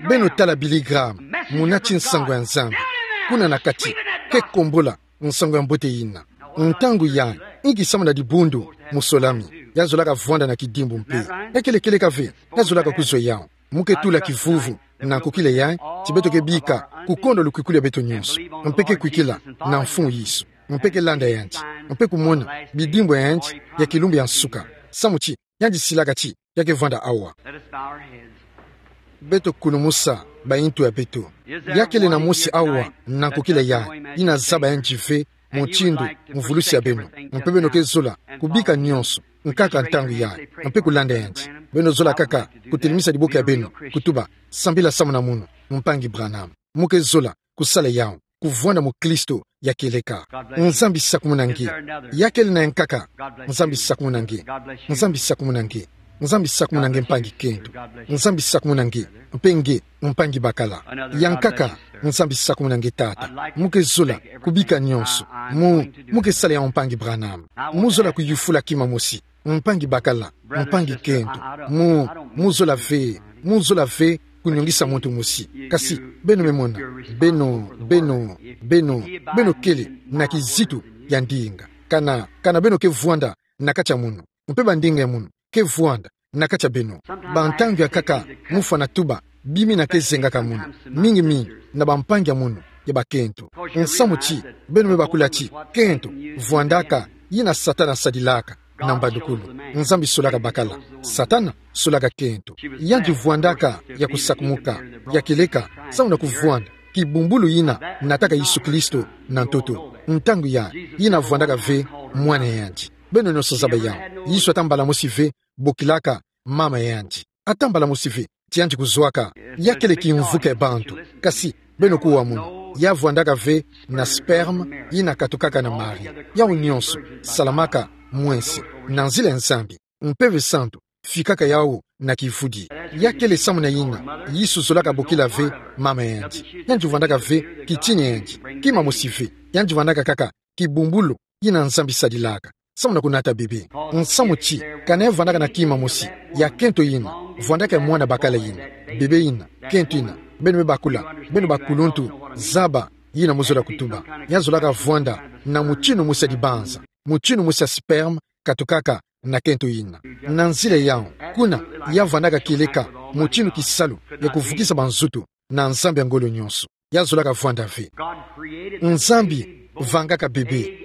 Beno tala Billy Graham, munati nsangu ya Nzambi. Kuna na kati, ke kombola nsangu ya mbote yina. Ntangu yayi, inki samu na dibundu, musolami, ya zolaka vwanda na kidimbu mpe. Ya kele kieleka ve, ya zolaka kuzwa yawu. Mu ke tula kivuvu na nkokila yayi, ti beto ke bika, kukonda lukwikulu ya beto nyonso. Mpe ke kwikila na Mfumu Yesu. Mpe ke landa yandi. Mpe kumona bidimbu ya yandi ya kilumbu ya nsuka. Samu ti, yandi silaka ti ya ke vwanda awa. Let us bow our heads. Beto kulumusa bayintu ya beto. Ya kele na mosi awa na nkokila yayi, yina zaba yandi ve mutindu mvulusi ya beno. Mpe beno ke zola kubika nyonso, nkaka ntangu yayi, mpe kulanda yandi. Beno zola kaka kutelemisa diboke ya beno, kutuba: Sambila samu na mono, Mpangi Branham. Mu ke zola kusala yawu, kuvwanda mukristo ya kieleka. Nzambi sakumuna nge. Ya kele na ya nkaka? Nzambi sakumuna nge. Nzambi sakumuna nge. Nzambi sakumuna nge, mpangi kento. Nzambi sakumuna nge. Mpe nge, mpangi bakala. Ya nkaka? Nzambi sakumuna nge, tata. Mu ke zola kubika nyonso. Mu, mu ke sala yawu, Mpangi Branham. Mu zola kuyufula kima mosi, mpangi bakala, mpangi kento. Mu, mu zola ve, mu zola ve kunyongisa muntu mosi. Kasi beno me mona, beno, beno, beno, beno kele na kizitu ya ndinga. Kana, kana beno ke vwanda na kati ya mono, mpe bandinga ya mono ke vwanda na kati ya beno. Bantangu ya nkaka, mu fwana tuba, bimina ke zengaka mono, mingi mingi na bampangi ya mono ya bakento. Nsamu ti, beno me bakula ti kento vwandaka yina Satana sadilaka na mbandukulu. Nzambi solaka bakala, Satana solaka kento. Yandi vwandaka ya kusakumuka, ya kieleka, samu na kuvwanda kibumbulu yina nataka Yesu Kristo na ntoto. Ntangu yayi, yina vwandaka ve mwana ya yandi. Beno nyonso zaba yawu. Yesu ata mbala mosi ve bokilaka mama ya yandi. Ata mbala mosi ve ti yandi kuzwaka. Ya kele kimvuka ya bantu. Kasi beno kuwa mono, ya vwandaka ve na sperme yina katukaka na Marie. Yawu nyonso salamaka mwense na nzila ya Nzambi. Mpeve Santu fikaka yawu na kivudi. Ya kele samu na yina Yesu zolaka bokila ve mama ya yandi. Yandi vwandaka ve kitini ya yandi, kima mosi ve. Yandi vwandaka kaka kibumbulu yina Nzambi sadilaka samu na kunata bebe. Nsamu ti, kana ya vwandaka na kima mosi, ya kento yina vwandaka ya mwana bakala yina, bebe yina, kento yina. Beno me bakula, beno bakuluntu, zaba yina mu zola kutuba. Ya zolaka vwanda na mutinu mosi ya dibanza, mutinu mosi ya sperme katukaka na kento yina. Na nzila yawu, kuna ya vwandaka kieleka mutinu kisalu ya kuvukisa banzutu na Nzambi ya ngolo nyonso. Ya zolaka vwanda ve. Nzambi vangaka bebe,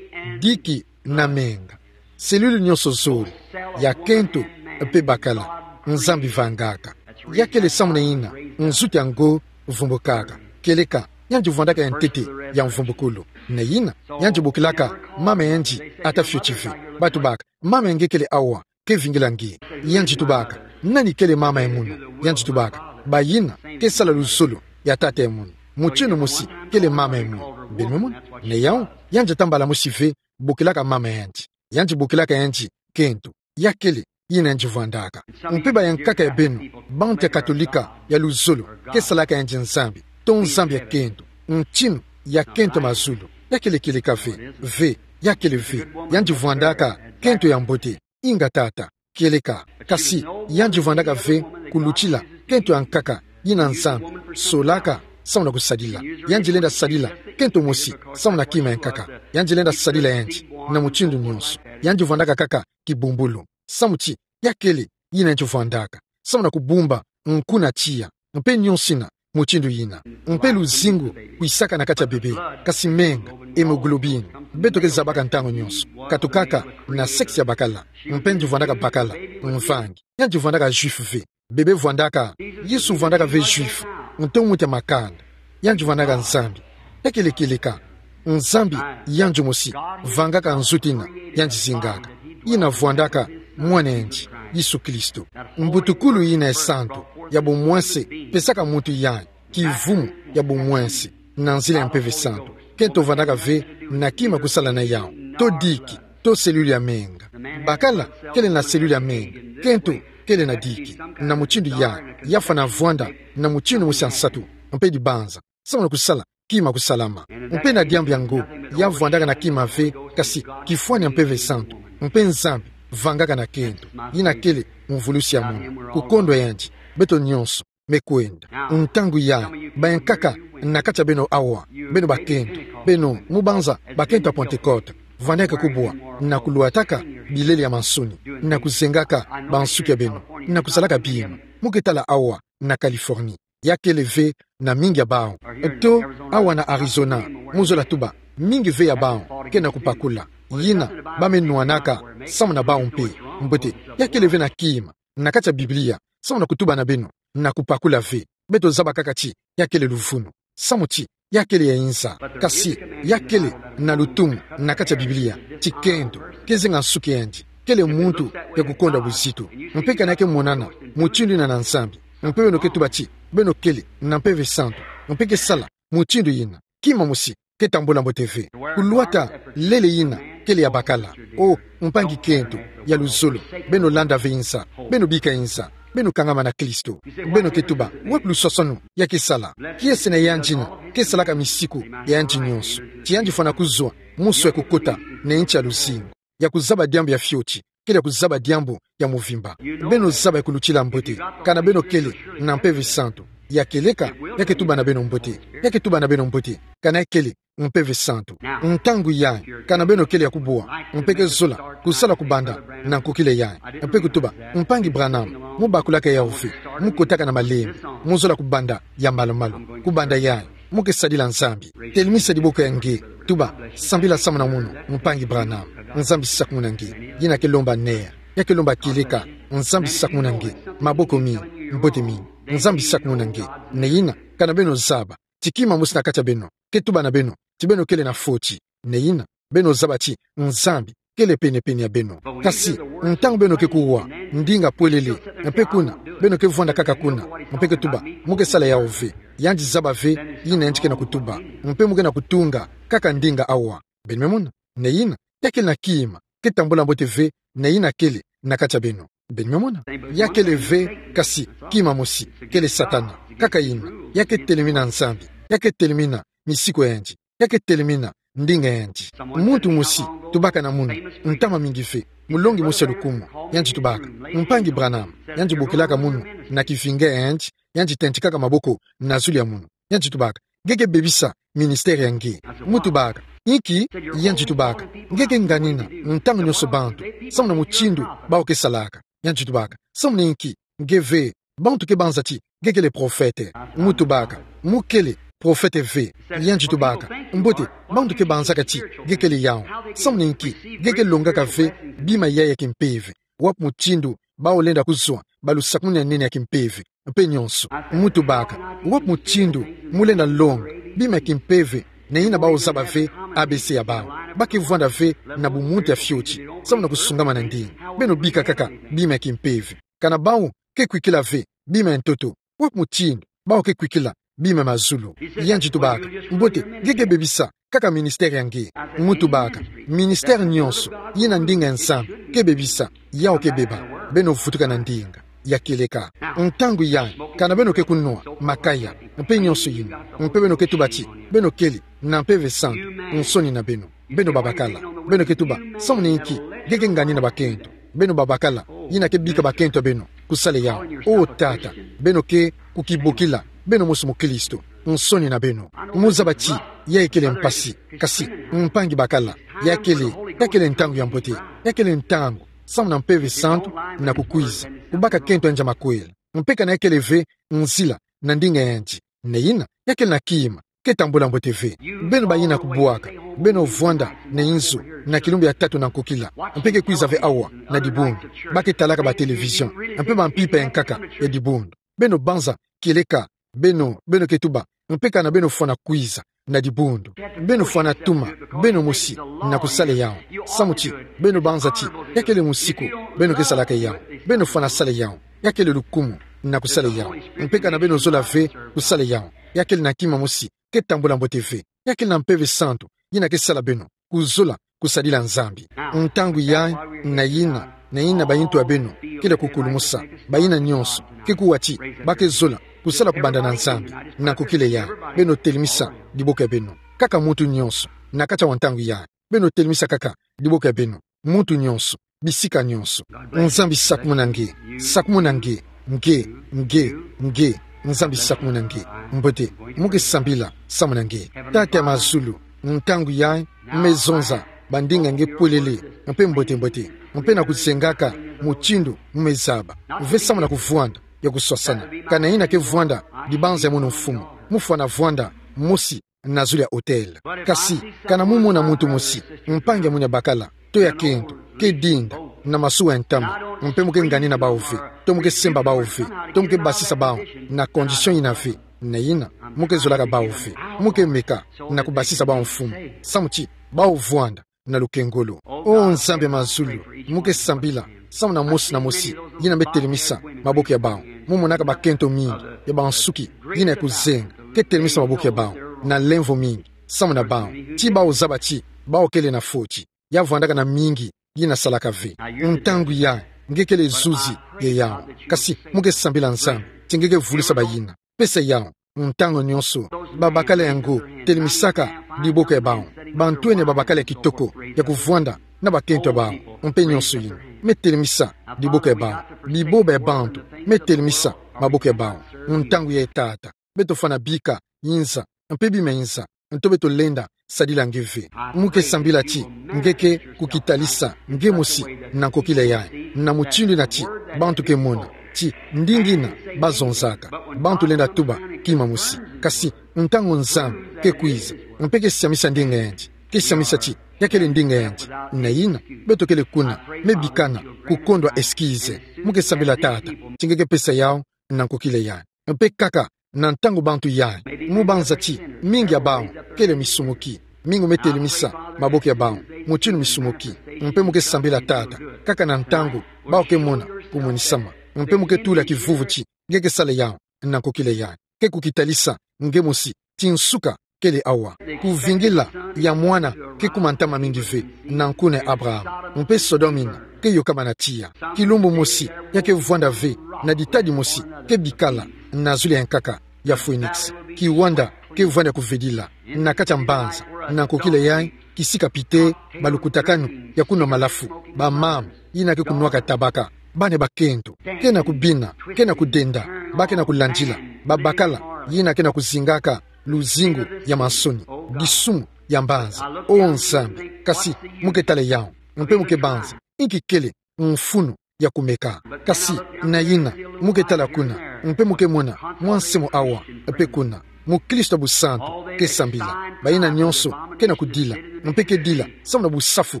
diki na menga. Cellule nyonso zole, ya kento mpe bakala, Nzambi vangaka. Ya kele samu na yina nzutu ya ngo vumbukaka. Kieleka, yandi vwandaka ya ntete ya mvumbukulu. Na yina yandi bokilaka mama ya yandi, ata fioti ve. Ba tubaka: Mama ya nge kele awa, ke vingila nge. Yandi tubaka: Nani kele mama ya mono? Yandi tubaka: Bayina ke sala luzolo ya tata ya mono. Mutinu mosi kele mama ya mono. Beno me mona? Na yawu, yandi ata mbala mosi ve bokilaka mama ya yandi. Yandi bokilaka yandi kento. Ya kele yina yandi vwandaka. Mpe bayankaka ya beno, bantu ya Katolika ya luzolo, ke salaka yandi Nzambi, to Nzambi ya kento, ntinu ya kento mazulu. Ya kele kieleka ve? Ve, ya kele ve. Yandi vwandaka kento ya mbote. Inga tata, kieleka. Kasi yandi vwandaka ve kulutila kento ya nkaka yina Nzambi solaka samu na kusadila. Yandi lenda sadila kento mosi samu na kima ya nkaka. Yandi lenda sadila yandi na mutindu nyonso. Yandi vwandaka kaka kibumbulu. Samu ti, ya kele yina yandi vwandaka samu na kubumba nku na tiya, mpe nyonso yina mutindu yina. Mpe luzingu kwisaka na kati ya bebe, kasi menga, hémoglobine, beto ke zabaka ntangu nyonso, katukaka na sexe ya bakala. Mpe yandi vwandaka bakala, mvangi. Yandi vwandaka juif ve. Bebe vwandaka, Yesu vwandaka ve juif, nto muntu ya makanda. Yandi vwandaka Nzambi. Ya kele kieleka? Nzambi yandi mosi vangaka nzutu yina yandi zingaka, yina vwandaka mwana ya yandi, Yesu Kristo. Mbutukulu yina ya santu, ya bomwense, pesaka muntu yayi kivumu ya bomwense na nzila ya Mpeve Santu. Kento vandaka ve na kima kusala na yau. To diki, to selula ya menga. Bakala kele na selula ya menga. Kento kele na diki. Na mutindu ya, ya fwana vwanda na mutindu mosi ya nsatu, mpe dibanza, samu na kusala kima kusalama. Mpe na diambu yango, ya vwandaka na kima ve, kasi kifwani ya Mpeve Santu, mpe Nzambi vangaka na kento. Yina kele mvulusi ya mono. Kukondwa yandi, beto nyonso, me kwenda. Ntangu yayi, bankaka na kati ya beno awa, beno bakento, beno mubanza bakento ya Pentecote, vwandaka kubwa na kulwataka bilele ya mansoni, na kuzengaka bansuki ya beno, na kusalaka bima. Mu ke tala awa na Californie, ya kele ve na mingi ya bawu. To awa na Arizona, mu zola tuba, mingi ve ya bawu ke na kupakula. Yina ba me nwanaka samu na bawu mpe. Mbote, ya kele ve na kima na kati ya Biblia samu na kutuba na beno na kupakula ve. Beto zaba kaka ti ya kele luvunu, samu ti ya kele ya inza. Kasi ya kele na lutumu na kati ya Biblia ti kento ke zenga nsuki yandi, kele muntu ya kukondwa buzitu. Mpe kana ke monana mutindu yina na Nzambi, mpe beno ke tuba ti beno kele na Mpeve Santu, mpe ke sala mutindu yina, kima mosi ke tambula mbote ve. Kulwata lele yina kele ya bakala. O mpangi kento ya luzolo, beno landa ve inza, beno bika inza, beno kangama na Kristo. Beno ke tuba, wapi luswaswanu ya ke sala? Kiese na yandi yina ke salaka misiku ya yandi nyonso, ti yandi fwana kuzwa musu ya kukota na nti ya luzingu, ya kuzaba diambu ya fioti, kele ya kuzaba diambu ya muvimba. Beno zaba ya kulutila mbote, kana beno kele na Mpeve Santu, ya kieleka, ya ke tuba na beno mbote, ya ke tuba na beno mbote, kana ya kele Mpeve Santu. Ntangu yayi, kana beno kele ya kubwa, mpe ke zola kusala kubanda na nkokila yayi, mpe kutuba, mpangi Branham, mu bakulaka yawu ve, mu kotaka na malembe, mu zola kubanda ya malu-malu, kubanda yayi, mu ke sadila Nzambi. Telemisa diboko ya nge, tuba, sambila samu na mono, mpangi Branham. Nzambi sakumuna nge. Yina ke lomba ner, ya ke lomba kieleka. Nzambi sakumuna nge. Maboko mingi, mbote mingi. Nzambi sakumuna nge. Neyina, kana beno zaba ti kima mosi na kati ya beno ke tuba na beno ti beno kele na fioti, neyina, beno zaba ti Nzambi kele pene-pene ya beno. Kasi ntangu beno ke kuwa ndinga pwelele, mpe kuna beno ke vwanda kaka kuna, mpe ke tuba, mu ke sala yawu ve, yandi zaba ve yina yandi ke na kutuba, mpe mu ke na kutunga kaka ndinga awa. Beno me mona? Neyina, ya kele na kima ke tambula mbote ve, neyina kele na kati ya beno. Beno me mona? Ya kele ve, kasi kima mosi, kele Satana. Kaka yina, ya ke telemina Nzambi, ya ke telemina misiku ya yandi, ya ke telemina ndinga ya yandi. Muntu mosi tubaka na munu, ntama mingi ve, mulongi mosi ya lukumu, yandi tubaka, mpangi Branham, yandi bokilaka munu na kivinga ya yandi, yandi tentikaka maboko na zulu ya munu, yandi tubaka, nge ke bebisa ministère ya nge. Mu tubaka, inki? Yandi tubaka, nge ke nganina ntangu nyonso bantu samu na mutindu bawu ke salaka. Yandi tubaka, samu na inki? Nge ve, bantu ke banza ti nge kele prophète. Mu tubaka, mu kele prophète ve. Yandi tubaka, mbote, bantu ke banzaka ti nge kele yawu. Samu na inki? Nge ke longaka ve bima yayi ya kimpeve. Wapi mutindu bawu lenda kuzwa balusakumuni ya nene ya kimpeve, mpe nyonso? Mu tubaka, wapi mutindu mu lenda longa bima ya kimpeve, neyina bawu zaba ve A B C ya bawu? Ba ke vwanda ve na bumuntu ya fioti samu na kusungama na ndinga. Beno bika kaka bima ya kimpeve. Kana bawu ke kwikila ve bima ya ntoto, wapi mutindu bawu ke kwikila bima ya mazulu? Yandi tubaka, mbote, nge ke bebisa kaka ministère ya nge. Mu tubaka, ministère nyonso yina ndinga ya Nzambi ke bebisa, yawu ke beba. Beno vutuka na ndinga ya kieleka. Ntangu yayi, kana beno ke kunwa makaya, mpe nyonso yina, mpe beno ke tuba ti beno kele na Mpeve Santu, nsoni na beno. Beno babakala, beno ke tuba, samu na inki nge ke nganina bakento? Beno babakala, yina ke bika bakento ya beno kusala yawu. O Tata, beno ke kukibokila beno mosi mukristo, nsoni na beno. Mu zaba ti yayi kele mpasi, kasi mpangi bakala, ya kele, ya kele ntangu ya mbote, ya kele ntangu samu na Mpeve Santu na kukwiza kubaka kento ya yandi ya makwela. Mpe kana ya kele ve nzila na ndinga ya yandi, neyina, ya kele na kima ke tambula mbote ve. Beno bayina kubwaka, beno vwanda na inzo na kilumbu ya tatu na nkokila, mpe ke kwiza ve awa na dibundu. Ba ke talaka ba télévision, mpe ba mpimpa ya nkaka ya dibundu. Beno banza kieleka, beno, beno ke tuba, mpe kana beno fwana kwiza na dibundu, beno fwana tuma beno mosi na kusala yawu. Samu ti beno banza ti ya kele musiku beno ke salaka yawu. Beno fwana sala yawu. Ya kele lukumu na kusala yawu. Mpe kana beno zola ve kusala yawu, ya kele na kima mosi ke tambula mbote ve. Ya kele na mpeve santu yina ke sala beno kuzola kusadila Nzambi. Ntangu yayi, na yina, na yina bayintu ya beno kele kukulumusa, bayina nyonso, ke kuwa ti ba ke zola kusala kubanda na Nzambi. Na nkokila yayi, beno telemisa diboko ya beno. Kaka muntu nyonso, na kati ya ntangu yayi, beno telemisa kaka diboko ya beno. Muntu nyonso, bisika nyonso. Nzambi sakumuna nge, sakumuna nge, nge, nge, nge. Nzambi sakumuna nge. Mbote, mu ke sambila, sakumuna nge. Tata ya mazulu, ntangu yayi, me zonza bandinga nge polele, mpe mbote mbote, mpe na kuzengaka mutindu mu me zaba. Ve sakumuna kuvwanda ya kuswasana. Kana yina ke vwanda dibanza ya mono mfumu, mu fwana vwanda mosi na zulu ya hôtel. Kasi, kana mu mona muntu mosi, mpangi ya mono ya bakala, to ya kento, ke dinda na masuwa ya ntama, mpe mu ke nganina bawu ve, to mu ke semba bawu ve, to mu ke basisa bawu na condition yina ve, na yina, mu ke zolaka bawu ve, mu ke meka na kubasisa bawu mfumu, samu ti bawu vwanda na lukengolo. O Nzambi ya mazulu, mu ke sambila samu na mosi na mosi yina me telemisa maboko ya bawu. Mu monaka bakento mingi ya bansuki yina ya kuzenga, ke telemisa maboko ya bawu na lemvo mingi samu na bawu, ti bawu zaba ti bawu kele na foti, ya vwandaka na mingi yina salaka ve. Ntangu yayi, nge kele zuzi ya yawu. Kasi, mu ke sambila Nzambi ti nge ke vulusa bayina. Pesa yawu ntangu nyonso. Babakala yango, telemisaka diboko ya bawu. Bantwenia babakala ya kitoko ya kuvwanda na bakento ya bawu, mpe nyonso yina, me telemisa diboko ya bawu. Biboba ya bantu, me telemisa maboko ya bawu. Ntangu yayi, Tata, beto fwana bika yinza, mpe bima yinza, nto beto lenda sadila nge ve. Mu ke sambila ti nge ke kukitalisa nge mosi na nkokila yayi, na mutindu yina ti bantu ke mona ti ndinga yina ba zonzaka, bantu lenda tuba kima mosi. Kasi, ntangu Nzambi ke kwiza, mpe ke siamisa ndinga yandi, ke siamisa ti ya kele ndinga yandi, na yina, beto kele kuna, me bikana kukondwa excuse. Mu ke sambila, Tata, ti nge ke pesa yawu na nkokila yayi. Mpe kaka na ntangu bantu yayi, mu banza ti mingi ya bawu kele misumuki, mingi me telemisa maboko ya bawu mutindu misumuki. Mpe mu ke sambila, Tata, kaka na ntangu bawu ke mona kumonisama, mpe mu ke tula kivuvu ti nge ke sala yawu na nkokila yayi, ke kukitalisa nge mosi ti nsuka kele awa. Kuvingila ya mwana ke kuma ntama mingi ve na nkuna ya Abraham, mpe Sodome yina ke yokama na tiya. Kilumbu mosi ya ke vwanda ve na ditadi mosi ke bikala na zulu ya nkaka ya Phoenix. Kiwanda ke vwanda kuvedila na kati ya mbanza na nkokila yayi, kisika pite balukutakanu ya kunwa malafu, bamama yina ke kunwaka tabaka, bana ya bakento ke na kubina, ke na kudenda, ba ke na kulandila babakala yina ke na kuzingaka luzingu ya mansoni, disumu ya mbanza. O Nzambi, kasi mu ke tala yawu, mpe mu ke banza inki kele mfunu ya kumeka. Kasi na yina, mu ke tala kuna, mpe mu ke mona mwa nsi mo awa, mpe kuna mukristo ya busantu ke sambila. Bayina nyonso ke na kudila, mpe ke dila samu na busafu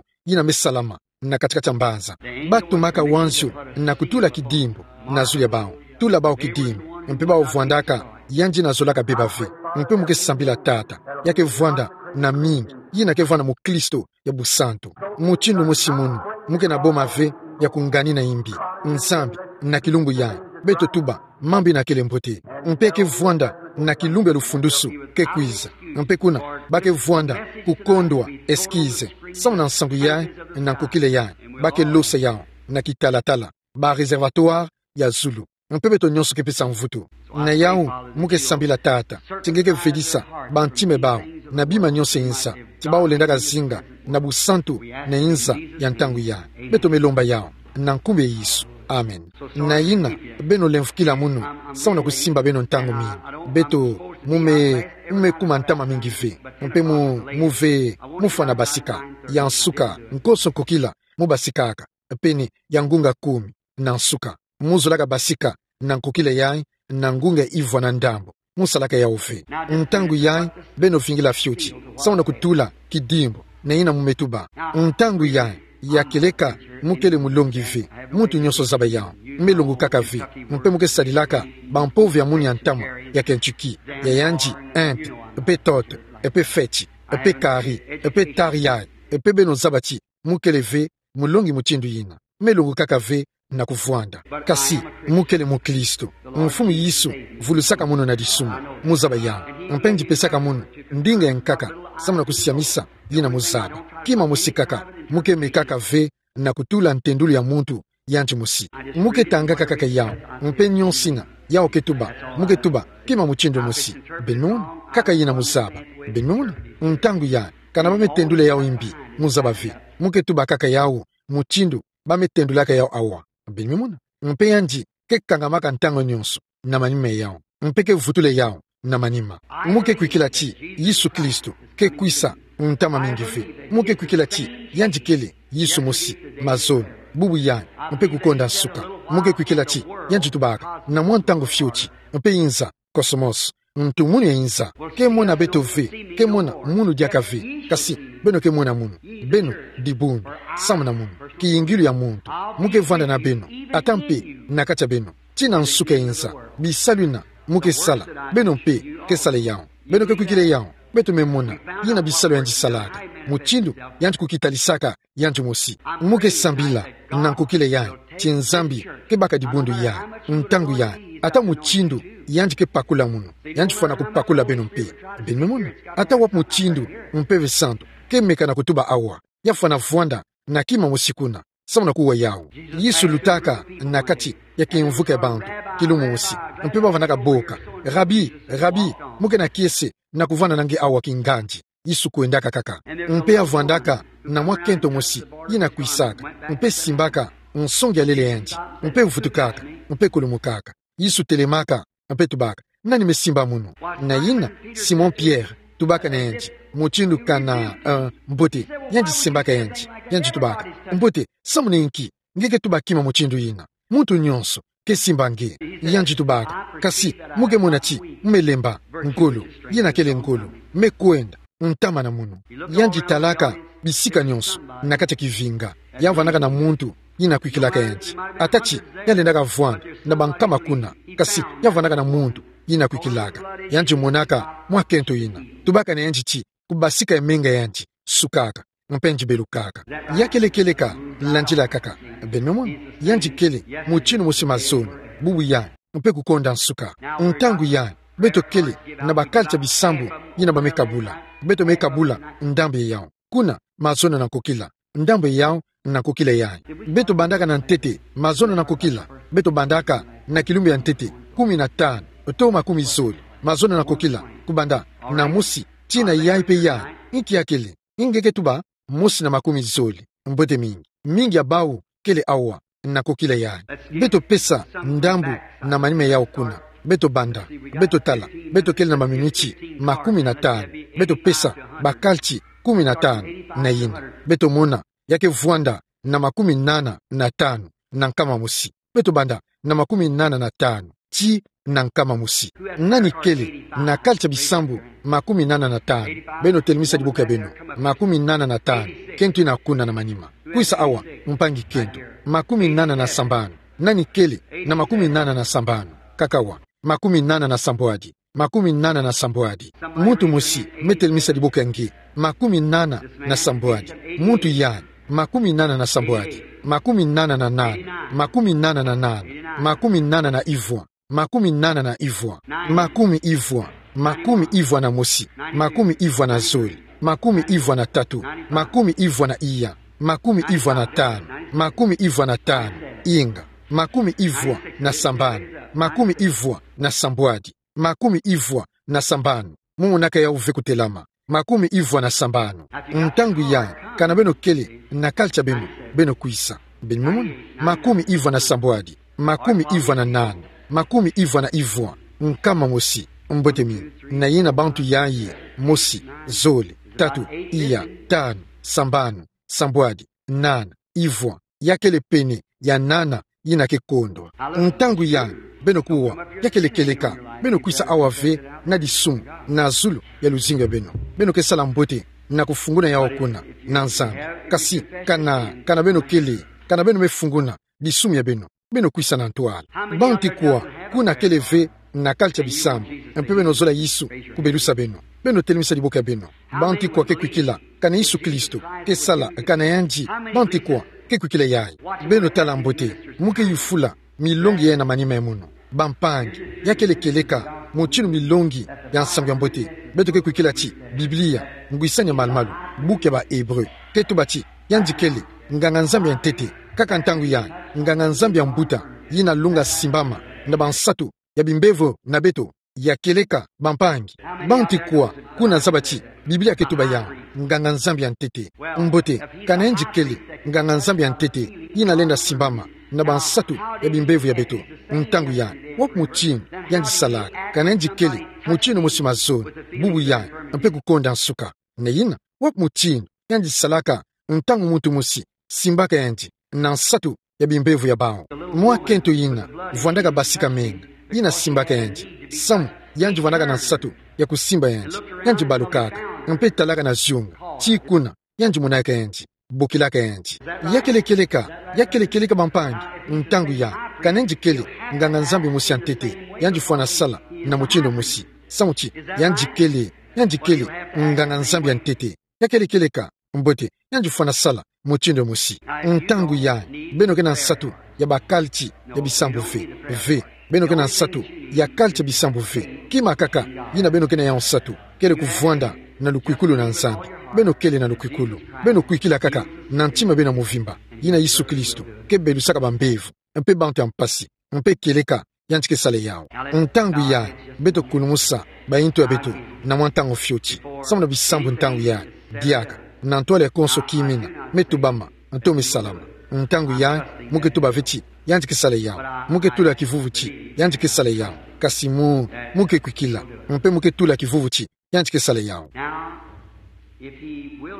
yina me salama na kati-kati ya mbanza. Ba tumaka wanzio na kutula kidimbu na zulu ya bawu. Tula bawu kidimbu, mpe bawu vwandaka yandi na zolaka beba ve. Mpe mu ke sambila, Tata, ya ke vwanda na mingi yina ke vwanda mukristo ya busantu. Mutindu mosi munu, mu ke na boma ve ya kunganina imbi. Nzambi, na kilumbu yayi, beto tuba mambu yina kele mbote. Mpe ke vwanda na kilumbu ya lufundusu ke kwiza. Mpe kuna, ba ke vwanda kukondwa excuse samu na nsangu yayi na nkokila yayi, ba ke losa yawu na kitalatala, ba réservatoire ya zulu. Mpe beto nyonso ke pesa mvutu. Na yawu, mu ke sambila, Tata, ti nge ke vedisa bantima ya bawu na bima nyonso ya inza ti bawu lendaka zinga na busantu na inza ya ntangu yayi. Beto me lomba yawu na nkumbu ya Yesu. Amen. Na yina, beno lemvukila munu samu na kusimba beno ntangu mingi. Beto, mu me, mu me kuma ntama mingi ve. Mpe mu, mu ve, mu fwana basika. Ya nsuka, nkoso nkokila, mu basikaka. Pene ya ngunga kumi na nsuka. Mu zolaka basika na nkokila yayi na ngunga ivwa na ndambu. Mu salaka yawu ve. Ntangu yayi, beno vingila fioti samu na kutula kidimbu na yina mu me tuba. Ntangu yayi, ya kieleka mu kele mulongi ve. Muntu nyonso zaba yawu. Me longukaka ve. Mpe mu ke sadilaka bampove ya munu ya ntama ya Kentucky, ya yandi Hemp, mpe Todd, mpe Fetch, mpe Curry, mpe Tarrier, mpe beno zaba ti mu kele ve mulongi mutindu yina. Me longukaka ve na kuvwanda. Kasi mu kele mukristo. Mfumu Yesu vulusaka munu na disumu. Mu zaba yawu. Mpe ngipeska munu ndinga ya nkaka, samu na kusiamisa yina muzaba. Kima mosi kaka, mo ke mekaka ve na kutula ntendulu ya muntu yandi mosi. Mo ke tangaka kaka yawu, mpe nionso ina yawu ke tuba, mo ke tuba kima mutindu mosi. Beno mona? Kaka yina muzaba. Beno mona? Ntangu ya, kana ba me tendula yawu imbi, muzaba ve. Mo ke tuba kaka yawu mutindu ba me tendulaka yawu awa. Beno mona? Mpe yandi ke kangamaka ntangu nionso na manima yawu, mpe ke vutula yawu na manima. Mo ke kwikila ti Yesu Kristo ke kwisa ntama mingi ve. Mo ke kwikila ti yandi kele Yesu mosi, mazono, bubu yandi, mpe kukonda nsuka. Mo ke kwikila ti yandi tubaka na mwa ntangu fioti, mpe inza, cosmos, ntu munu ya inza. Ke mona beto ve, ke mona munu diaka ve, kasi beno ke mona munu. Beno dibundu samu na munu, kiyingilu ya muntu. Mo ke vwanda na beno, ata mpe na kati ya beno, tii na nsuka ya inza. Bisalu yina mo ke sala, beno mpe ke sala yawu. Beno ke kwikila yawu, beto me mona yina bisalu yandi salaka, mutindu yandi kukitalisaka yandi mosi. Mo ke sambila na nkokila yandi ti Nzambi ke baka dibundu yandi, ntangu yandi, ata mutindu yandi ke pakula munu, yandi fwana kupakula beno mpe. Beno me mona? Ata wapi mutindu Mpeve Santu ke meka na kutuba awa, ya fwana vwanda na kima mosi kuna samu na kuwa yawu. Yesu lutaka na kati ya kimvuka ya bantu, kilumbu mosi, mpe ba vanaka boka: Rabi, Rabi, mo ke na kiese na kuvwanda na nge awa kingandi? Yesu kwendaka kaka. Mpe ya vwandaka na mwa kento mosi yina kwisaka, mpe simbaka nsongi ya lele yandi, mpe vutukaka, mpe kulumukaka. Yesu telemaka, mpe tubaka: Nani me simba munu? Na yina Simon Pierre tubaka na yandi, mutindu kana, eh, mbote. Yandi simbaka yandi, yandi tubaka: Mbote, samu na inki nge ke tuba kima mutindu yina? Muntu nionso ke simba nge. Yandi tubaka: Kasi mo ke mona ti mo me lemba ngolo, yina kele ngolo, me kwenda ntama na munu. Yandi talaka bisika nionso na kati ya kivinga, ya vwandaka na muntu yina kwikilaka yandi. Ata ti ya lendaka vwanda na bankama kuna, kasi ya vwandaka na muntu yina kwikilaka. Yandi monaka mwa kento yina, tubaka na yandi ti kubasika ya menga yandi sukaka, mpe yandi belukaka. Ya kele kieleka landila kaka. Beno me mona? Yandi kele mutindu mosi mazono, bubu yandi, mpe kukonda nsuka. Ntangu yandi, beto kele na ba culture bisambu yina ba me kabula. Beto me kabula ndambu ya yawu. Kuna, mazono na nkokila. Ndambu ya yawu na nkokila yandi. Beto bandaka na ntete, mazono na nkokila. Beto bandaka na kilumbu ya ntete kumi na tanu to makumi zole, mazono na nkokila, kubanda na mosi tii na yayi mpe yandi. Inki ya kele? Nge ke tuba mosi na makumi zole. Mbote mingi. Mingi ya bawu kele awa na nkokila yandi. Beto pesa ndambu na manima yawu kuna. Beto banda. Beto tala. Beto kele na maminiti makumi na tanu. Beto pesa ba culture kumi na tanu na yina. Beto mona ya ke vwanda na makumi nana na tanu na nkama mosi. Beto banda na makumi nana na tanu tii na nkama mosi. Nani kele na culture bisambu makumi nana na tanu? Beno telemisa diboko ya beno. Makumi nana na tanu. Kento ina kuna na manima. Kwisa awa, mpangi kento. Makumi nana na sambanu. Nani kele na makumi nana na sambanu? Kaka awa. Makumi nana na sambwadi. Makumi nana na sambwadi. Muntu mosi me telemisa diboko ya nge. Makumi nana na sambwadi. Muntu yandi. Makumi nana na sambwadi. Makumi nana na nana. Makumi nana na nana. Makumi nana na ivwa. Makumi nana na ivwa. Makumi ivwa. Makumi ivwa na mosi. Makumi ivwa na zole. Makumi ivwa na tatu. Makumi ivwa na iya. Makumi ivwa na tanu. Makumi ivwa na tanu. Inga. Makumi ivwa na sambanu. Makumi ivwa na sambwadi. Makumi ivwa na sambanu. Mo monaka yawu ve kutelama. Makumi ivwa na sambanu. Ntangu yandi, kana beno kele na culture beno, beno kwisa. Beno me mona? Makumi ivwa na sambwadi. Makumi ivwa na nana. Makumi ivwa na ivwa. Nkama mosi. Mbote mingi. Na yina bantu yayi: mosi, zole, tatu, iya, tanu, sambanu, sambwadi, nana, ivwa. Ya kele pene ya nana yina ke kondwa. Ntangu yandi, beno kuwa, ya kele kieleka, beno kwisa awa ve na disumu na zulu ya luzingu ya beno. Beno ke sala mbote na kufunguna yawu kuna na Nzambi. Kasi kana, kana beno kele, kana beno me funguna disumu ya beno, beno kwisa na ntwala. Bantu ikwa kuna kele ve na culture bisambu, mpe beno zola Yesu kubelusa beno? Beno telemisa diboko ya beno. Bantu ikwa ke kwikila kana Yesu Kristo ke sala kana yandi? Bantu ikwa ke kwikila yayi? Beno tala mbote, mo ke yufula milongi yayi na manima ya mono. Bampangi, ya kele kieleka mutindu milongi ya nsangu ya mbote. Beto ke kwikila ti Biblia, ngwisani ya malumalu, buku ya ba Hébreu, ke tuba ti, yandi kele nganga-nzambi ya ntete, kaka ntangu yayi, nganga-nzambi ya mbuta, yina lunga simbama na bansatu ya bimbevo na beto. Ya kieleka, bampangi. Banti kwa kuna zaba ti Biblia ke tuba yawu nganga-nzambi ya ntete? Mbote, kana yandi kele nganga-nzambi ya ntete, yina lenda simbama na bansatu ya bimbevo ya beto, ntangu yayi, wapi mutindu yandi salaka? Kana yandi kele mutindu mosi mazono, bubu yayi, mpe kukonda nsuka? Na yina, wapi mutindu yandi salaka ntangu muntu mosi simbaka yandi na nsatu ya bimbevo ya bawu? Mwa kento yina vwandaka basika menga, yina simbaka yandi, samu yandi vwandaka na nsatu ya kusimba yandi. Yandi balukaka, mpe talaka na zunga, ti kuna yandi monaka yandi, bokilaka yandi. Ya kele kieleka, ya kele kieleka, bampangi. Ntangu yayi, kana yandi kele nganga-nzambi mosi ya ntete, yandi fwana sala na mutindu mosi, samu ti yandi kele, yandi kele nganga-nzambi ya ntete. Ya kele kieleka? Mbote, yandi fwana sala mutindu mosi. Ntangu yayi, beno ke na nsatu ya bakalti ya bisambu ve, ve. Beno ke na nsatu ya kalti ya bisambu ve. Kima kaka yina beno ke na yawu nsatu, kele kuvwanda na lukwikulu na Nzambi. Beno kele na lukwikulu, beno kwikila kaka na ntima beno ya muvimba, yina Yesu Kristo ke belusaka bambevo mpe bantu ya mpasi, mpe kieleka yandi ke sala yawu. Ntangu yayi, beto kulumusa bayintu ya beto na mwa ntangu fioti, samu na bisambu ntangu yayi, diaka na ntwala ya konso kimina me tubama nto me salama. Ntangu yayi, mu ke tuba ve ti yandi ke sala yawu. Mu ke tula kivuvu ti yandi ke sala yawu. Kasi mu, mu ke kwikila, mpe mu ke tula kivuvu ti yandi ke sala yawu.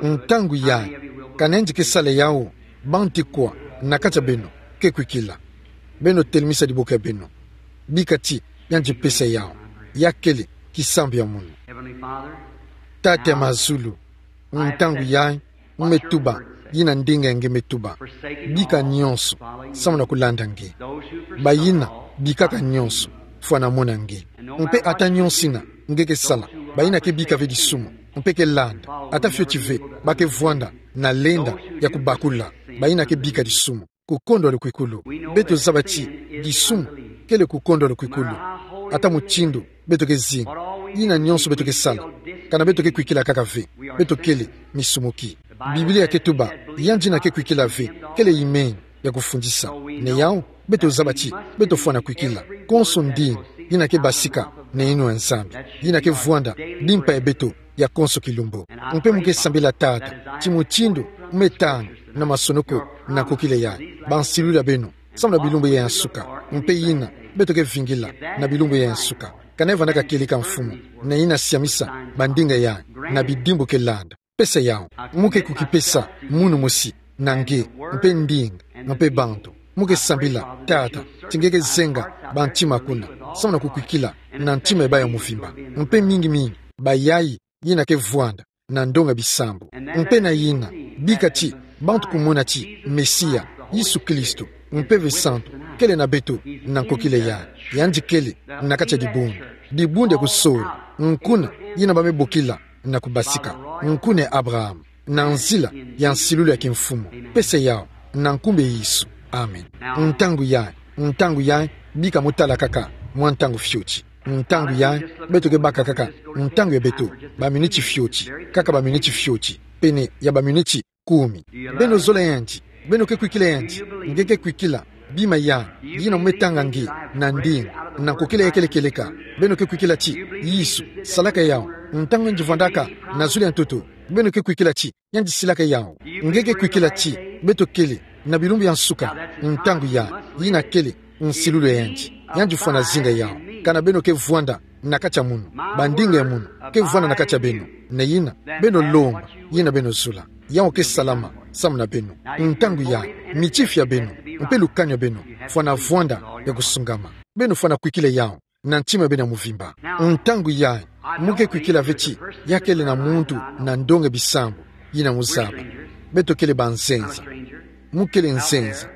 Ntangu yayi, kana yandi ke sala yawu? Banti kwa na kati ya beno ke kwikila? Beno telemisa diboko ya beno. Bika ti yandi pesa yawu. Ya kele kisambu ya munu. Tata ya mazulu, ntangu yayi, mu me tuba yina ndinga ya nge me tuba. Bika nyonso samu na kulanda nge. Bayina bikaka nyonso, fwana mona nge. Mpe ata nyonso yina nge ke sala, bayina ke bika ve disumu mpe ke landa, ata fioti ve ba ke vwanda na lenda ya kubakula, bayina ke bika disumu, kukondwa lukwikulu. Beto zaba ti disumu kele kukondwa lukwikulu. Ata mutindu beto ke zinga, yina nyonso beto ke sala, kana beto ke kwikila kaka ve, beto kele misumuki. Biblia ke tuba, yandi yina ke kwikila ve kele imeni ya kufundisa. Na yawu, beto zaba ti beto fwana kwikila konso ndinga yina ke basika na yinwa ya Nzambi, yina ke vwanda limpa ya beto ya konso kilumbu. Mpe mu ke sambila, Tata, ti mutindu mu me tanga na masonoko na nkokila yayi, bansilulu ya beno samu na bilumbu yayi ya nsuka. Mpe yina beto ke vingila na bilumbu yayi ya nsuka, kana vwandaka kieleka, Mfumu, na yina siamisa bandinga yayi na bidimbu ke landa. Pesa yawu. Mu ke kukipesa munu mosi na nge, mpe ndinga, mpe bantu. Mu ke sambila, Tata, ti nge ke zenga bantima kuna samu na kukwikila na ntima ya bawu ya muvimba, mpe mingi mingi bayayi yina ke vwanda na ndonga bisambu. Mpe na yina, bika ti bantu kumona ti Mesia, Yesu Kristo, Mpeve Santu, kele na beto na nkokila yayi. Yandi kele na kati ya dibundu, dibundu ya kusola, nkuna yina ba me bokila na kubasika, nkuna ya Abraham, na nzila ya nsilulu ya kimfumu. Pesa yawu na nkumbu ya Yesu. Amen. Ntangu yayi, ntangu yayi, bika mu tala kaka mwa ntangu fioti. Ntangu yayi, beto ke baka kaka ntangu ya beto, baminiti fioti, kaka baminiti fioti, pene ya baminiti kumi. Beno zola yandi? Beno ke kwikila yandi? Nge ke kwikila bima yayi, yina mu me tanga nge, na ndinga, na nkokila ya kele kieleka? Beno ke kwikila ti Yesu salaka yawu ntangu yandi vwandaka na zulu ya ntoto? Beno ke kwikila ti yandi silaka yawu? Nge ke kwikila ti beto kele na bilumbu ya nsuka? Ntangu yayi, yina kele nsilulu ya yandi. Yandi fwana zinga yawu. Kana beno ke vwanda na kati ya munu, bandinga ya munu ke vwanda na kati ya beno, na yina beno lomba yina beno zola. Yawu ke salama samu na beno. Ntangu yayi, mitifi ya beno mpe lukanu ya beno fwana vwanda ya kusungama. Beno fwana kwikila yawu na ntima ya beno ya muvimba. Ntangu yayi, mu ke kwikila ve ti ya kele na muntu na ndonga bisambu yina mu zaba? Beto kele banzenza. Mu kele nzenza.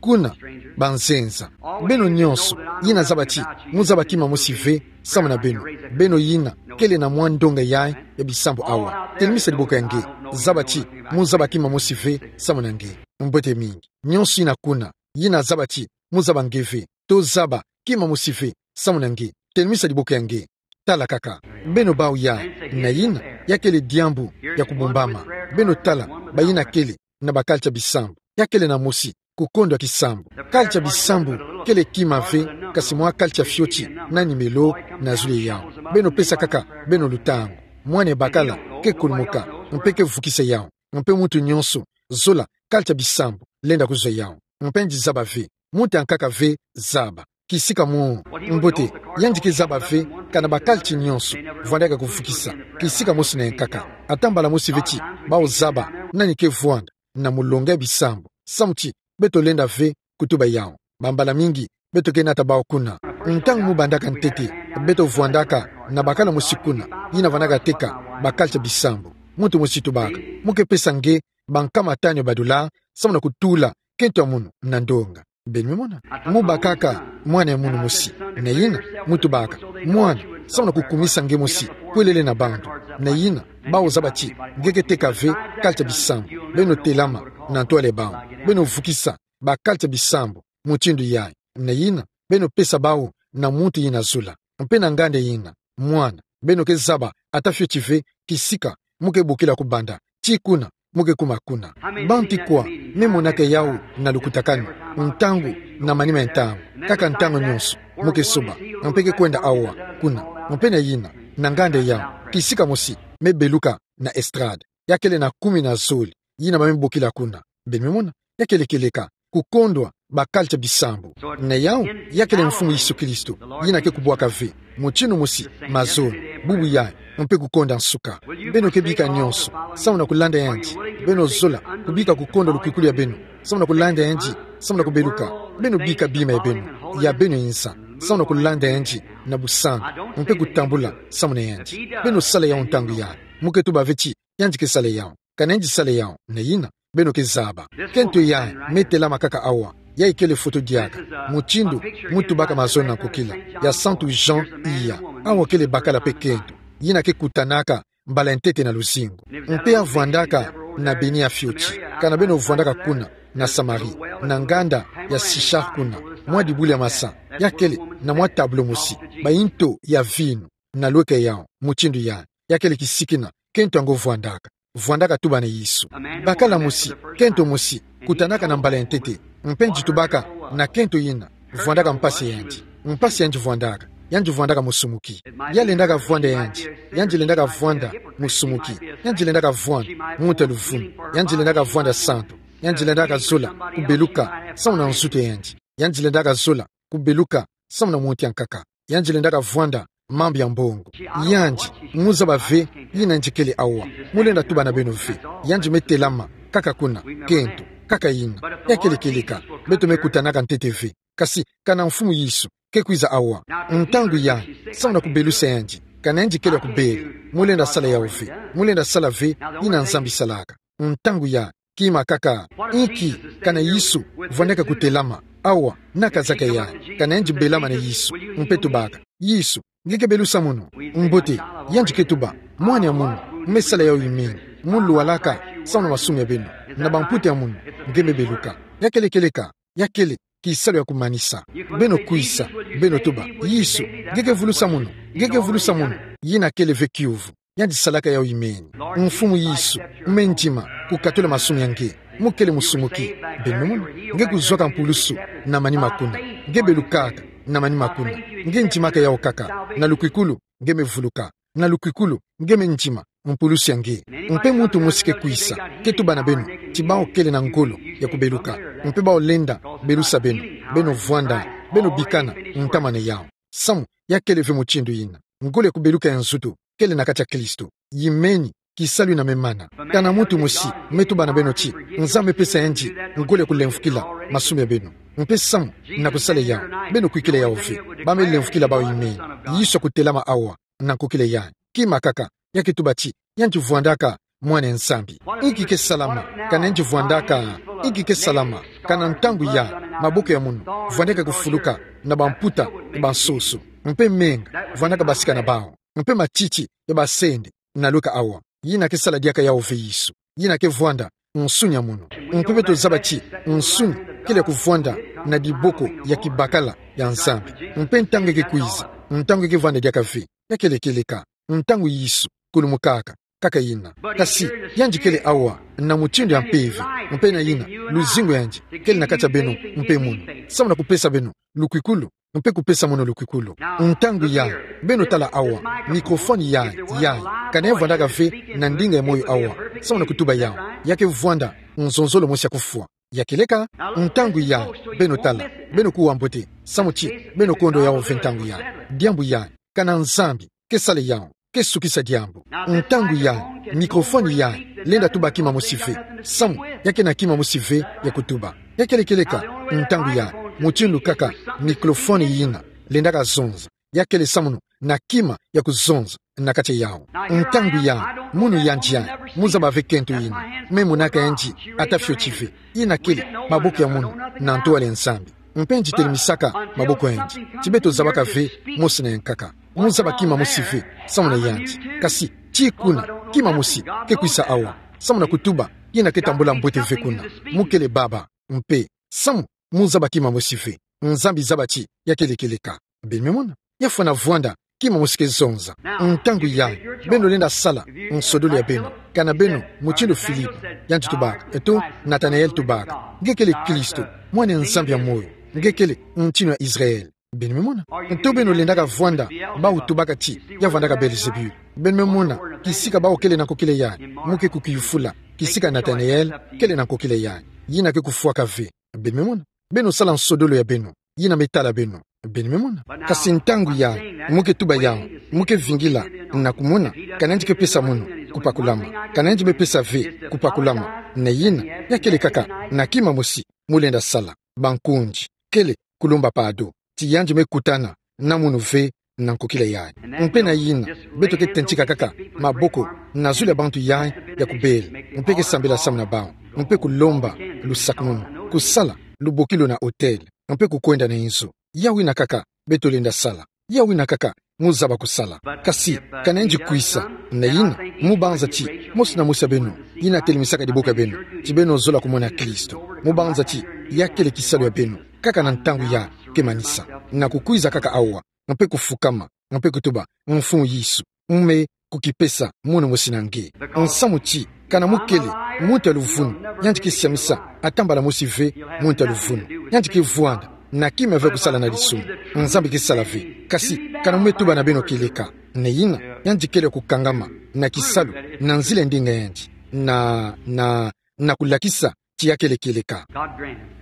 Kuna, banzenza. Beno nyonso yina zaba ti mu zaba kima mosi ve samu na beno, beno yina kele na mwa ndonga yayi ya bisambu awa, telemisa diboko ya nge. Zaba ti mu zaba kima mosi ve samu na nge. Mbote mingi. Nyonso yina kuna, yina zaba ti mu zaba nge ve, to zaba kima mosi ve samu na nge, telemisa diboko ya nge. Tala kaka. Beno bau ya, na yina, ya kele diambu ya kubumbama. Beno tala, bayina kele na bakalitsa bisambu. Ya kele na mosi, kukondwa kisambu. Kalitsa bisambu kele kima ve, kasi mwa kalitsa fioti na nimelo na zulu yawu. Beno pesa kaka beno lutangu. Mwana bakala ke kulumuka, mpe ke vukisa yawu. Mpe muntu nyonso, zola kalitsa bisambu, lenda kuzwa yawu. Mpe nzaba ve, muntu ankaka ve zaba. Kisika mo. Mbote, yandi ke zaba ve, kana bakalitsi nyonso vwandaka kuvukisa. Kisika mosi na yankaka. Ata mbala mosi ve ti bau zaba nani ke vwanda na mulonga ya bisambu. Samu ti beto lenda ve kutuba yawu. Bambala mingi beto ke nata bau kuna. Ntangu mu bandaka ntete, beto vwandaka na bakala mosi kuna, yina vwandaka teka bakalitsa bisambu. Muntu mosi tubaka, mu ke pesa nge bankama tanu ya badola, samu na kutula kento ya munu na ndonga. Beno me mona. Mu bakaka mwana ya munu mosi. Na yina, mu tubaka, mwana, samu na kukumisa nge mosi kwelele na bantu. Na yina, bau zaba ti nge ke teka ve kalitsa bisambu. Beno telama na ntwala ya bau. Beno vukisa bakalitsa bisambu mutindu yayi. Na yina, beno pesa bau na muntu yina zola. Mpe na nganda yina, mwana, beno ke zaba ata fioti ve kisika mu ke bokila kubanda ti kuna mu ke kuma kuna. Bantu kwa me monaka yawu na lukutakanu, ntangu na manima ya ntangu, kaka ntangu nyonso mu ke soba, mpe ke kwenda awa, kuna, mpe na yina, na nganda yawu, kisika mosi me beluka na estrade. Ya kele na kumi na zole yina ba me bokila kuna. Beno me mona. Ya kele kieleka kukondwa bakalitsa bisambu. Na yawu, ya kele Mfumu Yesu Kristo, yina ke kubwaka ve, mutindu mosi, mazono, bubu yayi, mpe kukonda nsuka. Beno ke bika nyonso samu na kulanda yandi. Beno zola kubika kukondwa lukwikulu ya beno samu na kulanda yandi, samu na kubeluka. Beno bika bima ya beno, ya beno inza, samu na kulanda yandi na busantu, mpe kutambula samu na yandi. Beno sala yawu ntangu yayi. Mu ke tuba ve ti yandi ke sala yawu. Kana yandi sala yawu, na yina, beno ke zaba. Kento yayi me telama kaka awa. Yayi kele foto diaka, mutindu mu tubaka mazono na nkokila, ya Santu Jean Iya. Awa kele bakala mpe kento yina ke kutanaka mbala ya ntete na luzingu. Mpe ya vwandaka na beni ya fioti. Kana beno vwandaka kuna na Samarie, na nganda ya Sychar kuna, mwa dibula ya masa, ya kele na mwa tableau mosi, bayinto ya vinu na lweka yawu, mutindu yayi. Ya kele kisikina kento yango vwandaka. Vwandaka tuba na Yesu. Bakala mosi, kento mosi, kutanaka na mbala ya ntete. Mpe nge tubaka na kento yina, vwandaka mpasi ya yandi. Mpasi ya yandi vwandaka. Yandi vwandaka musumuki. Ya lendaka vwanda yandi. Yandi lendaka vwanda musumuki. Yandi lendaka vwanda muntu ya luvunu. Yandi lendaka vwanda santu. Yandi lendaka zola kubeluka samu na nzutu ya yandi. Yandi lendaka zola kubeluka samu na muntu ya nkaka. Yandi lendaka vwanda mambu ya mbongo. Yandi, mu zaba ve yina yandi kele awa. Mu lenda tuba na beno ve. Yandi me telama kaka kuna, kento, kaka yina. Ya kele kieleka, beto me kutanaka ntete ve. Kasi kana Mfumu Yesu ke kwiza awa, ntangu yayi, samu na kubelusa yandi, kana yandi kele ya kubela, mu lenda sala yawu ve. Mu lenda sala ve yina Nzambi salaka. Ntangu yayi, kima kaka. Inki, kana Yesu vwandaka kutelama awa na kazaka yayi, kana yandi belama na Yesu, mpe tubaka: Yesu, nge ke belusa munu? Mbote, yandi ke tuba: Mwana ya munu, me sala yawu imeni. Mu lwalaka samu na masumu ya beno, na bamputa ya munu nge me beluka. Ya kele kieleka, ya kele kisalu ya kumanisa. Beno kwisa, beno tuba: Yesu, nge ke vulusa munu? Nge ke vulusa munu? Yina kele ve kiuvu. Yandi salaka yawu imeni. Mfumu Yesu, me ndima kukatula masumu ya nge. Mu kele musumuki. Beno me mona. Nge kuzwaka mpulusu na manima kuna. Nge belukaka na manima kuna. Nge ndimaka yawu kaka. Na lukwikulu nge me vuluka. Na lukwikulu nge me ndima mpulusu ya nge. Mpe muntu mosi ke kwisa, ke tuba na beno ti bawu kele na ngolo ya kubeluka, mpe bawu lenda belusa beno, beno vwanda, beno bikana ntama na yawu. Samu ya kele ve mutindu yina. Ngolo ya kubeluka ya nzutu kele na kati ya Kristo. Yimeni kisalu yina me mana. Kana muntu mosi me tuba na beno ti Nzambi me pesa yandi ngolo ya kulemvukila masumu ya beno, mpe samu na kusala yawu, beno kwikila yawu ve. Ba me lemvukila bawu imeni. Yesu ya kutelama awa na nkokila yayi. Kima kaka, ya ke tuba ti yandi vwandaka Mwana ya Nzambi. Inki ke salama kana yandi vwandaka? Inki ke salama kana ntangu yayi maboko ya munu vwandaka kufuluka na bamputa ya bansoso, mpe menga vwandaka basika na bawu, mpe matiti ya basende na lweka awa? Yina ke sala diaka yawu ve Yesu. Yina ke vwanda nsuni ya munu. Mpe beto zaba ti nsuni kele ya kuvwanda na diboko ya kibakala ya Nzambi. Mpe ntangu nge ke kwiza, Ntangu ke vwanda diaka ve, ya kele kieleka. Ntangu Yesu kulumukaka, kaka yina. Kasi, yandi kele awa, na mutindu ya mpeve, mpe na yina, luzingu yandi kele na kati ya beno, mpe mono. Samu na kupesa beno lukwikulu, mpe kupesa mono lukwikulu. Ntangu yayi, beno tala awa, microphone yayi, yayi, kana ya vwandaka ve na ndinga ya moyo awa, samu na kutuba yawu, ya ke vwanda nzonzolo mosi ya kufwa. Ya kieleka, ntangu yayi, beno tala, beno kuwa mbote, samu ti, beno kondwa yawu ve ntangu yayi. Diambu yayi, kana Nzambi ke sala yawu, ke sukisa diambu. Ntangu yayi, microphone yayi lenda tuba kima mosi ve, samu ya kena kima mosi ve ya kutuba. Ya kele kieleka, ntangu yayi, mutindu kaka microphone yina lendaka zonza, ya kele samu na kima ya kuzonza na kati yawu. Ntangu yayi, mono yandi yayi, mu zaba ve kento yina, me monaka yandi ata fioti ve. Yina kele maboko ya mono na ntwala ya Nzambi. Mpe yandi telemesaka maboko ya yandi, ti beto zabaka ve mosi na yankaka. Mu zaba kima mosi ve samu na yandi. Kasi, ti kuna, kima mosi ke kwisa awa, samu na kutuba, yina ke tambula mbote ve kuna. Mu kele baba, mpe, samu mu zaba kima mosi ve, Nzambi zaba ti ya kele kieleka. Beno me mona, ya fwana vwanda kima mosi ke zonza. Ntangu yayi, beno lenda sala nsodolo ya beno, kana beno mutindu Filipo yandi tubaka, eto Natanael tubaka: Nge kele Kristo, mwana ya Nzambi ya moyo. Nge kele ntinu ya Israel. Beno me mona. Nto beno lendaka vwanda bawu tubaka ti ya vwandaka Belzebul. Beno me mona, kisika bawu kele na nkokila yayi, mu ke kukiyufula kisika Natanael kele na nkokila yayi. Yina ke kufwaka ve. Beno me mona. Beno sala nsodolo ya beno, yina me tala beno. Beno me mona. Kasi ntangu yayi, mu ke tuba yawu, mu ke vingila na kumona, kana yandi ke pesa mono kupakulama. Kana yandi me pesa ve kupakulama. Na yina, ya kele kaka na kima mosi mu lenda sala. Bankundi, kele kulomba pardon, ti yandi me kutana na mono ve na nkokila yayi. Mpe na yina, beto ke tentika kaka maboko na zulu ya bantu yayi ya kubela, mpe ke sambila samu na bawu, mpe kulomba lusakumunu, kusala lubokilu na autel, mpe kukwenda na inzo. Yawu yina kaka beto lenda sala. Yawu yina kaka mu zaba kusala. Kasi, kana yandi kwisa, na yina, mu banza ti mosi na mosi ya beno yina telemesaka diboko ya beno, ti beno zola kumona Kristo, mu banza ti ya kele kisalu ya beno, kaka na ntangu yayi ke manisa, na kukwiza kaka awa, mpe kufukama, mpe kutuba: Mfumu Yesu, mu me kukipesa mono mosi na nge. Nsamu ti, kana mu kele muntu ya luvunu, yandi ke siamisa ata mbala mosi ve muntu ya luvunu. Yandi ke vwanda na kima ve kusala na disumu. Nzambi ke sala ve. Kasi, kana mu me tuba na beno kieleka, na yina, yandi kele kukangama na kisalu, na nzila ndinga yandi, na, na, na kulakisa ti ya kele kieleka. God grant it.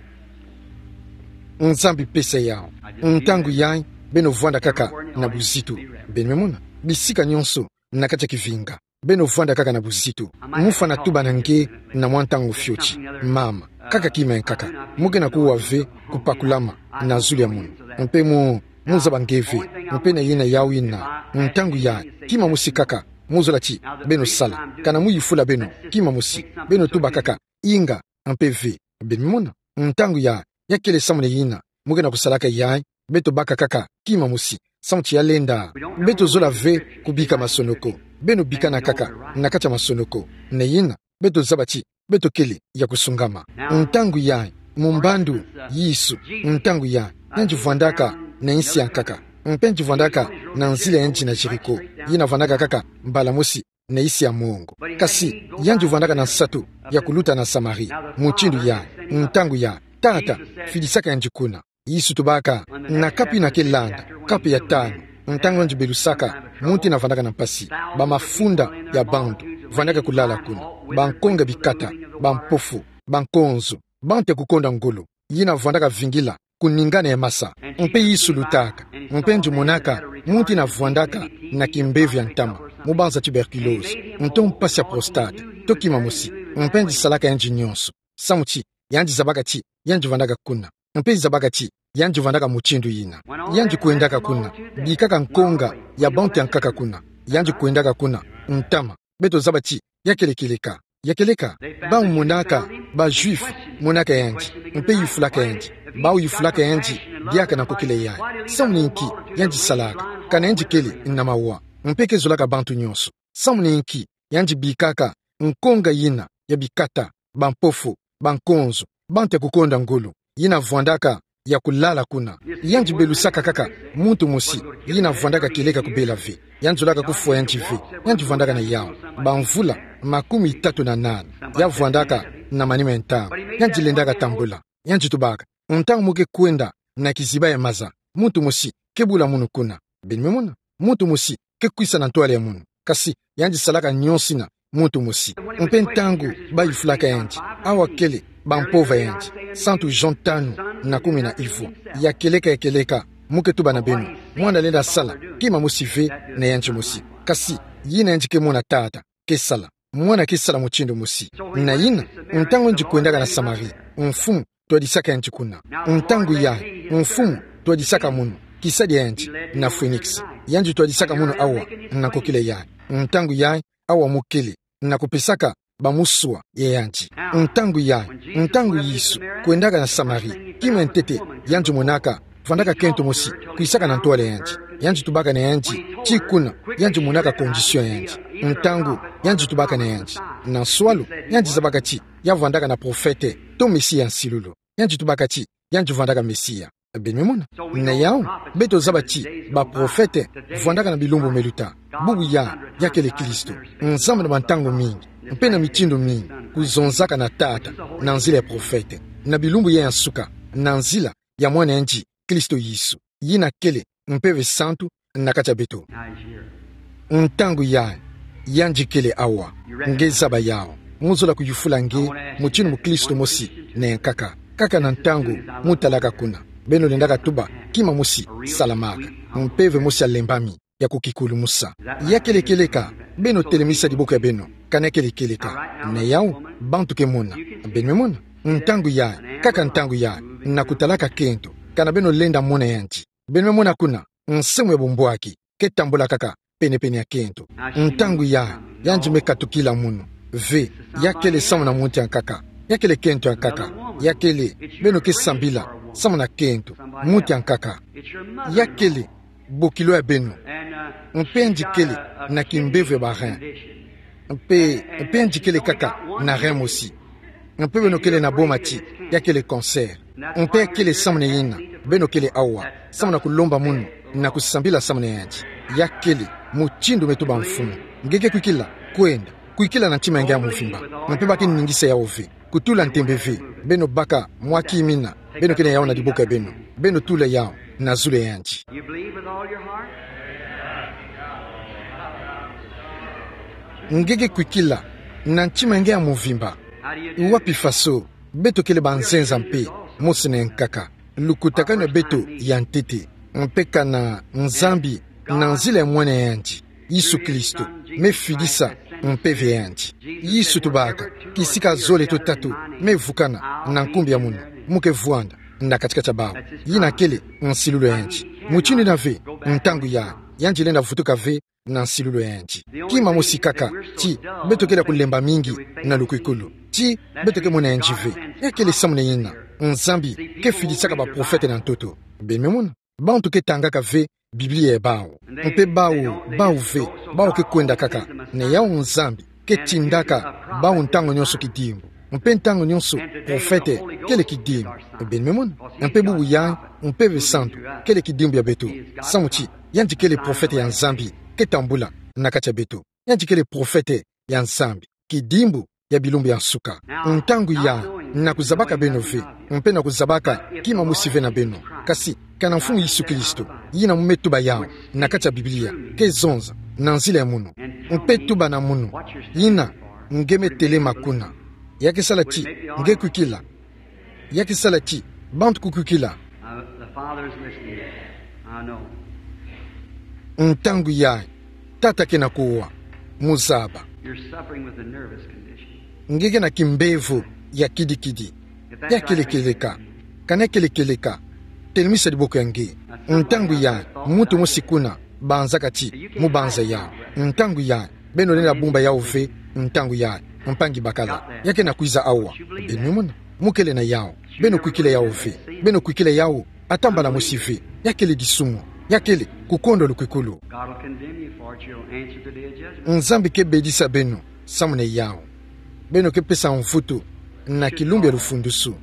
Nzambi pesa yawu. Ntangu yayi, beno vwanda kaka na buzitu. Beno me mona. Bisika nyonso na kati ya kivinga, beno vwanda kaka na buzitu. Mu fwana tuba na nge na mwa ntangu fioti: Mama, kaka kima ya nkaka. Mu ke na kuwa ve kupakulama na zulu ya mono. Mpe mu, mu zaba nge ve. Mpe na yina, yawu yina, ntangu yayi, kima mosi kaka mu zola ti beno sala, kana mu yufula beno kima mosi, beno tuba kaka: Inga, mpe ve. Beno me mona. Ntangu yayi, ya kele samu na yina mu ke na kusalaka yayi, beto baka kaka kima mosi, samu ti ya lenda. Beto zola ve kubika masonoko. Beno bikana kaka na kati ya masonoko. Na yina, beto zaba ti beto kele ya kusungama. Ntangu yayi, mu mbandu, Yesu, ntangu yayi, yandi vwandaka na insi ya nkaka, mpe yandi vwandaka na nzila ya yandi na Jéricho, yina vwandaka kaka mbala mosi na insi ya mongo. Kasi, yandi vwandaka na nsatu ya kuluta na Samarie. Mutindu yayi, ntangu yayi, Tata, fidisaka yandi kuna. Yesu tubaka, na kapu yina ke landa, kapu ya tanu, ntangu yandi belusaka muntu yina vwandaka na mpasi, bamafunda ya bantu vwandaka kulala kuna, bankonga bikata, bampofu, bankonzo, bantu ya kukonda ngolo, yina vwandaka vingila kuningana ya masa. Mpe Yesu lutaka, mpe yandi monaka muntu yina vwandaka na kimbevo ya ntama, mu banza tuberculose, nto mpasi ya prostate, to kima mosi, mpe yandi salaka yandi nyonso, samu ti yandi zabaka ti yandi vwandaka kuna, mpe zabaka ti yandi vwandaka mutindu yina. Yandi kwendaka kuna, bikaka nkonga ya bantu ya nkaka kuna, yandi kwendaka kuna, ntama, beto zaba ti ya kele kieleka. Ya kieleka, bawu monaka, ba Juifs monaka yandi, mpe yufulaka yandi, bawu yufulaka yandi diaka na nkokila yayi. Samu na inki yandi salaka, kana yandi kele na mawa, mpe ke zolaka bantu nyonso? Samu na inki yandi bikaka nkonga yina ya bikata, bampofu, bankonzo, bantu ya kukonda ngolo, yina vwandaka ya kulala kuna. Yandi belusaka kaka muntu mosi yina vwandaka kieleka kubela ve. Yandi zolaka kufwa yandi ve. Yandi vwandaka na yawu bamvula makumi tatu na nana. Ya vwandaka na manima ya ntangu. Yandi lendaka tambula. Yandi tubaka: Ntangu mo ke kwenda na kiziba ya maza, muntu mosi ke bula munu kuna. Beno me mona? Muntu mosi ke kwisa na ntwala ya munu. Kasi yandi salaka nionso ina muntu mosi. Mpe ntangu bayufulaka yandi, awa kele bampova yandi, Santu Jean tanu na kumi na ivwa. Ya kieleka, ya kieleka, mo ke tuba na beno: Mwana lenda sala kima mosi ve na yandi mosi. Kasi yina yandi ke mona Tata ke sala, Mwana ke sala mutindu mosi. Na yina, ntangu yandi kwendaka na Samarie, mfumu twadisaka yandi kuna. Ntangu yayi, mfumu twadisaka munu, kisadi ya yandi na Phoenix. Yandi twadisaka munu awa, na nkokila yayi. Ntangu yayi, awa mo kele na kupesaka bamuswa ya yandi. Ntangu yayi, ntangu Yesu kwendaka na Samarie, kima ya ntete yandi monaka, vwandaka kento mosi kwisaka na ntwala ya yandi. Yandi tubaka na yandi ti kuna yandi monaka condition ya yandi. Ntangu yandi tubaka na yandi, na nswalu, yandi zabaka ti ya vwandaka na profete to Mesia ya nsilulu. Yandi tubaka ti yandi vwandaka Mesia. Beno me mona? Na yawu, beto zaba ti baprofete vwandaka na bilumbu meluta. Bubu yayi, ya kele Kristo. Nzambi na bantangu mingi, mpe na mitindu mingi, kuzonzaka na Tata na nzila ya profete, na bilumbu yayi ya nsuka, na nzila ya Mwana yandi, Kristo Yesu, yina kele Mpeve Santu na kati ya beto. Ntangu yayi, yandi kele awa. Nge zaba yawu. Mo zola kuyufula nge mutindu mukristo mosi na yankaka. Kaka na ntangu mo talaka kuna, beno lendaka tuba kima mosi salamaka. Mpeve mosi ya lembami, ya kukikulumusa. Ya kele kieleka? Beno telemisa diboko ya beno, kana ya kele kieleka. Na yawu, bantu ke mona. Beno me mona? Ntangu yayi, kaka ntangu yayi, na kutalaka kento, kana beno lenda mona yandi. Beno me mona kuna, nse mosi ya bumbwaki ke tambula kaka penepene ya kento. Ntangu yayi, yandi me katukila munu. Ve, ya kele samu na muntu ya nkaka. Ya kele kento ya nkaka. Ya kele, beno ke sambila samu na kento, muntu ya nkaka. Ya kele bokilo ya beno. Mpe yandi kele na kimbevo ya ba rein. Mpe, mpe yandi kele kaka na rein mosi. Mpe beno kele na boma ti ya kele cancer. Mpe ya kele samu na yina beno kele awa, samu na kulomba munu, na kusambila samu na yandi. Ya kele mutindu me tuba mfumu. Nge ke kwikila, kwenda, kwikila na ntima ya nge ya muvimba. Mpe ba ke ningisa yawu ve. Kutula ntembe ve. Beno baka mwa kimina. Beno ke na yawu na diboko ya beno. Beno tula yawu na zulu ya yandi. You believe with all your heart? Nge ke kwikila na ntima ya nge ya muvimba. Wapi faso? Beto kele banzenza mpe, mosi na yankaka. Lukutakanu ya beto ya ntete, mpe kana Nzambi, na nzila ya Mwana ya yandi, Yesu Kristo, me fidisa mpeve ya yandi. Yesu tubaka: Kisika zole to tatu me vukana na nkumbu ya munu, mo ke vwanda na kati-kati ya bawu. Yina kele nsilulu ya yandi. Mutindu yina ve, ntangu yayi, yandi lenda vutuka ve na nsilulu ya yandi. Kima mosi kaka, ti beto kele kulemba mingi na lukwikulu, ti beto ke mona yandi ve. Ya kele samu na yina Nzambi ke fidisaka baprofete na ntoto. Beno me mona? Bantu ke tangaka ve Biblia ya bawu. Mpe bawu, bawu ve, bawu ke kwenda kaka. Na yawu, Nzambi ke tindaka bawu ntangu nionso kidimbu. Mpe ntangu nionso profete kele kidimbu. Beno me mona? Mpe bubu yayi, Mpeve Santu kele kidimbu ya beto. Samu ti yandi kele profete ya Nzambi ke tambula na kati ya beto. Yandi kele profete ya Nzambi, kidimbu ya bilumbu ya nsuka. Ntangu yayi, na kuzabaka beno ve, mpe na kuzabaka kima mosi ve na beno, kasi kana Mfumu Yesu Kristo, yina mo me tuba yawu na kati ya Biblia, ke zonza na nzila ya munu. Mpe tuba na munu: Yina nge me telema kuna. Ya ke sala ti nge kwikila. Ya ke sala ti bantu ke kwikila. Uh, the Father is listening. I know. Ntangu yayi, Tata ke na kuwa. Mo zaba. You're suffering with a nervous condition. Nge ke na kimbevo ya kidikidi. Ya kele kieleka? Kana ya kele kieleka, telemisa diboko ya nge. Ntangu yayi, muntu mosi kuna banzaka ti mo banza yawu. Ntangu yayi, beno lenda bumba yawu ve. Ntangu yayi, mpangi bakala, ya ke na kwiza awa. Beno me mona? Mo kele na yawu. Beno kwikila yawu ve. Beno kwikila yawu ata mbala mosi ve. Ya kele disumu. Ya kele kukondwa lukwikulu. God will condemn you for it. You'll answer the day of judgment. Nzambi ke bedisa beno samu na yawu. Beno ke pesa mvutu na kilumbu ya lufundusu.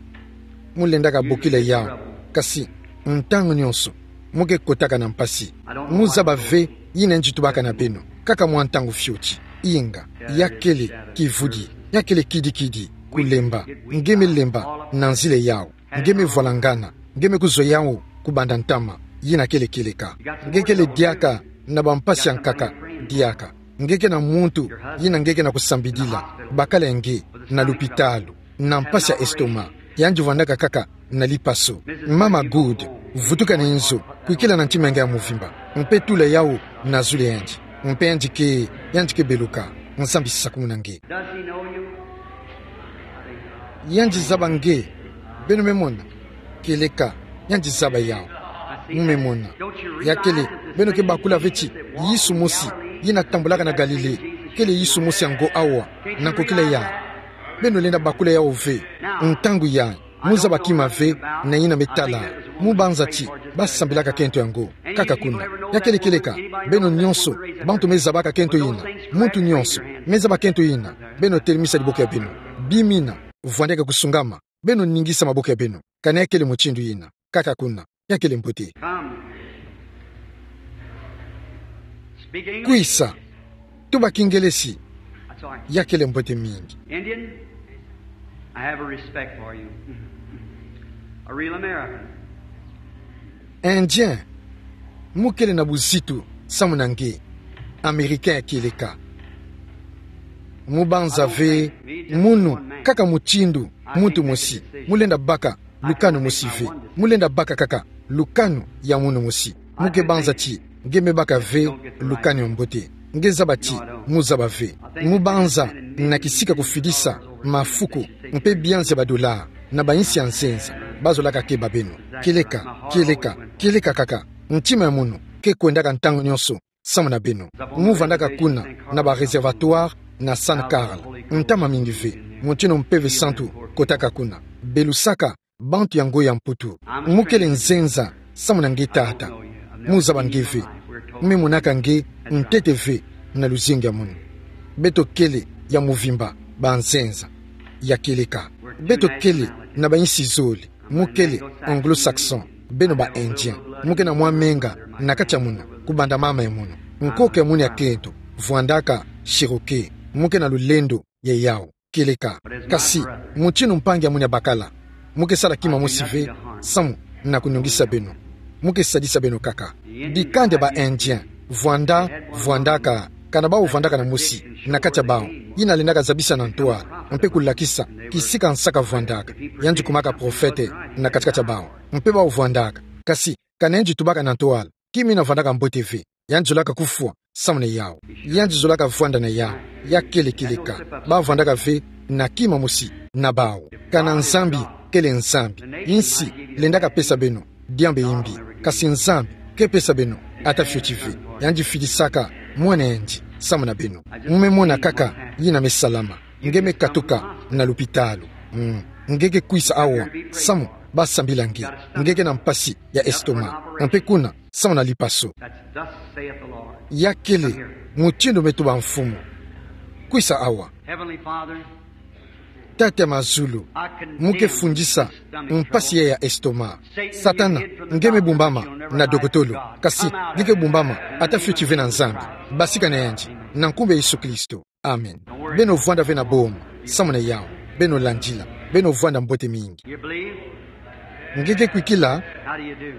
Mo lendaka bokila yawu. Kasi, ntangu nyonso, mu ke kotaka na mpasi. Mu zaba ve, yina nge tubaka na beno, kaka mwa ntangu fioti. Inga, ya kele, kivudi, ya kele kidikidi, kulemba, nge me lemba, na nzila yau, nge me vwalangana, nge me kuzwa yau, kubanda ntama, yina kele kieleka. Nge kele diaka, na bampasi ya nkaka, diaka. Nge ke na muntu, yina nge ke na kusambidila, bakala nge, na lupitalu, na mpasi ya estomac, yandi vwandaka kaka, na lipaso. Mama Good, vutuka na nzo, kwikila na ntima nge ya muvimba, mpe tula yau, na zulu yandi, mpe yandi ke, yandi ke beluka, Nzambi sakumuna nge. Does he know you? Yandi zaba nge, beno me mona, kieleka, yandi zaba yau. Mu me mona. Ya kele, beno ke bakula ve ti, Yesu mosi, yina tambulaka na Galile, kele Yesu mosi ya ngo awa, na nkokila ya. Beno lenda bakula yau ve, ntangu ya, mu zaba kima ve, na yina me tala, mu banza ti, basambilaka kento yango, kaka kuna. Ya kele kieleka, beno nyonso, bantu me zabaka kento yina, muntu nyonso, me zaba kento yina, beno telemisa diboko ya beno, bimina, vwandeke kusungama, beno ningisa maboko ya beno, kana ya kele mutindu yina, kaka kuna, ya kele mbote. Come. Speak English. Kwisa, tuba Kingelesi, That's all right. Ya kele mbote mingi. Indian, I have a respect for you. A real American. Indien, mu kele na buzitu, samu na nge, Americain ya kieleka. Mu banza ve, munu, kaka mutindu, muntu mosi, mu lenda baka, lukanu mosi ve, mu lenda baka kaka, lukanu ya munu mosi. Mu ke banza ti, nge me baka ve, lukanu ya mbote. Nge zaba ti, mu zaba ve. Mu banza, na kisika kufidisa, mafuku, mpe bianzi ya badola, na bayinsi ya nzenza, bazolaka keba beno. Kieleka, kieleka, kieleka kaka. Ntima ya munu, ke kwendaka ntangu nyonso, samu na beno. Mu vandaka kuna, na ba réservatoire, na San Carl. Ntama mingi ve, mutindu Mpeve Santu, kotaka kuna. Belusaka, bantu ya ngo ya Mputu. Mu kele nzenza, samu na nge tata. Mu zaba nge ve. Me monaka nge, ntete ve, na luzingu ya munu. Beto kele, ya muvimba, banzenza. Ya kieleka. Beto kele, na bayinsi zole. Mu kele, anglo-saxon. Beno ba Indien. Mu ke na mwa menga, na kati ya munu. Kubanda mama ya munu. Nkoko ya munu ya kento. Vwandaka, Cherokee. Mu ke na lulendo, ya yau. Kieleka. Kasi, mutindu mpangi ya munu ya bakala. Mu ke sala kima mosi ve, samu, na kunungisa beno. Mu ke sadisa beno kaka. Dikanda ba Indien, vwanda, vwandaka, kana bau vwandaka na mosi, na kati ya bau. Yina lendaka zabisa na ntwala, mpe kulakisa, kisika nsaka vwandaka. Yandi kumaka profete, na kati-kati ya bau. Mpe bau vwandaka. Kasi, kana yandi tubaka na ntwala. Kima yina vwandaka mbote ve. Yandi zolaka kufwa, samu na yau. Yandi zolaka vwanda na yau. Ya kele kieleka. Bau vwandaka ve, na kima mosi, na bau. Kana Nzambi, kele Nzambi. Yinsi, lendaka pesa beno, diambu ya mbi. Kasi Nzambi, ke pesa beno, ata fioti ve. Yandi fidisaka, mwana yandi, samu na beno. Mu me mona kaka, yina me salama. Nge me katuka, na lupitalu. Mm. Nge ke kwisa awa, samu, basambila nge. Nge ke na mpasi, ya estomac. Mpe kuna, samu na lipaso. That's thus saith the Lord. Ya kele, mutindu me tuba Mfumu. Kwisa awa. Heavenly Father, Tata ya mazulu, mu ke fundisa, mpasi ya ya estomac. Satana, nge me bumbama, na dokotolo. Kasi, nge ke bumbama, ata fioti ve na Nzambi. Basika na yandi, na nkumbu ya Yesu Kristo. Amen. Beno vwanda ve na boma, samu na yau, beno landila, beno vwanda mbote mingi. You believe? Nge ke kwikila? How do you do?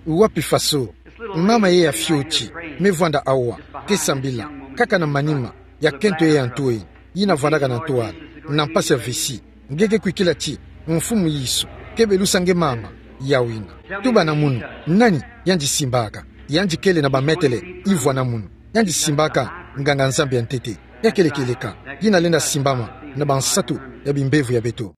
Wapi faso? Mama ye ya fioti, me vwanda awa, ke sambila, kaka na manima, ya kento ye ya ntoi, yina vwandaka na ntwala, na mpasi ya vessie. Nge ke kwikila ti, Mfumu Yesu, ke belusa nge mama, yau yina. Tuba na munu, nani, yandi simbaka, yandi kele na ba mètre ivwa na munu, yandi simbaka, nganga Nzambi ya ntete, ya kele kieleka, yina lenda simbama, na bansatu, ya bimbevo ya beto.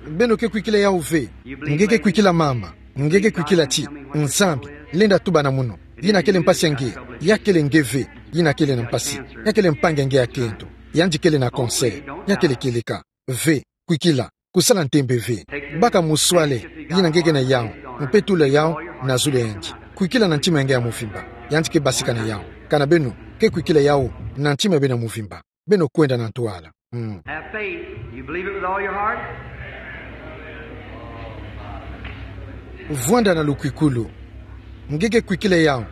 Beno ke kwikila yau ve, nge ke kwikila mama, nge ke kwikila ti, Nzambi, lenda tuba na munu, yina kele mpasi ya nge, ya kele nge ve, yina kele na mpasi, ya kele mpangi ya nge ya kento, yandi kele na cancer, ya kele kieleka, ve, kwikila, kusala ntembe ve, baka muswale, yina nge ke na yau, mpe tula yau, na zulu ya yandi. Kwikila na ntima ya nge ya mvimba. Yandi ke basika na yawu. Kana beno ke kwikila yawu na ntima ya beno ya mvimba, beno kwenda na ntwala. Mm. Have faith. You believe it with all your heart? Vwanda na lukwikulu. Nge ke kwikila yawu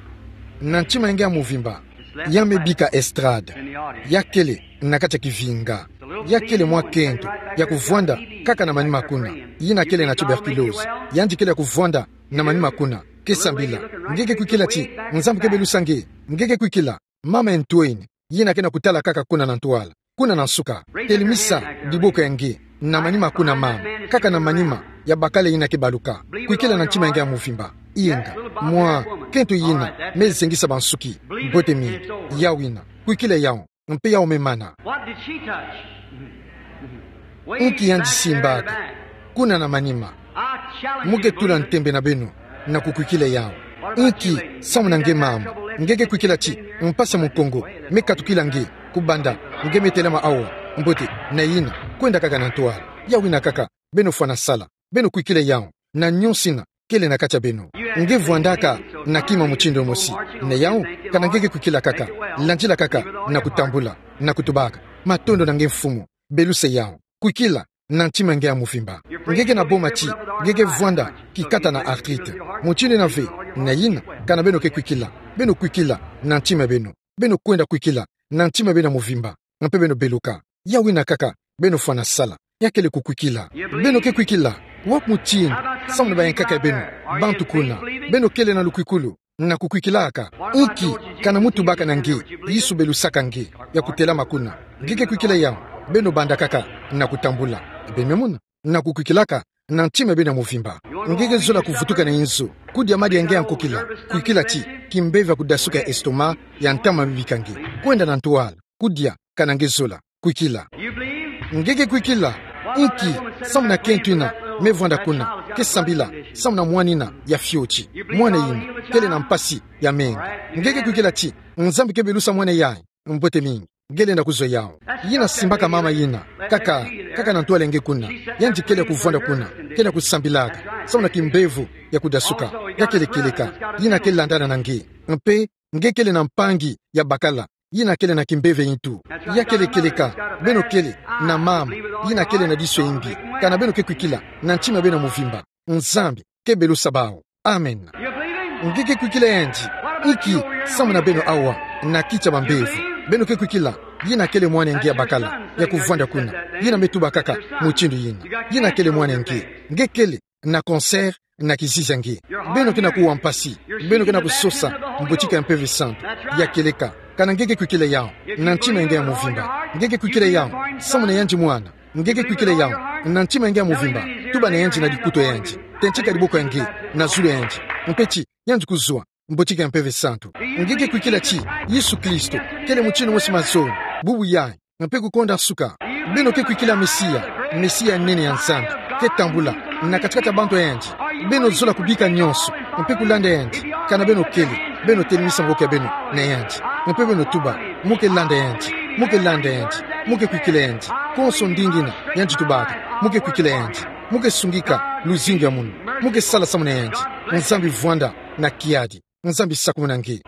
na ntima ya nge ya mvimba. Ya me bika estrade. Ya kele na kati ya kivinga. Ya kele mwa kento ya kuvwanda kaka na manima kuna. Yina kele na tuberculose. Yandi kele ya kuvwanda na manima kuna. Ke sambila. Nge ke kwikila ti Nzambi ke belusa nge. Nge ke kwikila. Mama ya ntwenya, yina ke na kutala kaka kuna na ntwala, kuna na nsuka. Telimisa diboko ya nge na manima kuna, mama. Kaka na manima ya bakala yina ke baluka. Kwikila na ntima ya nge ya mvimba. Inga. Mwa kento yina me zengisa bansuki. Mbote mingi. Yawu yina. Kwikila yawu. Mpe yawu me mana. What did she touch? Inki yandi simbaka kuna na manima? Mu ke tula ntembe na beno na kukwikila yawu. Inki samu na nge, mama? Nge ke kwikila ti mpasi ya mukongo me katukila nge kubanda nge me telama awa? Mbote, na yina, kwenda kaka na ntwala. Yawu yina kaka, beno fwana sala. Beno kwikila yawu na nyonso yina kele na kati ya beno. Nge vwandaka na kima mutindu mosi. Na yawu, kana nge ke kwikila kaka, landila kaka na kutambula, na kutubaka: Matondo na nge, Mfumu. Belusa yawu. Kwikila na ntima ya nge ya mvimba. Nge ke na boma ti nge ke vwanda kikata na arthrite. Mutindu yina ve. Na yina, kana beno ke kwikila, beno kwikila na ntima ya beno. Beno kwenda kwikila na ntima ya beno ya mvimba, mpe beno beluka. Yawu yina kaka, beno fwana sala. Ya kele kukwikila. Beno ke kwikila? Wapi mutindu? Samu na bayankaka ya beno, bantu kuna. Beno kele na lukwikulu na kukwikilaka? Inki kana mu tubaka na nge, Yesu belusaka nge ya kutelama kuna? Nge ke kwikila yawu? Beno banda kaka na kutambula. Beno me mona? Na kukwikilaka na ntima ya beno ya mvimba. Nge ke zola kuvutuka na inzo, kudia madia ya nge ya nkokila. Kwikila ti kimpeve ya kudasuka ya estomac ya ntama me bika nge. Kwenda na ntwala. Kudia, kana nge zola. Kwikila. Nge ke kwikila? Inki samu na kento yina me vwanda kuna? Ke sambila samu na mwana yina ya fioti. Mwana yina kele na mpasi ya menga. Nge ke kwikila ti Nzambi ke belusa mwana yayi? Mbote mingi. Nge lenda kuzwa yawu. Yina simbaka mama yina, kaka, kaka na ntwala ya nge kuna. Yandi kele ya kuvwanda kuna, kele ya kusambilaka samu na kimbevo ya kudasuka. Ya kele kieleka. Yina ke landana na nge. Mpe nge kele na mpangi ya bakala yina kele na kimbevo ya ntu. Ya kele kieleka. Beno kele na mama yina kele na diso ya mbi. Kana beno ke kwikila na ntima ya beno ya mvimba, Nzambi ke belusa bawu. Amen. Nge ke kwikila yandi? Inki samu na beno awa na kiti ya bambevo? Beno ke kwikila? Yina kele mwana ya nge ya bakala ya kuvwanda kuna. Yina me tuba kaka mutindu yina. Yina kele mwana ya nge. Nge kele na cancer na kizizi ya nge. Beno ke na kuwa mpasi. Beno ke na kusosa mbotika ya Mpeve Santu. Ya kieleka. Kana nge ke kwikila yawu na ntima ya nge ya mvimba? Nge ke kwikila yawu samu na yandi mwana? Nge ke kwikila yawu na ntima ya nge ya mvimba? Tuba na yandi na dikutu ya yandi. Tentika diboko ya nge na zulu ya yandi, mpe ti yandi kuzwa mbotika ya Mpeve Santu. Nge ke kwikila ti Yesu Kristo kele mutindu mosi, mazono, bubu yayi, mpe kukonda nsuka? Beno ke kwikila Mesia, Mesia ya nene ya Nzambi ke tambula na kati-kati ya bantu ya yandi? Beno zola kubika nyonso mpe kulanda yandi? Kana beno kele, beno telemisa maboko ya beno na yandi, mpe beno tuba: Mu ke landa yandi, mu ke landa yandi, mu ke kwikila yandi. Konso ndinga yina yandi tubaka, mu ke kwikila yandi, mu ke sungika luzingu ya munu, mu ke sala samu na yandi. Nzambi vwanda na kiadi. Nzambi sakumuna nge.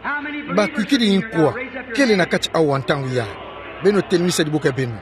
Bakwikidi nkwa kele na kati awa ntangu yayi? Beno telemisa diboko ya beno.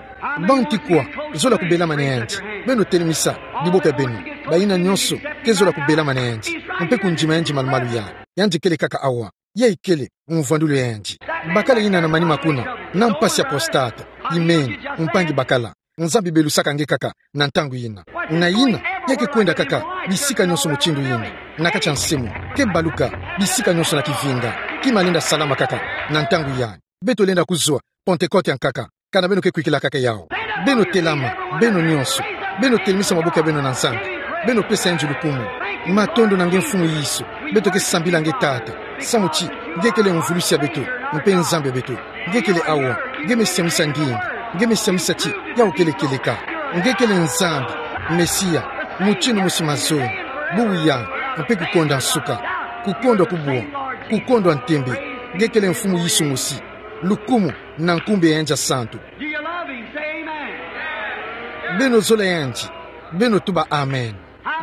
Banti kwa zola kubelama na yandi? Beno telemisa diboko ya beno. Bayina nyonso ke zola kubelama na yandi mpe kundima yandi malumalu yayi. Yandi kele kaka awa. Yayi kele mvwandulu ya yandi. Bakala yina na manima kuna, na mpasi ya prostate, imeni, mpangi bakala. Nzambi belusaka nge kaka na ntangu yina. Na yina, ya ke kwenda kaka bisika nyonso mutindu yina. Na kati ya nse mu, ke baluka bisika nyonso na kivinga. Kima lenda salama kaka na ntangu yayi. Beto lenda kuzwa Pentecote ya nkaka, kana beno ke kwikila kaka yawu. Beno telama, beno nyonso. Beno telemisa maboko ya beno na Nzambi. Beno pesa yandi lukumu. Matondo na nge, Mfumu Yesu. Beto ke sambila nge, Tata, samu ti nge kele mvulusi ya beto mpe Nzambi ya beto. Nge kele awa. Nge me siamisa ndinga. Nge me siamisa ti yawu kele kieleka. Nge kele Nzambi, Mesia, mutindu mosi, mazono, bubu yayi, mpe kukonda nsuka, kukondwa kubwa, kukondwa ntembe. Nge kele Mfumu Yesu mosi. Lukumu na nkumbu ya yandi ya santu. Do you love him? Say amen. Beno zola yandi. Beno tuba amen.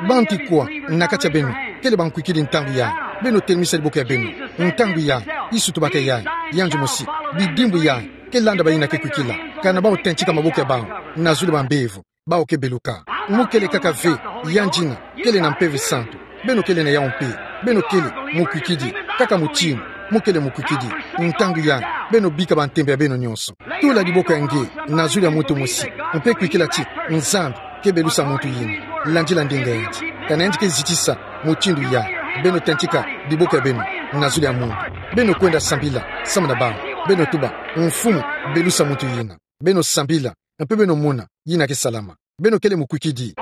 Banti kwa na kati ya beno kele bankwikidi ntangu yayi? Beno telimisa diboko ya beno. Ntangu yayi, Yesu tubaka yayi, yandi mosi: Bidimbu yayi, ke landa bayina ke kwikila, ka na bau tentika maboko ya bau, na zulu bambevo, bau ke beluka. Mo kele kaka ve, yandi na, kele na Mpeve Santu. Beno kele na yawu mpe. Beno kele, mukwikidi, kaka mutinu, mo kele mukwikidi. Ntangu yayi, beno bika bantembe ya beno nyonso. Tula diboko ya nge na zulu ya muntu mosi, mpe kwikila ti Nzambi ke belusa muntu yina. Landila ndinga yandi. Ka na yandi ke zitisa mutindu yayi, beno tentika diboko ya beno na zulu ya muntu. Beno kwenda sambila samu na bau. Beno tuba: Mfumu, belusa muntu yina. Beno sambila, mpe beno mona yina ke salama. Beno kele mukwikidi.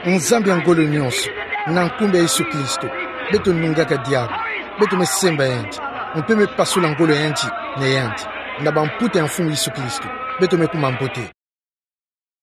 Nzambi ya ngolo nyonso, na nkumbu ya Yesu Kristo, beto nungaka diabu. Beto me semba yandi, mpe me pasula ngolo yandi na yandi. Na bamputa ya Mfumu Yesu Kristo, beto me kuma mbote.